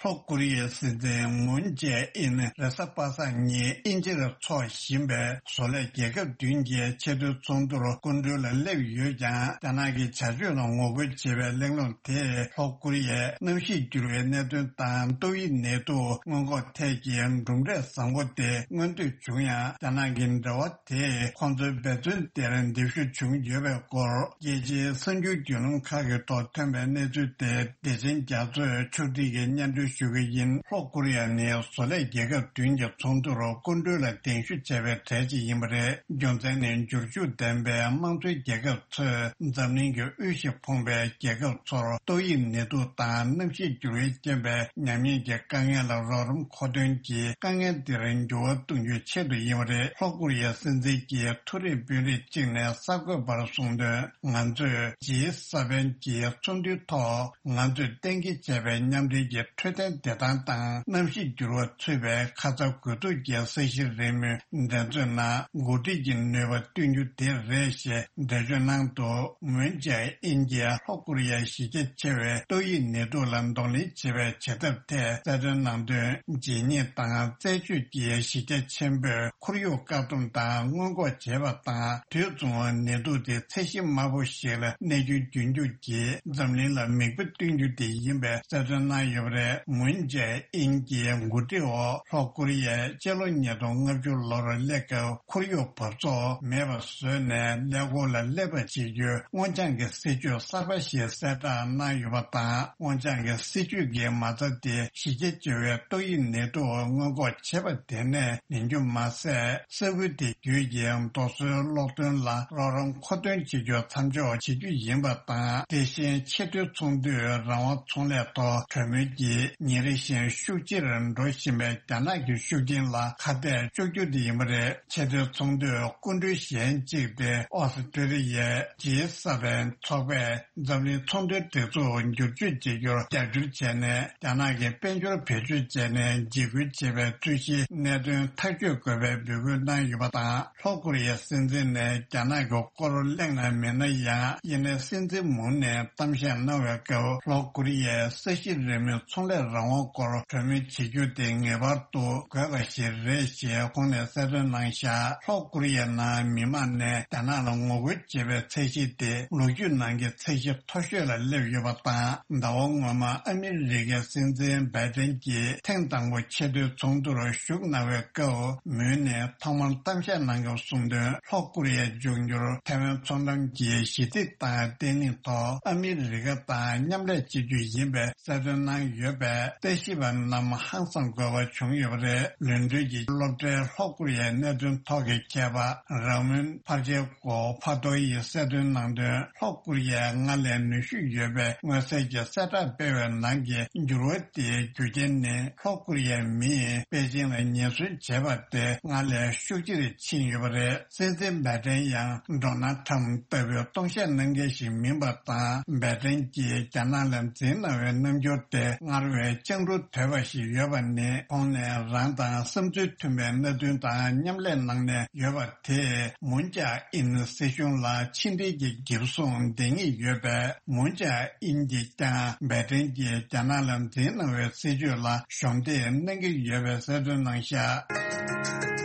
ལྷོ་ཀོ་རི་ཡའི་སྲིད་འཛིན་མུན་ཇེ་ཨིན་རེས་གཟའ་པ་སངས་ཉིན་དབྱིན་ཇིར་འཚོགས་བཞིན་པའི་བཟོ་ལས་རྒྱལ་ཁབ་བདུན་གྱི་ཆེས་མཐོའི་ཚོགས་འདུར་སྐུ་མགྲོན་ལ་སླེབས་ཡོད་ཀྱང་། རྒྱ་ནག་གི་བྱ་སྤྱོད་ལ་ངོ་རྒོལ་བྱེད་པའི་གླེང་སློང་དེས་ལྷོ་ཀོ་རི་ཡའི་གནམ་གཤིས་འགྱུར་བའི་གནད་དོན་དང་ཏོག་དབྱིབས་ནད་དུག་སྔོན་འགོག་ཐད་ཀྱི་གྲུབ་འབྲས་བཟང་པོ་དེ་མངོན་འདོད་བྱུང་ཡང་། རྒྱ་ནག་གི་འབྲེལ་བ་དེས་ཁོང་ཚོའི་འབད་བརྩོན་དེར་འདེད་ཤུགས་བྱུང་ཡོད་པའི་སྐོར། རྒྱལ་སྤྱིའི་གསར་འགྱུར་བརྒྱུད་ལམ་ཁག་གི་ཐོག་ཐོན་པའི་གནས་ཚུལ་དེ་བདེ་ཆེན་རྒྱ་མཚོས་ཕྱོགས་སྒྲིག་གིས་སྙན་སྒྲོན་ཞུ་གི་ཡིན། ལྷོ་ཀོ་རི་ཡ་ནི་བཟོ་ལས་རྒྱལ་ཁབ་བདུན་གྱི་ཚོགས་འདུར་སྐུ་མགྲོན་ལ་གདན་ཞུ་བྱས་པའི་གྲས་ཤིག་ཡིན་པ་རེད། རྒྱུ་མཚན་ནི་འབྱོར་ཕྱུག་ལྡན་པའི་དམངས་གཙོའི་རྒྱལ་ཁབ་ཚོས་འཛམ་གླིང་གི་དབུལ་ཞིང་ཕོངས་པའི་རྒྱལ་ཁབ་ཚོར་ཏོག་དབྱིབས་ནད་དུག་དང་གནམ་གཤིས་འགྱུར་བའི་རྐྱེན་པས་ཉམས་ཉེས་ཀྱི་དཀའ་ངལ་ལ་རོགས་རམ་མཁོ་འདོན་གྱིས་དཀའ་ངལ་འདིར་འགྱུར་བ་གཏོང་རྒྱུའི་ཆེད་དུ་ཡིན་པ་རེད། ལྷོ་ཀོ་རི་ཡའི་སྲིད་འཛིན་གྱི་མཐོ་རིམ་དཔོན་རིགས་གཅིག་ནས་གསར་འགོད་པར་གསུངས་དོན། ང་ཚོས་ཇི་ས་པན་གྱི་ཚོགས་འདུའི་ཐོག་ང་ཚོས་གཏན་འཁེལ་བྱས་པའི་མཉམ་འབྲེལ་གྱི་འཕྲོད་བསྟེན་བདེ་ཐང་དང་གནམ་གཤིས་འགྱུར་བ་ཚུད་པའི་ཁ་ཚ་དགོས་གཏུགས་ཀྱི་གསལ་བཤད་རེའུ་མིག་འགྲན་རྩོད་ནང་འགོ་ཁྲིད་ཀྱི་ནུས་པ་བཏོན་རྒྱུ་དེ་རེད་ཞེས་འགྲེལ་བརྗོད་གནང་འདུག་མུན་ཇེ་ཨིན་གྱིས་ལྷོ་ཀོ་རི་ཡའི་གཞི་རྒྱ་ཆེ་བའི་ཏོག་དབྱིབས་ནད་དུག་ལ་གདོང་ལེན་བྱེད་པའི་བྱེད་ཐབས་ཐད་གསལ་སྟོན་གནང་དོན། རྗེས་སྙེག་དང་རྩད་གཅོད་ཀྱི་གཞི་རྒྱ་ཆེན་པོས་ཁོར་ཡུག་བཀག་སྡོམ་དང་སྔོན་འགོག་བྱས་པ་དང་། དུས་མཚུངས་ནད་དུག་དེ་ཚད་གཞི་དམའ་པོ་ཞིག་ལ་གནས་རྒྱུ་རྒྱུན་འཁྱོངས་ཀྱིས་འཛམ་གླིང་ལ་མིག་དཔེ་སྟོན་རྒྱུ་དེ་ཡིན་པའི་གསལ་སྟོན་གནང་ཡོད་པ་རེད། མུན་ཇེ་ཨིན་གྱི་འགོ་ཁྲིད་འོག་ལྷོ་ཀོ་རི་ཡས་སྤྱི་ལོ་ཉིས་སྟོང་ལྔ་བཅུ་ལོར་སླེབས་སྐབས་ཁོར་ཡུག་འབབ་ཚོགས་མེད་པ་བཟོས་ནས་ཀླད་ཀོར་ལ་སླེབས་པ་བྱེད་རྒྱུའི་སྔོ་ལྗང་གི་སྲིད་ཇུས་གསར་པ་ཞིག་གསལ་བསྒྲགས་གནང་ཡོད་པ་དང་། སྔོ་ལྗང་གི་སྲིད་ཇུས་ཀྱི་མ་རྩ་དེ་གཞི་རྒྱ་ཆེ་བའི་ཏོག་དབྱིབས་ནད་དུག་སྔོན་འགོག་བྱེད་པ་དེ་ནས་ལེན་རྒྱུ་མ་ཟད། ས་ཁུལ་དེ་བརྒྱུད་ཀྱི་རྡོ་སོལ་གློག་ཐོན་ལ་རོགས་རམ་མཁོ་འདོན་བྱེད་རྒྱུ་མཚམས་འཇོག་བྱེད་རྒྱུ་ཡིན་པ་དང་། དེ་བཞིན་ཆེས་མཐོའི་ཚོགས་འདུས་རང་དབང་ཚོང་ལས་ཐོག་གྲོས་མོལ་གྱིས་ཉིན་རེ་བཞིན་ཤུགས་ཆེར་འགྲོ་བཞིན་པའི་རྒྱ་ནག་གི་ཤུགས་རྐྱེན་ལ་ཁ་གཏད་གཅོག་རྒྱུ་དེ་ཡིན་པ་རེད། ཆེས་མཐོའི་ཚོགས་འདུས་སྐུ་མགྲོན་གཞན་གཅིག་སྟེ་ཨོ་སི་ཀྲི་ལི་ཡའི་ཇི་ས་བན་ཚོགས་པས་འཛམ་གླིང་ཚོང་དོན་སྒྲིག་འཛུགས་བསྒྱུར་བཅོས་བྱེད་རྒྱུར་རྒྱབ་སྐྱོར་བྱས་ནས། རྒྱ་ནག་གི་དཔལ་འབྱོར་བེད་སྤྱོད་བྱས་ནས་འཇིགས་སྐུལ་བྱེད་པའི་རྩོད་གཞིའི་གནད་དོན་ཐག་གཅོད་དགོས་པའི་འབོད་སྐུལ་གནང་ཡོད་པ་དང་། ལྷོ་ཀོ་རི་ཡའི་སྲིད་འཛིན་ནས་རྒྱ་ནག་གི་སྐོར་གླེང་ན་མིན་ན་ཡང་། དབྱིན་ལན་སྲིད་འཛིན་མུར་ནས་གཏམ་བཤད་གནང་བའི་སྐབས། ལྷོ་ཀོ་རི་ཡའི་ས་གཞི་རིལ་མོའི་ཚོང་ལས་རང་དབང་སྐོར་གྲོས་མོལ་བྱེད་རྒྱུ་དེ་ངེས་པར་དུ་དགོས་པ་ཞིག་རེད་ཞེས་ཁོང་ནས་གསལ་སྟོན་གནང་བཞག་ལྷོ་ཀོ་རི་ཡའི་ནང་མི་མང་ནས་རྒྱ་ནག་ལ་ངོ་རྒོལ་བྱེད་པའི་ཚད་གཞི་དེ་ལོ་རྒྱུས་ནང་གི་ཚད་གཞི་མཐོ་ཤོས་ལ་སླེབས་ཡོད་པ་དང་། ཟླ་བ་སྔོན་མ་ཨ་མི་རི་ཀའི་སྲིད་འཛིན་བྷའི་ཏན་གྱིས་ཐེངས་དང་པོ་ཆེས་མཐོའི་ཚོགས་འདུར་ཞུགས་གནང་བའི་སྐབས། མུར་ནས་ཐོག་མར་གཏམ་བཤད་གནང་སྐབས་གསུངས་དོན། ལྷོ་ཀོ་རི་ཡས་འབྱུང་འགྱུར་ཐའེ་ཝན་མཚོ་འགྲམ་གྱི་ཞི་བདེ་དང་བརྟན་ལྷིང་ཐོག་ཨ་མི་རི་ཀ་དང་མཉམ་ལས་བྱེད་རྒྱུ་ཡིན་པའི་གསལ་སྟོན་གནང་ཡོད་པས། ལྟ་ཞིབ་པ་རྣམས་ཧང་སང་དགོས་པ་བྱུང་ཡོད་པ་རེད། ལོན་ཌོན་གྱི་སློབ་གྲྭའི་ལྷོ་ཀོ་རི་ཡའི་གནད་དོན་ཐོག་གི་མཁས་པ་ར་མོན་ཕར་ཆེ་ཀོ་ཕ་ཏོ་ཡིས་གསལ་སྟོན་གནང་དོན། ལྷོ་ཀོ་རི་ཡས་སྔར་ལས་ནུས་ཤུགས་ཡོད་པའི་མངོན་གསལ་གྱི་གསལ་བསྒྲགས་སྤེལ་བའི་ནང་གི་འགྱུར་བ་དེའི་རྒྱུ་རྐྱེན་ནི། ལྷོ་ཀོ་རི་ཡའི་མིས་པེ་ཅིང་ལ་ཉེན་ཟོན་བྱས་པ་དེ་སྔར་ལས་ཤུགས་ཆེར་ཕྱིན་ཡོད་པ་རེད། སྲིད་འཛིན་བྷའི་ཏན་ཡང་ཌོ་ནལ་ཁྲམ་ལྟ་བུའི་སྟོང་བཤད་གནང་མཁན་ཞིག་མིན་པ་དང་། བྷའི་ཏན་གྱིས་རྒྱ་ནག་ལ་འཛིང་གནང་བའི་རྣམ་འགྱུར་དེ་སྔར་བས་ལྕང་རུ་དོད་པ་ཞིག་ཡོད་པ་ནི། ཁོང་ནས་རང་དང་བསམ་ཚུལ་མཐུན་པའི་མནའ་མཐུན་དང་མཉམ་ལས་གནང་ནས་ཡོད་པ་དེས། མུན་ཅཱ་ཨིན་སྲིད་གཞུང་ལ་ཕྱི་འབྲེལ་གྱི་འགེབས་སྲུང་འདེང་ངེས་ཡོད་པས། མུན་ཅཱ་ཨིན་གྱིས་ཀྱང་བྷའི་ཏན་གྱིས་རྒྱ་ནག་ལ་འཛིང་གནང་བའི་སྲིད་བྱུས་ལ་གཞོགས་འདེགས་གནང་གི་ཡོད་པའི་གསལ་སྟོན་གནང་བཞག་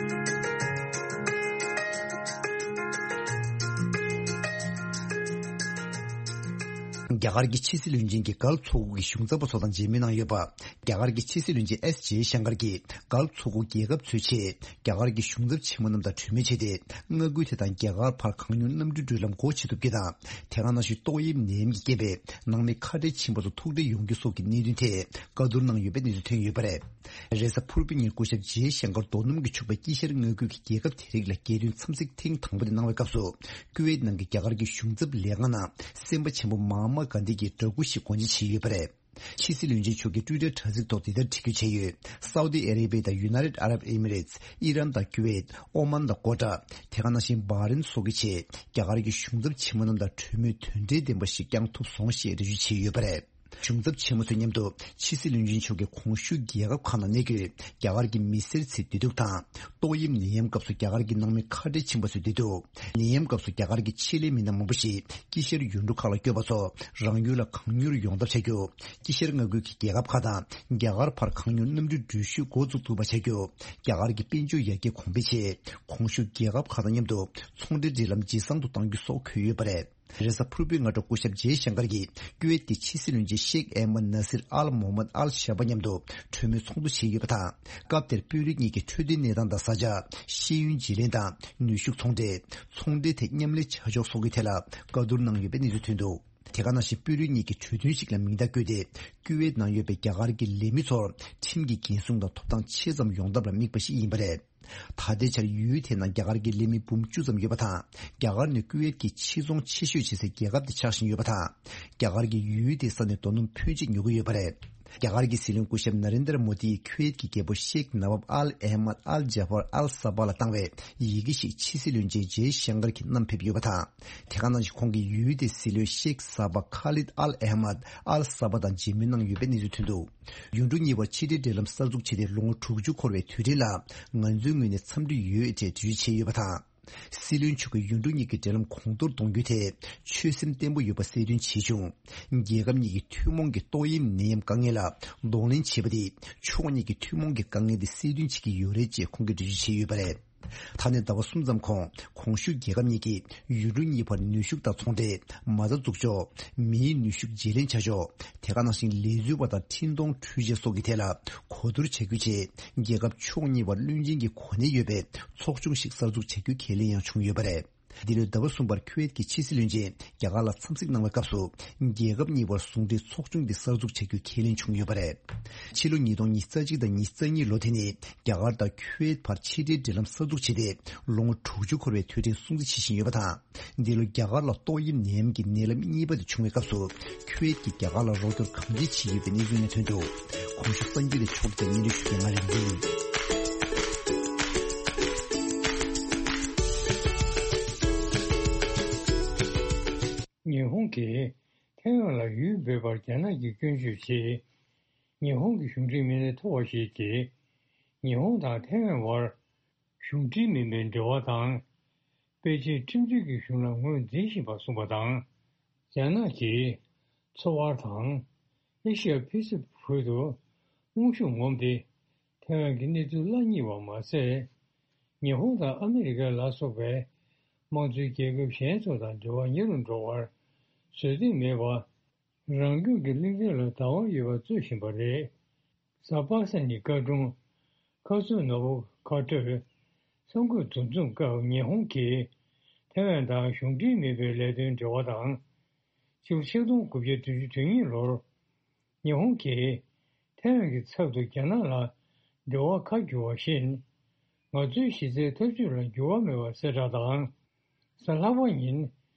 རྒྱ་གར་གྱི་ཕྱི་སྲིད་བློན་ཆེན་གྱིས་ཀལ་ཚོགས་འཁོར་གྱི་གཞུང་ཚབ་པ་ཚོ་དང་མཇལ་མོལ་གནང་ཡོད་པ། རྒྱ་གར་གྱི་ཕྱི་སྲིད་བློན་ཆེན་ཨེས་ཇེ་ཤང་ཀར་གྱིས་ཀལ་ཚོགས་འཁོར་རྒྱལ་ཁབ་ཚོའི་ཆེད་རྒྱ་གར་གྱི་གཞུང་ཚབ་ཆེན་མོ་རྣམས་དང་གྲོས་མོལ་བྱས་ཏེ། མངའ་ཁུལ་དེ་དང་རྒྱ་གར་བར་གང་མྱུར་གནམ་གྲུའི་འགྲུལ་ལམ་སྒོ་ཕྱེ་ཐུབ་རྒྱུ་དང་། དེ་ག་ནང་བཞིན་ཏོག་དབྱིབས་ནད་ཡམས་ཀྱི་རྐྱེན་པས་ནང་མི་ཁ་བྲལ་ཕྱིན་པ་ཚོ་ཐུགས་ཁྲལ་ཡོང་རྒྱུ་སོགས་ཀྱི་གནད་དོན་ཐད་བཀའ་བསྡུར་གནང་ཡོད་པའི་གནས་ཚུལ་ཐོན་ཡོད་པ་རེད། རེས་གཟའ་ཕུར་བུའི་ཉིན་སྐུ་ཞབས་ཇེ་ཤང་ཀར་རྡོ་སྣུམ་གྱིས་ཕྱུག་པའི་དཀྱིལ་ཤར་མངའ་ཁུལ་གྱི་རྒྱལ་ཁབ་དེ་རིགས་ལ་རྒྱལ་དོན་འཚམས་གཟིགས་ཐེངས་དང་པོ་དེ་གནང་བའི་སྐབས་སུ། ཀུ་ཝེད་ནང་གི་རྒྱ་གར་གྱི་གཞུང་ཚབ་ལས་ཁང་ནང་སེམས་པ་ཆེན་པོ་མ་ཧ་མ་གྷན་དྷི་གྱི་འདྲ་སྐུ་ཞིག་སྒོ་འབྱེད་བྱས་ཡོད་པ་རེད། ཕྱི་སྲིད་བློན་ཆེན་མཆོག་གིས་ཊུའི་ཊར་དྲ་ཚིགས་ཐོག་འདི་ལྟར་བྲིས་བཀོད་བྱས་ཡོད། སའུ་ཏི་ཨ་རེ་བྷི་ཡ་དང་ཡུ་ནའི་ཊེཌ་ཨ་རབ་ཨེ་མི་རེ་ཊི། ཨི་རན་དང་ཀུ་ཝེད། ཨོ་མན་དང་ཀོ་ཊར། དེ་ག་ནང་བཞིན་བྷ་རེན་སོགས་ཀྱི་ཆེད་རྒྱ་གར་གྱི་གཞུང་ཚབ་ཆེན་མོ་རྣམས་དང་གྲོས་མོལ་དོན་འབྲེལ་ལྡན་པ་ཞིག་བསྐྱང་ཐུབ་སོང་ཞེས་འགྲེལ་བརྗོད་བྱས་ཡོད་པ་རེད། གཞུང་ཚབ་ཆེན་མོ་ཚོའི་མཉམ་དུ་ཕྱི་སྲིད་བློན་ཆེན་མཆོག་གིས་གོང་ཞུས་རྒྱལ་ཁབ་ཁག་ནང་གནས་འཁོད་རྒྱ་གར་གྱི་མི་སེར་ཚོའི་བདེ་སྡུག་དང་། ཏོག་དབྱིབས་ནད་ཡམས་སྐབས་སུ་རྒྱ་གར་གྱི་ནང་མི་ཁ་བྲལ་ཕྱིན་པ་ཚོའི་བདེ་སྡུག་ནད་ཡམས་སྐབས་སུ་རྒྱ་གར་གྱི་ཆེད་ལས་མི་སྣ་མང་པོ་ཞིག་དཀྱིལ་ཤར་ཡུལ་གྲུ་ཁག་ལ་བསྐྱོད་པ་སོགས་རང་ཡུལ་ལ་གང་མྱུར་ཡོང་ཐབས་བྱ་རྒྱུ། དཀྱིལ་ཤར་མངའ་ཁུལ་གྱི་རྒྱལ་ཁབ་ཁག་དང་རྒྱ་གར་བར་གང་མྱུར་གནམ་གྲུའི་འགྲུལ་བཞུད་འགོ་འཛུགས་ཐུབ་པ་བྱ་རྒྱུ། རྒྱ་གར་གྱི་དཔལ་འབྱོར་ཡར་རྒྱས་གོང་འཕེལ་ཆེད་གོང་ཞུས་རྒྱལ་ཁབ་ཁག་དང་མཉམ་དུ་ཚོང་འབྲེལ་འབྲེལ་ལམ་ཇེ་བཟང་དུ་གཏང་རྒྱུ་སོགས་འཁོད་ཡོད་པ་རེད། རེས་གཟའ་ཕུར་བུའི་སྔ་དྲོ་སྐུ་ཞབས་ཇེ་ཤང་ཀར་གྱིས་ཀུ་ཝེད་ཀྱི་ཕྱི་སྲིད་བློན་ཆེན་ཤེག་ཨེ་མད་ནཱ་སིར་ཨལ་མོ་མད་ཨལ་ཤ་བྷ་མཉམ་དུ་གྲོས་མོལ་ཚོགས་འདུ་བྱས་ཡོད་པ་དང་། སྐབས་དེར་དཔོན་རིགས་གཉིས་ཀྱིས་འཕྲོད་བསྟེན་གནས་སྟངས་དང་བཟའ་བཅའ། ཤེས་ཡོན་བརྗེ་ལེན་དང་ནུས་ཤུགས་ཚོང་འབྲེལ། ཚོང་འབྲེལ་ཐད་མཉམ་ལས་བྱ་ཕྱོགས་སོགས་ཀྱི་ཐད་ལ་བཀའ་བསྡུར་གནང་ཡོད་པའི་གནས་ཚུལ་ཐོན་འདུག་དེ་ག་ནང་བཞིན་དཔོན་རིགས་གཉིས་ཀྱིས་གྲོས་མཐུན་ཞིག་ལ་མིང་རྟགས་བཀོད་དེ། ཀུ་ཝེད་ནང་ཡོད་པའི་རྒྱ་གར་གྱི་ལས་མི་ཚོར་ཁྲིམས་ཀྱི་འགན་སྲུང་དང་ཐོབ་ཐང་ཆེ་ཙམ་ཡོང་ཐབས་ལ་དམིགས་པ་ཞིག་ཡིན་པ་རེད། ད་ལྟའི་ཆར་ཡུལ་དེའི་ནང་རྒྱ་གར་གྱི་ལས་མི་འབུམ་བཅུ་ཙམ་ཡོད་པ་དང་། རྒྱ་གར་ནི་ཀུ་ཝེད་ཀྱི་ཕྱིར་ཚོང་ཆེ་ཤོས་བྱེད་སའི་རྒྱལ་ཁབ་དེ་ཆགས་བཞིན་ཡོད་པ་དང་། རྒྱ་གར་གྱིས་ཡུལ་དེའི་ས་ནས་རྡོ་སྣུམ་ཕོན་ཆེ་ཉོ་གི་ཡོད་པ་རེད། རྒྱ་གར་གྱི་སྲིད་བློན་སྐུ་ཞབས་ན་རེན་དྲ་མོ་དི་ཡིས་ཁུ་ཝེད་ཀྱི་རྒྱལ་པོ་ཤེག་ནབ་བབ་ཨལ་ཨེ་མད་ཨལ་ཇཱ་ཧྥར་ཨལ་ས་བྷ་ལ་བཏང་བའི་ཡི་གེ་ཞིག་ཕྱི་སྲིད་བློན་ཆེན་ཇེ་ཤང་ཀར་གྱིས་བསྣམས་ཕེབས་ཡོད་པ་དང་། དེ་ག་ནང་བཞིན་ཁོང་གིས་ཡུལ་དེའི་སྲིད་བློན་ཤེག་ས་བྷ་ཁ་ལིད་ཨལ་ཨེ་མད་ཨལ་ས་བྷ་དང་མཇལ་མོལ་གནང་ཡོད་པའི་གནས་ཚུལ་ཐོན་འདུག་ཡུལ་གྲུ་གཉིས་བར་ཕྱི་འབྲེལ་འབྲེལ་ལམ་གསར་འཛུགས་བྱས་ཏེ་ལོ་ངོ་དྲུག་ཅུ་འཁོར་བའི་དུས་དྲན་ལ་ང་ཚོའི་ངོས་ནས་འཚམས་འདྲི་ཡོད་ཅེས་འགྲེལ་བརྗོད་བྱས་ཡོད་པ་དང་། སྲིད་བློན་མཆོག་གིས་ཡུལ་གྲུ་གཉིས་ཀྱི་འབྲེལ་ལམ་གོང་མཐོར་གཏོང་རྒྱུའི་ཐད་ཆོད་སེམས་བརྟན་པོ་ཡོད་པ་གསལ་སྟོན་བྱས་བྱུང་། རྒྱལ་ཁབ་གཉིས་ཀྱི་ཐུན་མོང་གི་ཏོག་དབྱིབས་ནད་ཡམས་དཀའ་ངལ་ལ་གདོང་ལེན་བྱེད་པ་དེ་ཕྱོགས་གཉིས་ཀྱི་ཐུན་མོང་གི་དཀའ་ངལ་དེ་སེལ་འདུན་བྱེད་ཀྱི་ཡོད་རེད་ཅེས་ཁོང་གིས་འགྲེལ་བརྗོད་བྱས་ཡོད་པ་རེད། ད་ནས་ཟླ་བ་གསུམ་ཙམ་གོང་གོང་ཞུས་རྒྱལ་ཁབ་གཉིས་ཀྱིས་ཡུལ་གྲུ་གཉིས་བར་ནུས་ཤུགས་དང་ཚོང་འབྲེལ། མ་རྩ་འཛུགས་ཕྱོགས། མིའི་ནུས་ཤུགས་བརྗེ་ལེན་བྱ་ཕྱོགས། དེ་ག་ནང་བཞིན་ལས་འཛུལ་བ་དང་འཕྲིན་གཏོང་འཕྲུལ་ཆས་སོགས་ཀྱི་ཐད་ལ་གོ་བསྡུར་བྱ་རྒྱུའི་ཆེད། རྒྱལ་ཁབ་ཕྱོགས་གཉིས་བར་བློན་ཆེན་གྱི་གོ་གནས་ཡོད་པའི་ཚོགས་ཆུང་ཞིག་གསར་འཛུགས་བྱ་རྒྱུའི་ཁས་ལེན་ཡང་བྱུང་ཡོད་པ་རེད། འདི་ལོའི་ཟླ་བ་གསུམ་པར་ཁུ་ཝེད་ཀྱི་ཕྱི་སྲིད་བློན་ཆེན་རྒྱ་གར་ལ་འཚམས་གཟིགས་གནང་བའི་སྐབས་སུ། རྒྱལ་ཁབ་གཉིས་བར་ཟུང་འབྲེལ་ཚོགས་ཆུང་འདི་གསར་འཛུགས་བྱ་རྒྱུའི་ཁས་ལེན་བྱུང་ཡོད་པ་རེད། ཕྱི་ལོ་ཉིས་སྟོང་ཉི་ཤུ་རྩ་གཅིག་དང་ཉི་ཤུ་རྩ་གཉིས་ལོ་དེ་ནི་རྒྱ་གར་དང་ཁུ་ཝེད་བར་ཕྱི་འབྲེལ་འབྲེལ་ལམ་གསར་འཛུགས་བྱས་ཏེ་ལོ་ངོ་དྲུག་ཅུ་འཁོར་བའི་དུས་དྲན་སྲུང་བརྩི་བྱེད་བཞིན་ཡོད་པ་དང་། འདི་ལོ་རྒྱ་གར་ལ་ཏོག་དབྱིབས་ནད་ཡམས་ཀྱི་ནད་རླབས་གཉིས་པ་དེ་བྱུང་བའི་སྐབས་སུ་ཁུ་ཝེད་ཀྱིས་རྒྱ་གར་ལ་རོགས་སྐྱོར་གང་ཅི་བྱེད་ཀྱི་ཡོད་པའི་གནས་ཚུལ་ཡང་ཐོན་འདུག་གོང་ཞུས་གསར་འགྱུར་དེ་ཕྱོགས་སྒྲིག་སྙན་སྒྲོན་ཞུ་མཁན་ང་རིག་འཛིན་ཡིན། ཉི་ཧོང་གིས་ཐའེ་ཝན་ལ་ཡུལ་འབོད་པར་རྒྱ་ནག་གིས་སྐྱོན་བརྗོད་བྱས། ཉི་ཧོང་གི་གཞུང་འབྲེལ་མི་སྣ་མཐོ་བ་ཞིག་གིས་ཉི་ཧོང་དང་ཐའེ་ཝན་བར་གཞུང་འབྲེལ་མིན་པའི་འབྲེལ་བ་དང་། པེ་ཅིན་ཁྲིམས་རྩོད་ཀྱི་གཞུང་ལ་ངོས་འཛིན་བཞིན་པ་གསུངས་པ་དང་། རྒྱ་ནག་གིས་མཚོ་དབར་དང་ཨེ་ཤི་ཡ་ཕི་སི་ཧྥིག་ཏུ་དབང་ཤུགས་ངོམ་སྟེ། ཐའེ་ཝན་གྱི་གནས་ཚུལ་བརླག་ཉེས་པ་མ་ཟད། ཉི་ཧོང་དང་ཨ་མི་རི་ཀ་ལ་སོགས་པའི་དམངས་གཙོའི་རྒྱལ་ཁབ་གཞན་ཚོ་དང་འབྲེལ་བ་ཉེ་རུ་འགྲོ་བར་བཟོད་འདོད་མེད་པ། རང་སྐྱོང་གི་གླིང་ཕྲན་ལ་བདག་དབང་ཡོད་པ་རྩོད་བཞིན་པ་རེད། གཟའ་པ་སངས་ཉིན་བཀའ་དྲུང་ཁ་སུ་ནོ་བུ་ཁ་སྤྲོད་གསར་འགོད་འདུ་འཛོམས་སྐབས་ཉི་ཧོང་གིས་ཐའེ་ཝན་དང་གཞུང་འབྲེལ་མིན་པའི་ལས་དོན་འབྲེལ་བ་དང་། ཕྱི་ལོ་ཆིག་སྟོང་དགུ་བརྒྱ་བདུན་ཅུ་དོན་གཉིས་ལོར་ཉི་ཧོང་གིས་ཐའེ་ཝན་གྱི་ཚབ་ཏུ་རྒྱ་ནག་ལ་འབྲེལ་བ་ཁ་བསྒྱུར་བ་བཞིན། ང་ཚོའི་གཞི་རྩའི་འཐབ་ཇུས་ལ་འགྱུར་བ་མེད་པ་གསལ་བསྒྲགས་དང་། གཟའ་ལྷག་པ་ཉིན་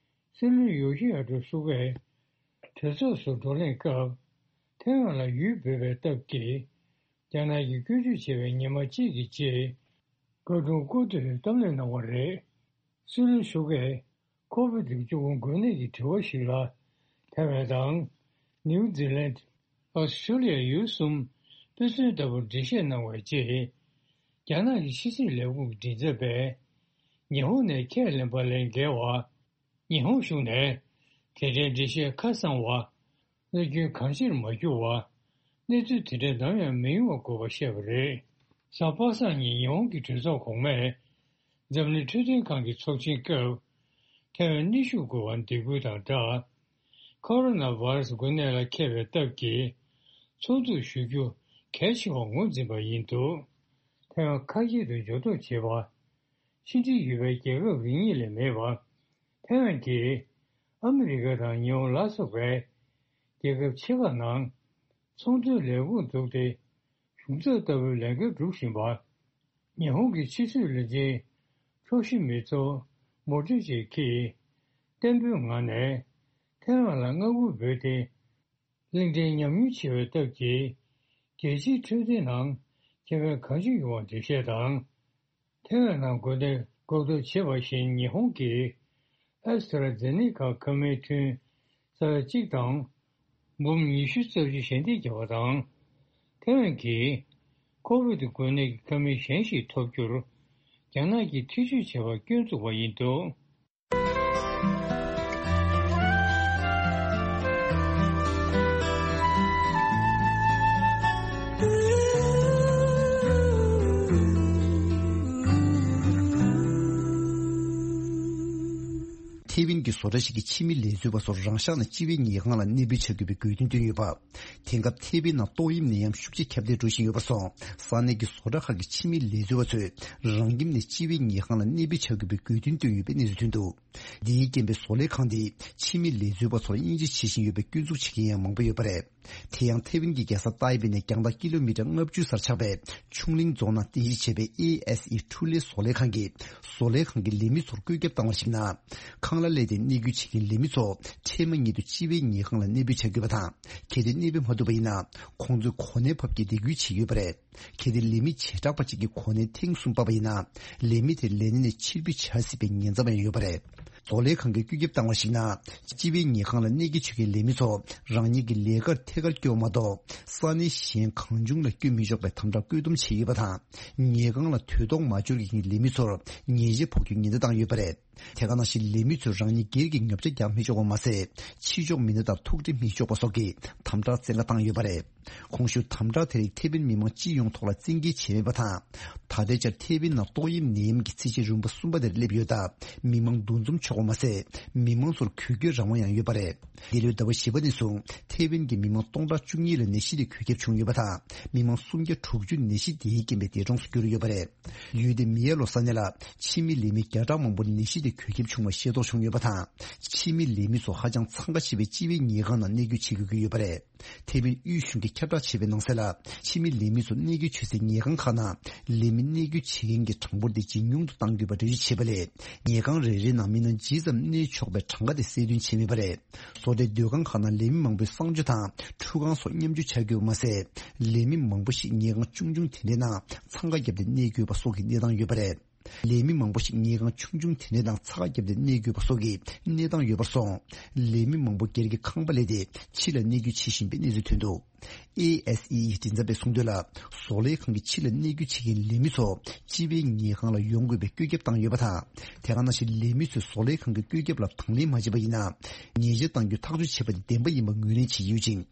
སྲིད་བློན་ཡོ་ཤི་ཧ་ཏུ་སུ་གྷས་གྲོས་ཚོགས་སུ་བགྲོ་གླེང་སྐབས་ཐའེ་ཝན་ལ་ཡུལ་འབོད་པའི་སྟབས་ཀྱིས་རྒྱ་ནག་གིས་སྐྱོན་བརྗོད་བྱས་པའི་ཉི་མ་གཅིག་གི་རྗེས། བཀའ་དྲུང་སྐུ་ཐོག་གཏམ་གླེང་གནང་བ་རེད། སྲིད་བློན་སུ་གྷས་ཁོ་བིད་བཅུ་དགུ་འགོས་ནད་ཀྱི་དྲི་བ་ཞིག་ལ་ཐའེ་ཝན་དང་ནིའུ་ཛི་ལན། ཨོ་སི་ཁྲུ་ལི་ཡ་ཡུལ་གསུམ་དཔེ་མཚོན་ལྟ་བུར་འགྲེལ་བཤད་གནང་བའི་རྗེས། རྒྱ་ནག་གི་ཕྱི་སྲིད་ལས་ཁུངས་ཀྱི་མགྲིན་ཚབ་པས་ཉི་ཧོང་ནས་ཁས་ལེན་པ་ལས་འགལ་བ། ཉི་ཧོང་གཞུང་ནས་དེ་འདྲའི་འགྲེལ་བཤད་ཁ་གསང་བ། གནོད་སྐྱོན་གང་ཆེར་མ་གྱུར་བ། གནས་ཚུལ་དེ་འདྲ་ནམ་ཡང་མི་ཡོང་བ་དགོས་པ་བཤད་པ་རེད། གཟའ་པ་སངས་ཉིན་ཉི་ཧོང་གི་གྲོས་ཚོགས་གོང་མས་འཛམ་གླིང་འཕྲོད་བསྟེན་ཁང་གི་ཚོགས་ཆེན་སྐབས་ཐའེ་ཝན་གནོན་ཤུགས་དགོས་པར་འདེད་སྐུལ་དང་སྦྲགས། ཁོ་རོ་ན་བྷ་ར་སི་འགོས་ནད་ལ་མཁས་པའི་སྟབས་ཀྱིས་ཚོགས་འདུ་ཞུ་རྒྱུ་གལ་ཆེ་བར་ངོས་འཛིན་པ་ཡིན་འདུག་ཐའེ་ཝན་ཁ་ཤས་དུ་འབྱོར་ཐོ་བྱེད་པ། ཕྱི་འབྲེལ་ཡོད་པའི་རྒྱལ་ཁབ་རེ་གཉིས་ལས་མེད་པ། ཐའེ་ཝན་གྱིས་ཨ་མི་རི་ཀ་དང་ཉི་ཧོང་ལ་སོགས་པའི་རྒྱལ་ཁབ་ཆེ་ཁག་ནང་ཚོང་དོན་ལས་ཁུངས་བཙུགས་ཏེ་གཞུང་ཚབ་ལྟ་བུའི་ལས་འགན་སྒྲུབ་བཞིན་པ། ཉི་ཧོང་གི་ཕྱི་སྲིད་བློན་ཆེན་ཁྱོ་ཤི་མི་ཚོ་མོ་ཏྲི་ཅི་གིས་བརྟན་པོའི་ངང་ནས་ཐའེ་ཝན་ལ་མངའ་ཁུལ་འབོད་དེ། གླིང་ཕྲན་ཉམས་མྱོང་ཆེ་བའི་སྟབས་ཀྱིས་རྒྱལ་སྤྱིའི་འཕྲོད་བསྟེན་ནང་ཁེ་ཕན་གང་ཅི་ཡོང་བ་འགྲེལ་བཤད་དང་། ཐའེ་ཝན་ནང་འགོས་ནད་འགོག་ཐབས་བྱེད་པ་བཞིན་ཉི་ཧོང་གིས་ཨེ་སི་ཏྲ་ཛེ་ནེ་ཀ་ཁབ་སྨན་ཐུན་རྩ་གཅིག་དང་འབུམ་ཉི་ཤུ་རྩ་བཞི་ཞལ་འདེབས་བརྒྱབ་པ་དང་། ཐའེ་ཝན་གྱིས་ཁོ་བིད་འགོས་ནད་ཀྱི་ཁབ་སྨན་གཞན་ཞིག་ཐོབ་རྒྱུར་རྒྱ་ནག་གིས་ཐེ་བྱུས་བྱས་པར་སྐྱོན་བཙུགས་པ་ཡིན་འདུག་ཐའེ་ཝན་གྱི་བཟོ་གྲྭ་ཞིག་གིས་ཕྱི་མི་ལས་བཟོ་བ་ཚོར་རང་ཤག་ནས་སྤྱི་པའི་ཉལ་ཁང་ལ་གནས་སྤོས་བྱ་དགོས་པའི་དགོས་འདུན་བཏོན་ཡོད་པ། དེང་སྐབས་ཐའེ་ཝན་ནང་ཏོག་དབྱིབས་ནད་ཡམས་ཤུགས་ཆེ་ཁྱབ་གདལ་འགྲོ་བཞིན་ཡོད་པར་སོང་། ས་གནས་ཀྱི་བཟོ་གྲྭ་ཁག་གི་ཕྱི་མི་ལས་བཟོ་བ་ཚོས་རང་ཁྱིམ་ནས་སྤྱི་པའི་ཉལ་ཁང་ལ་གནས་སྤོས་བྱ་དགོས་པའི་དགོས་འདུན་བཏོན་ཡོད་པའི་གནས་ཚུལ་ཐོན་འདུག་འདིའི་རྐྱེན་པས་བཟོ་ལས་ཁང་འདིས་ཕྱི་མི་ལས་བཟོ་བ་ཚོར་དབྱེ་འབྱེད་བྱེད་བཞིན་ཡོད་པའི་སྐྱོན་འཛུགས་བྱེད་མཁན་ཡང་མང་པོ་ཡོད་པ་རེད། དེ་ཡང་ཐའེ་ཝན་གྱི་རྒྱལ་ས་ཏའེ་པེ་ནས་རྒྱང་ཐག་ཀི་ལོ་མི་ཊར་ལྔ་བཅུ་སར་ཆགས་པའི་ཆུང་གླིང་རྫོང་ནང་རྟེན་གཞི་བྱས་པའི་ཨེ་ཨེས་ཨི་ཁྲུ་ལེ་བཟོ་ལས་ཁང་གིས་བཟོ་ལས་ཁང་གི་ལས་མི་ཚོར་བཀོད་ཁྱབ་བཏང་བར་གཞིགས་ན། ཁང་གླ་ལས་དེ་གནས་སྐྱོང་བྱེད་མཁན་ལས་མི་ཚོ་འཕྲལ་མ་ཉིད་དུ་སྤྱི་པའི་ཉལ་ཁང་ལ་གནས་སྤོས་བྱ་དགོས་པ་དང་། གལ་ཏེ་གནས་སྤོས་མ་ཐུབ་པ་ཡིན་ན་ཁོང་ཚོའི་གོ་གནས་ཕབ་སྐྱེལ་དེ་ཁུལ་བྱེད་ཀྱི་ཡོད་པ་རེད། གལ་ཏེ་ལས་མི་བྱེ་བྲག་པ་གཅིག་གི་གོ་གནས་ཐེངས་གསུམ་ཕབ་པ་ཡིན་ན། ལས་མི་དེ་ལས་གནས་ནས་ཕྱིར་འབུད་བྱ་སྲིད་པའི་ཉེན་ཚབས་ཡང་ཡོད་པ་རེད། བཟོ་ལས་ཁང་གིས་བཀོད་ཁྱབ་བཏང་བར་གཞིགས་ན། སྤྱི་པའི་ཉལ་ཁང་ལ་གནས་སྐྱེལ་བྱེད་མཁན་ལས་མི་ཚོ་རང་ཉིད་ཀྱི་ལས་ཀར་ཐད་ཀར་སྐྱོད་མ་གཏོགས། ས་གནས་གཞན་གང་བྱུང་ལ་སྐྱོད་མི་ཆོག་པའི་དམ་དྲག་བཀོད་འདོམས་བྱས་ཡོད་པ་དང་། ཉལ་ཁང་ལ་དུས་ཐོག་མ་འབྱོར་མཁན་གྱི་ལས་མི་ཚོར་ཉེས་ཆད་ཕོག་རྒྱུའི་ཉེན་བརྡ་བཏང་ཡོད་པ་རེད། དེ་ག་ནང་བཞིན་ལས་མི་ཚོས་རང་ཉིད་སྒེར་གྱི་ཉོ་ཆ་རྒྱག་མི་ཆོག་པ་མ་ཟད། ཕྱི་ཕྱོགས་མི་སྣ་དང་ཐུག་འཕྲད་མི་ཆོག་པ་སོགས་ཀྱི་དམ་དྲག་བཙན་བཀའ་བཏང་ཡོད་པ་རེད། གོང་ཞུས་དམ་དྲག་དེ་རིགས་ཐེ་ཝན་མི་མང་སྤྱི་ཡོངས་ཐོག་ལ་བཙན་འགེལ་བྱས་མེད་པ་དང་། ད་ལྟའི་ཆར་ཐེ་ཝན་ནང་ཏོག་དབྱིབས་ནད་ཡམས་ཀྱི་ཚད་གཞི་རིམ་པ་གསུམ་པ་དེར་སླེབས་ཡོད་སྟབས། མི་མང་འདུ་འཛོམས་ཆོག་པ་མ་ཟད། མི་མང་ཚོར་གུས་སྐྱོད་རང་དབང་ཡང་ཡོད་པ་རེད། འདི་ལོའི་ཟླ་བ་བཞི་པ་ནས་བཟུང་ཐེ་ཝན་གྱི་མི་མང་སྟོང་ཕྲག་བཅུ་གཉིས་ལ་ནད་གཞི་དེ་འགོས་ཁྱབ་བྱུང་ཡོད་པ་དང་། མི་མང་སུམ་བརྒྱ་དྲུག་ཅུ་ནད་གཞི་དེའི་རྐྱེན་པས་འདས་གྲོངས་སུ་གྱུར་ཡོད་པ་རེད། ཡུལ་དེའི་མི་ཡར་ལོ་ས་གནས་ལ་ཕྱི་མི་ལས་མི་བརྒྱ་ཕྲག་མང་པོར་ནད་གཞི་དེ་འགོས་ཁྱབ་བྱུང་བ་ཤེས་རྟོགས་བྱུང་ཡོད་པ་དང་། ཕྱི་མི་ལས་མི་ཚོ་ཧ་ཅང་འཚང་ཁ་ཆེ་བའི་སྤྱི་པའི་ཉལ་ཁང་ནང་གནས་སྡོད་བྱེད་དགོས་ཀྱི་ཡོད་པ་རེད། ཐེ་ཝན་དབུས་གཞུང་གིས་ཁྱབ་བསྒྲགས་བྱས་པའི་ནང་གསལ་ལ། ཕྱི་མི་ལས་མི་ཚོ་གནས་སྡོད་བྱེད་སའི་ཉལ་ཁང་ཁག་ནང་ལས་མི་གནས་སྡོད་བྱེད་མཁན་གྱི་གྲངས་འབོར་དེ་ཇེ་ཉུང་དུ་གཏང་དགོས་པ་འགྲེལ་བརྗོད་བྱས་པ་ལས། ཉལ་ཁང་རེ་རེའི་ནང་མི་སྣ་ཇི་ཙམ་གནས་ཆོག་པའི་གྲངས་ཀ་དེ་གསལ་སྟོན་བྱས་མེད་པ་རེད། བཟོ་གྲྭའི་སྡོད་ཁང་ཁག་ནང་ལས་མི་མང་པོའི་གསང་སྤྱོད་དང་ཁྲུས་ཁང་སོགས་མཉམ་སྤྱོད་བྱ་དགོས་པ་མ་ཟད། ལས་མི་མང་པོ་ཞིག་ཉལ་ཁང་ཆུང་ཆུང་དེ་འདྲའི་ནང་འཚང་ཁ་བརྒྱབ་སྟེ་གནས་དགོས་པ་སོགས་ཀྱི་གནས་སྟངས་ཡོད་པ་རེད། ལས་མི་མང་པོ་ཞིག་ཉལ་ཁང་ཆུང་ཆུང་དེ་འདྲའི་ནང་འཚང་ཁ་བརྒྱབ་སྟེ་གནས་དགོས་པ་སོགས་ཀྱི་གནས་སྟངས་ཡོད་པར་སོང་། ལས་མི་མང་པོ་སྒེར་གྱི་ཁང་པ་གླས་ཏེ་ཕྱི་ལ་གནས་སྡོད་བྱེད་བཞིན་པའི་གནས་ཚུལ་ཐོན་འདུག་ཨེ་ཨེས་ཨི་ཡི་མགྲིན་ཚབ་པས་གསུངས་དོན་ལ། བཟོ་ལས་ཁང་གིས་ཕྱི་ལ་གནས་སྡོད་བྱེད་མཁན་ལས་མི་ཚོ་སྤྱི་པའི་ཉལ་ཁང་ལ་ཡོང་དགོས་པའི་བཀོད་ཁྱབ་བཏང་ཡོད་པ་དང་། དེ་ག་ནང་བཞིན་ལས་མི་ཚོས་བཟོ་ལས་ཁང་གི་བཀོད་ཁྱབ་ལ་དང་ལེན་མ་བྱས་པ་ཡིན་ན། ཉེས་ཆད་གཏང་རྒྱུ་ཐག་གཅོད་བྱས་པ་དེ་བདེན་པ་ཡིན་པ་ངོས་ལེན་བྱེད་ཀྱི་ཡོད་ཅིང་།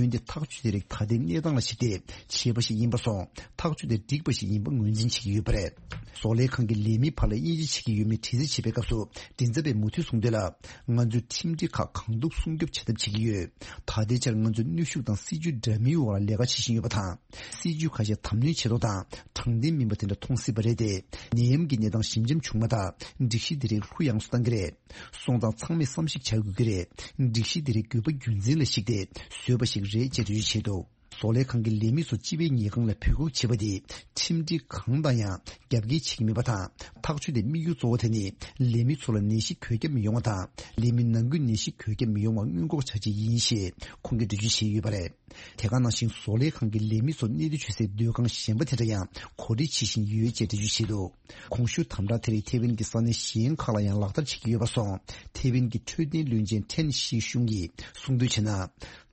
འོན་ཏེ་ཐག་གཅོད་དེ་རིགས་ད་ལྟའི་གནས་སྟངས་ལ་གཞིགས་ཏེ་བྱས་པ་ཞིག་ཡིན་པར་སོང་། ཐག་གཅོད་དེ་འགྲིག་པ་ཞིག་ཡིན་པ་ངོས་འཛིན་བྱེད་ཀྱི་ཡོད་པ་རེད། བཟོ་ལས་ཁང་གི་ལས་མིའི་བར་ལ་དབྱེ་འབྱེད་བྱེད་ཀྱི་ཡོད་མེད་དྲི་རྩད་བྱས་པའི་སྐབས་སུ། མགྲིན་ཚབ་པས་མུ་མཐུད་གསུངས་དོན་ལ། ང་ཚོས་ཁྲིམས་སྒྲིག་ཁག་གང་ཐུབ་སྲུང་སྐྱོབ་བྱ་ཐབས་བྱེད་ཀྱི་ཡོད། ད་ལྟའི་ཆར་ང་ཚོས་གནོན་ཤུགས་དང་སྲིད་ཇུས་འདྲ་མིན་འོག་ལ་ལས་ཀ་བྱེད་བཞིན་ཡོད་པ་དང་། སྲིད་ཇུས་ཁ་ཤས་དམ་ནོན་བྱེད་ཐོག་དང་དྲང་བདེན་མིན་པ་དེ་འདྲ་མཐོང་སྲིད་པ་རེད་དེ། ནད་ཡམས་ཀྱི་གནས་སྟངས་ཞིབ་འཇམ་བྱུང་མ་ཐག་སྒྲིག་གཞི་འདི་རིགས་ལྷུ་ཡངས་སུ་གཏང་གི་རེད། སོང་ཙང་ཚང་མས་བསམ་གཞིག་བྱ་དགོས་ཀྱི་རེད། སྒྲིག་གཞི་འདི་རིགས་དགོས་པ་རྒྱུ་མཚན་ལ་གཞིགས་ཏེ་བཟོས་པ་ཞིག་རེད་ཅེས་འགྲེལ་བརྗོད་བྱས་འདུག་བཟོ་ལས་ཁང་གི་ལས་མི་ཚོ་སྤྱི་པའི་ཉལ་ཁང་ལ་འབོད་འགུག་བྱེད་པ་དེ་ཁྲིམས་སྒྲིག་གང་དང་ཡང་རྒྱབ་འགལ་བྱེད་ཀྱི་མེད་པ་དང་། ཐག་གཅོད་དེ་དམིགས་ཡུལ་གཙོ་བོ་དེ་ནི་ལས་མི་ཚོ་ལ་ནད་གཞི་འགོས་ཁྱབ་མི་ཡོང་བ་དང་། ལས་མི་ནང་ཁུལ་ནད་གཞི་འགོས་ཁྱབ་མི་ཡོང་བ་སྔོན་འགོག་བྱ་ཆེད་ཡིན་ཞེས་ཁོང་གིས་འགྲེལ་བརྗོད་བྱས་ཡོད་པ་རེད། དེ་ག་ནང་བཞིན་བཟོ་ལས་ཁང་གི་ལས་མི་ཚོ་གནས་སྡོད་བྱེད་སའི་སྡོད་ཁང་གཞན་པ་དེ་འདྲ་ཡང་གོ་སྒྲིག་བྱེད་བཞིན་ཡོད་ཅེས་འགྲེལ་བརྗོད་བྱས་འདུག་གོང་ཞུས་དམ་དྲག་དེ་རིགས་ཐེ་ཝན་གྱི་ས་གནས་གཞན་ཁག་ལ་ཡང་ལག་བསྟར་བྱེད་ཀྱི་ཡོད་པ་སོང་། ཐེ་ཝན་གྱི་འཕྲོད་བསྟེན་བློན་ཆེན་ཁྲེན་ཤི་ཤུང་གིས་གསུངས་དོན་བྱས་ན།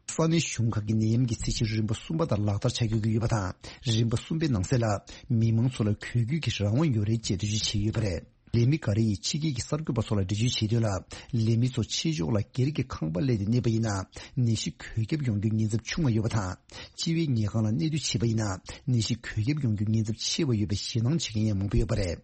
ས་གནས་གཞུང་ཁག་གིས་ནད་ཡམས་ཀྱི་ཚད་གཞི་རིམ་པ་གསུམ་པ་དང་ལག་བསྟར་བྱ་དགོས་ཀྱི་ཡོད་པ་དང་། རིམ་པ་གསུམ་པའི་ནང་གསལ་ལ་མི་མང་ཚོ་ལ་གུས་སྐྱོད་ཀྱི་རང་དབང་ཡོད་རེད་ཅེས་འགྲེལ་བརྗོད་བྱས་ཡོད་པ་རེད། ལས་མི་འགའ་རེ་ཡིས་ཕྱི་རྒྱལ་གྱི་གསར་འགོད་པ་ཚོ་ལ་འགྲེལ་བརྗོད་བྱས་དོན་ལ། ལས་མི་ཚོ་ཕྱི་ཕྱོགས་ལ་སྒེར་གྱི་ཁང་པ་གླས་ཏེ་གནས་པ་ཡིན་ན། ནད་གཞི་འགོས་ཁྱབ་ཡོང་རྒྱུའི་ཉེན་ཚབས་ཆུང་བ་ཡོད་པ་དང་། སྤྱི་པའི་ཉལ་ཁང་ལ་གནས་སྡོད་བྱས་པ་ཡིན་ན། ནད་གཞི་འགོས་ཁྱབ་ཡོང་རྒྱུའི་ཉེན་ཚབས་ཆེ་བ་ཡོད་པའི་ཞེད་སྣང་བྱེད་མཁན་ཡང་མང་པོ་ཡོད་པ་རེད།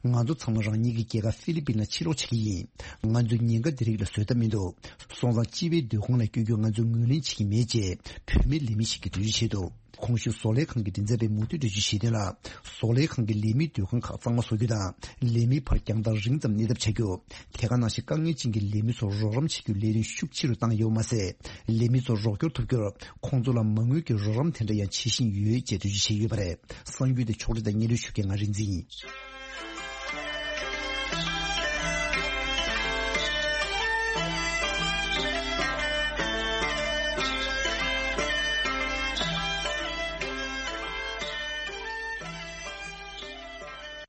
ང་ཚོ་ཚང་མ་རང་ཉིད་ཀྱི་རྒྱལ་ཁབ་ཧྥི་ལི་པིན་ལ་ཕྱིར་ལོག་བྱེད་ཀྱི་ཡིན། ང་ཚོས་ཉེན་ཁ་འདི་རིགས་ལ་བཟོད་ཐབས་མི་འདུག་སོང་ཙང་སྤྱི་པའི་སྡོད་ཁང་ལ་བསྐྱོད་རྒྱུ་ང་ཚོས་ངོས་ལེན་བྱེད་ཀྱི་མེད་ཅེས་བུད་མེད་ལས་མི་ཞིག་གིས་འགྲེལ་བརྗོད་བྱས་འདུག་གོང་ཞུས་བཟོ་ལས་ཁང་གི་མགྲིན་ཚབ་པས་མུ་མཐུད་འགྲེལ་བརྗོད་བྱས་དོན་ལ། བཟོ་ལས་ཁང་གིས་ལས་མིའི་སྡོད་ཁང་ཁག་གཙང་མ་བཟོ་རྒྱུ་དང་། ལས་མིའི་བར་རྒྱང་ཐག་རིང་ཙམ་གནས་ཐབས་བྱ་རྒྱུ། དེ་ག་ནང་བཞིན་དཀའ་ངལ་ཅན་གྱི་ལས་མི་ཚོར་རོགས་རམ་བྱེད་རྒྱུའི་ལས་དོན་ཤུགས་ཆེ་རུ་བཏང་ཡོད་པ་མ་ཟད། ལས་མི་ཚོར་རོགས་སྐྱོར་ཐུབ་རྒྱུར་ཁོང་ཚོ་ལ་མ་དངུལ་གྱི་རོགས་རམ་དེ་འདྲ་ཡང་བྱེད་བཞིན་ཡོད་ཅེས་འགྲེལ་བརྗོད་བྱས་ཡོད་པ་རེད། གསར་འགྱུར་དེ་ཕྱོགས་སྒྲིག་དང་སྙན་སྒྲོན་ཞུ་མཁན་ང་རིག་འཛིན་ཡིན།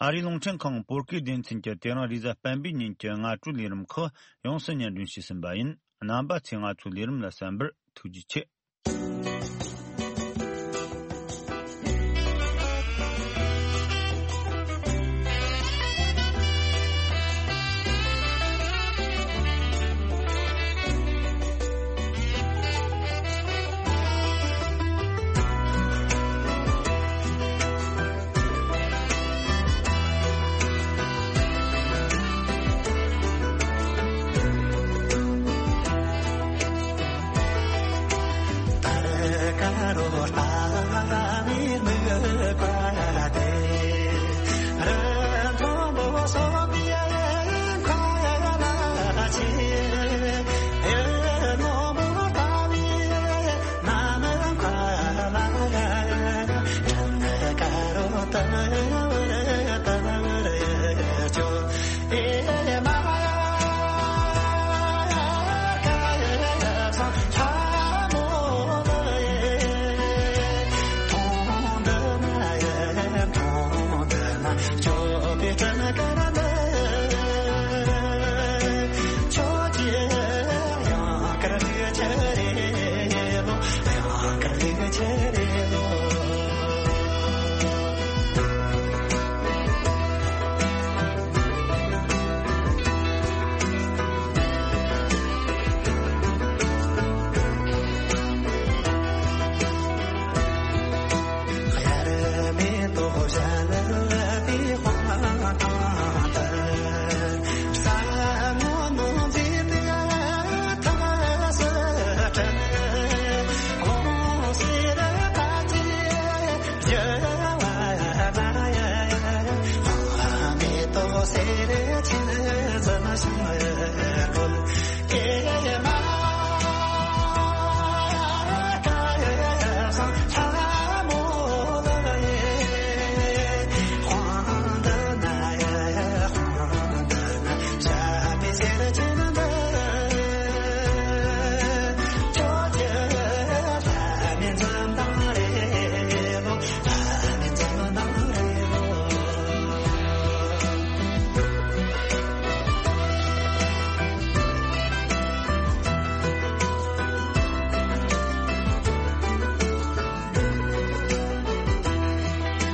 ཨ་རིའི་རླུང་འཕྲིན་ཁང་བོད་སྐད་སྡེ་ཚན་གྱིས་དེ་རིང་རེས་གཟའ་སྤེན་པའི་ཉིན་གྱི་སྔ་དྲོའི་ལས་རིམ་ཁག་ཡོངས་སུ་སྙན་སྒྲོན་ཞུས་ཟིན་པ་ཡིན། རྣམ་པ་ཚོས་ང་ཚོའི་ལས་རིམ་ལ་གསན་པར་ཐུགས་རྗེ་ཆེ།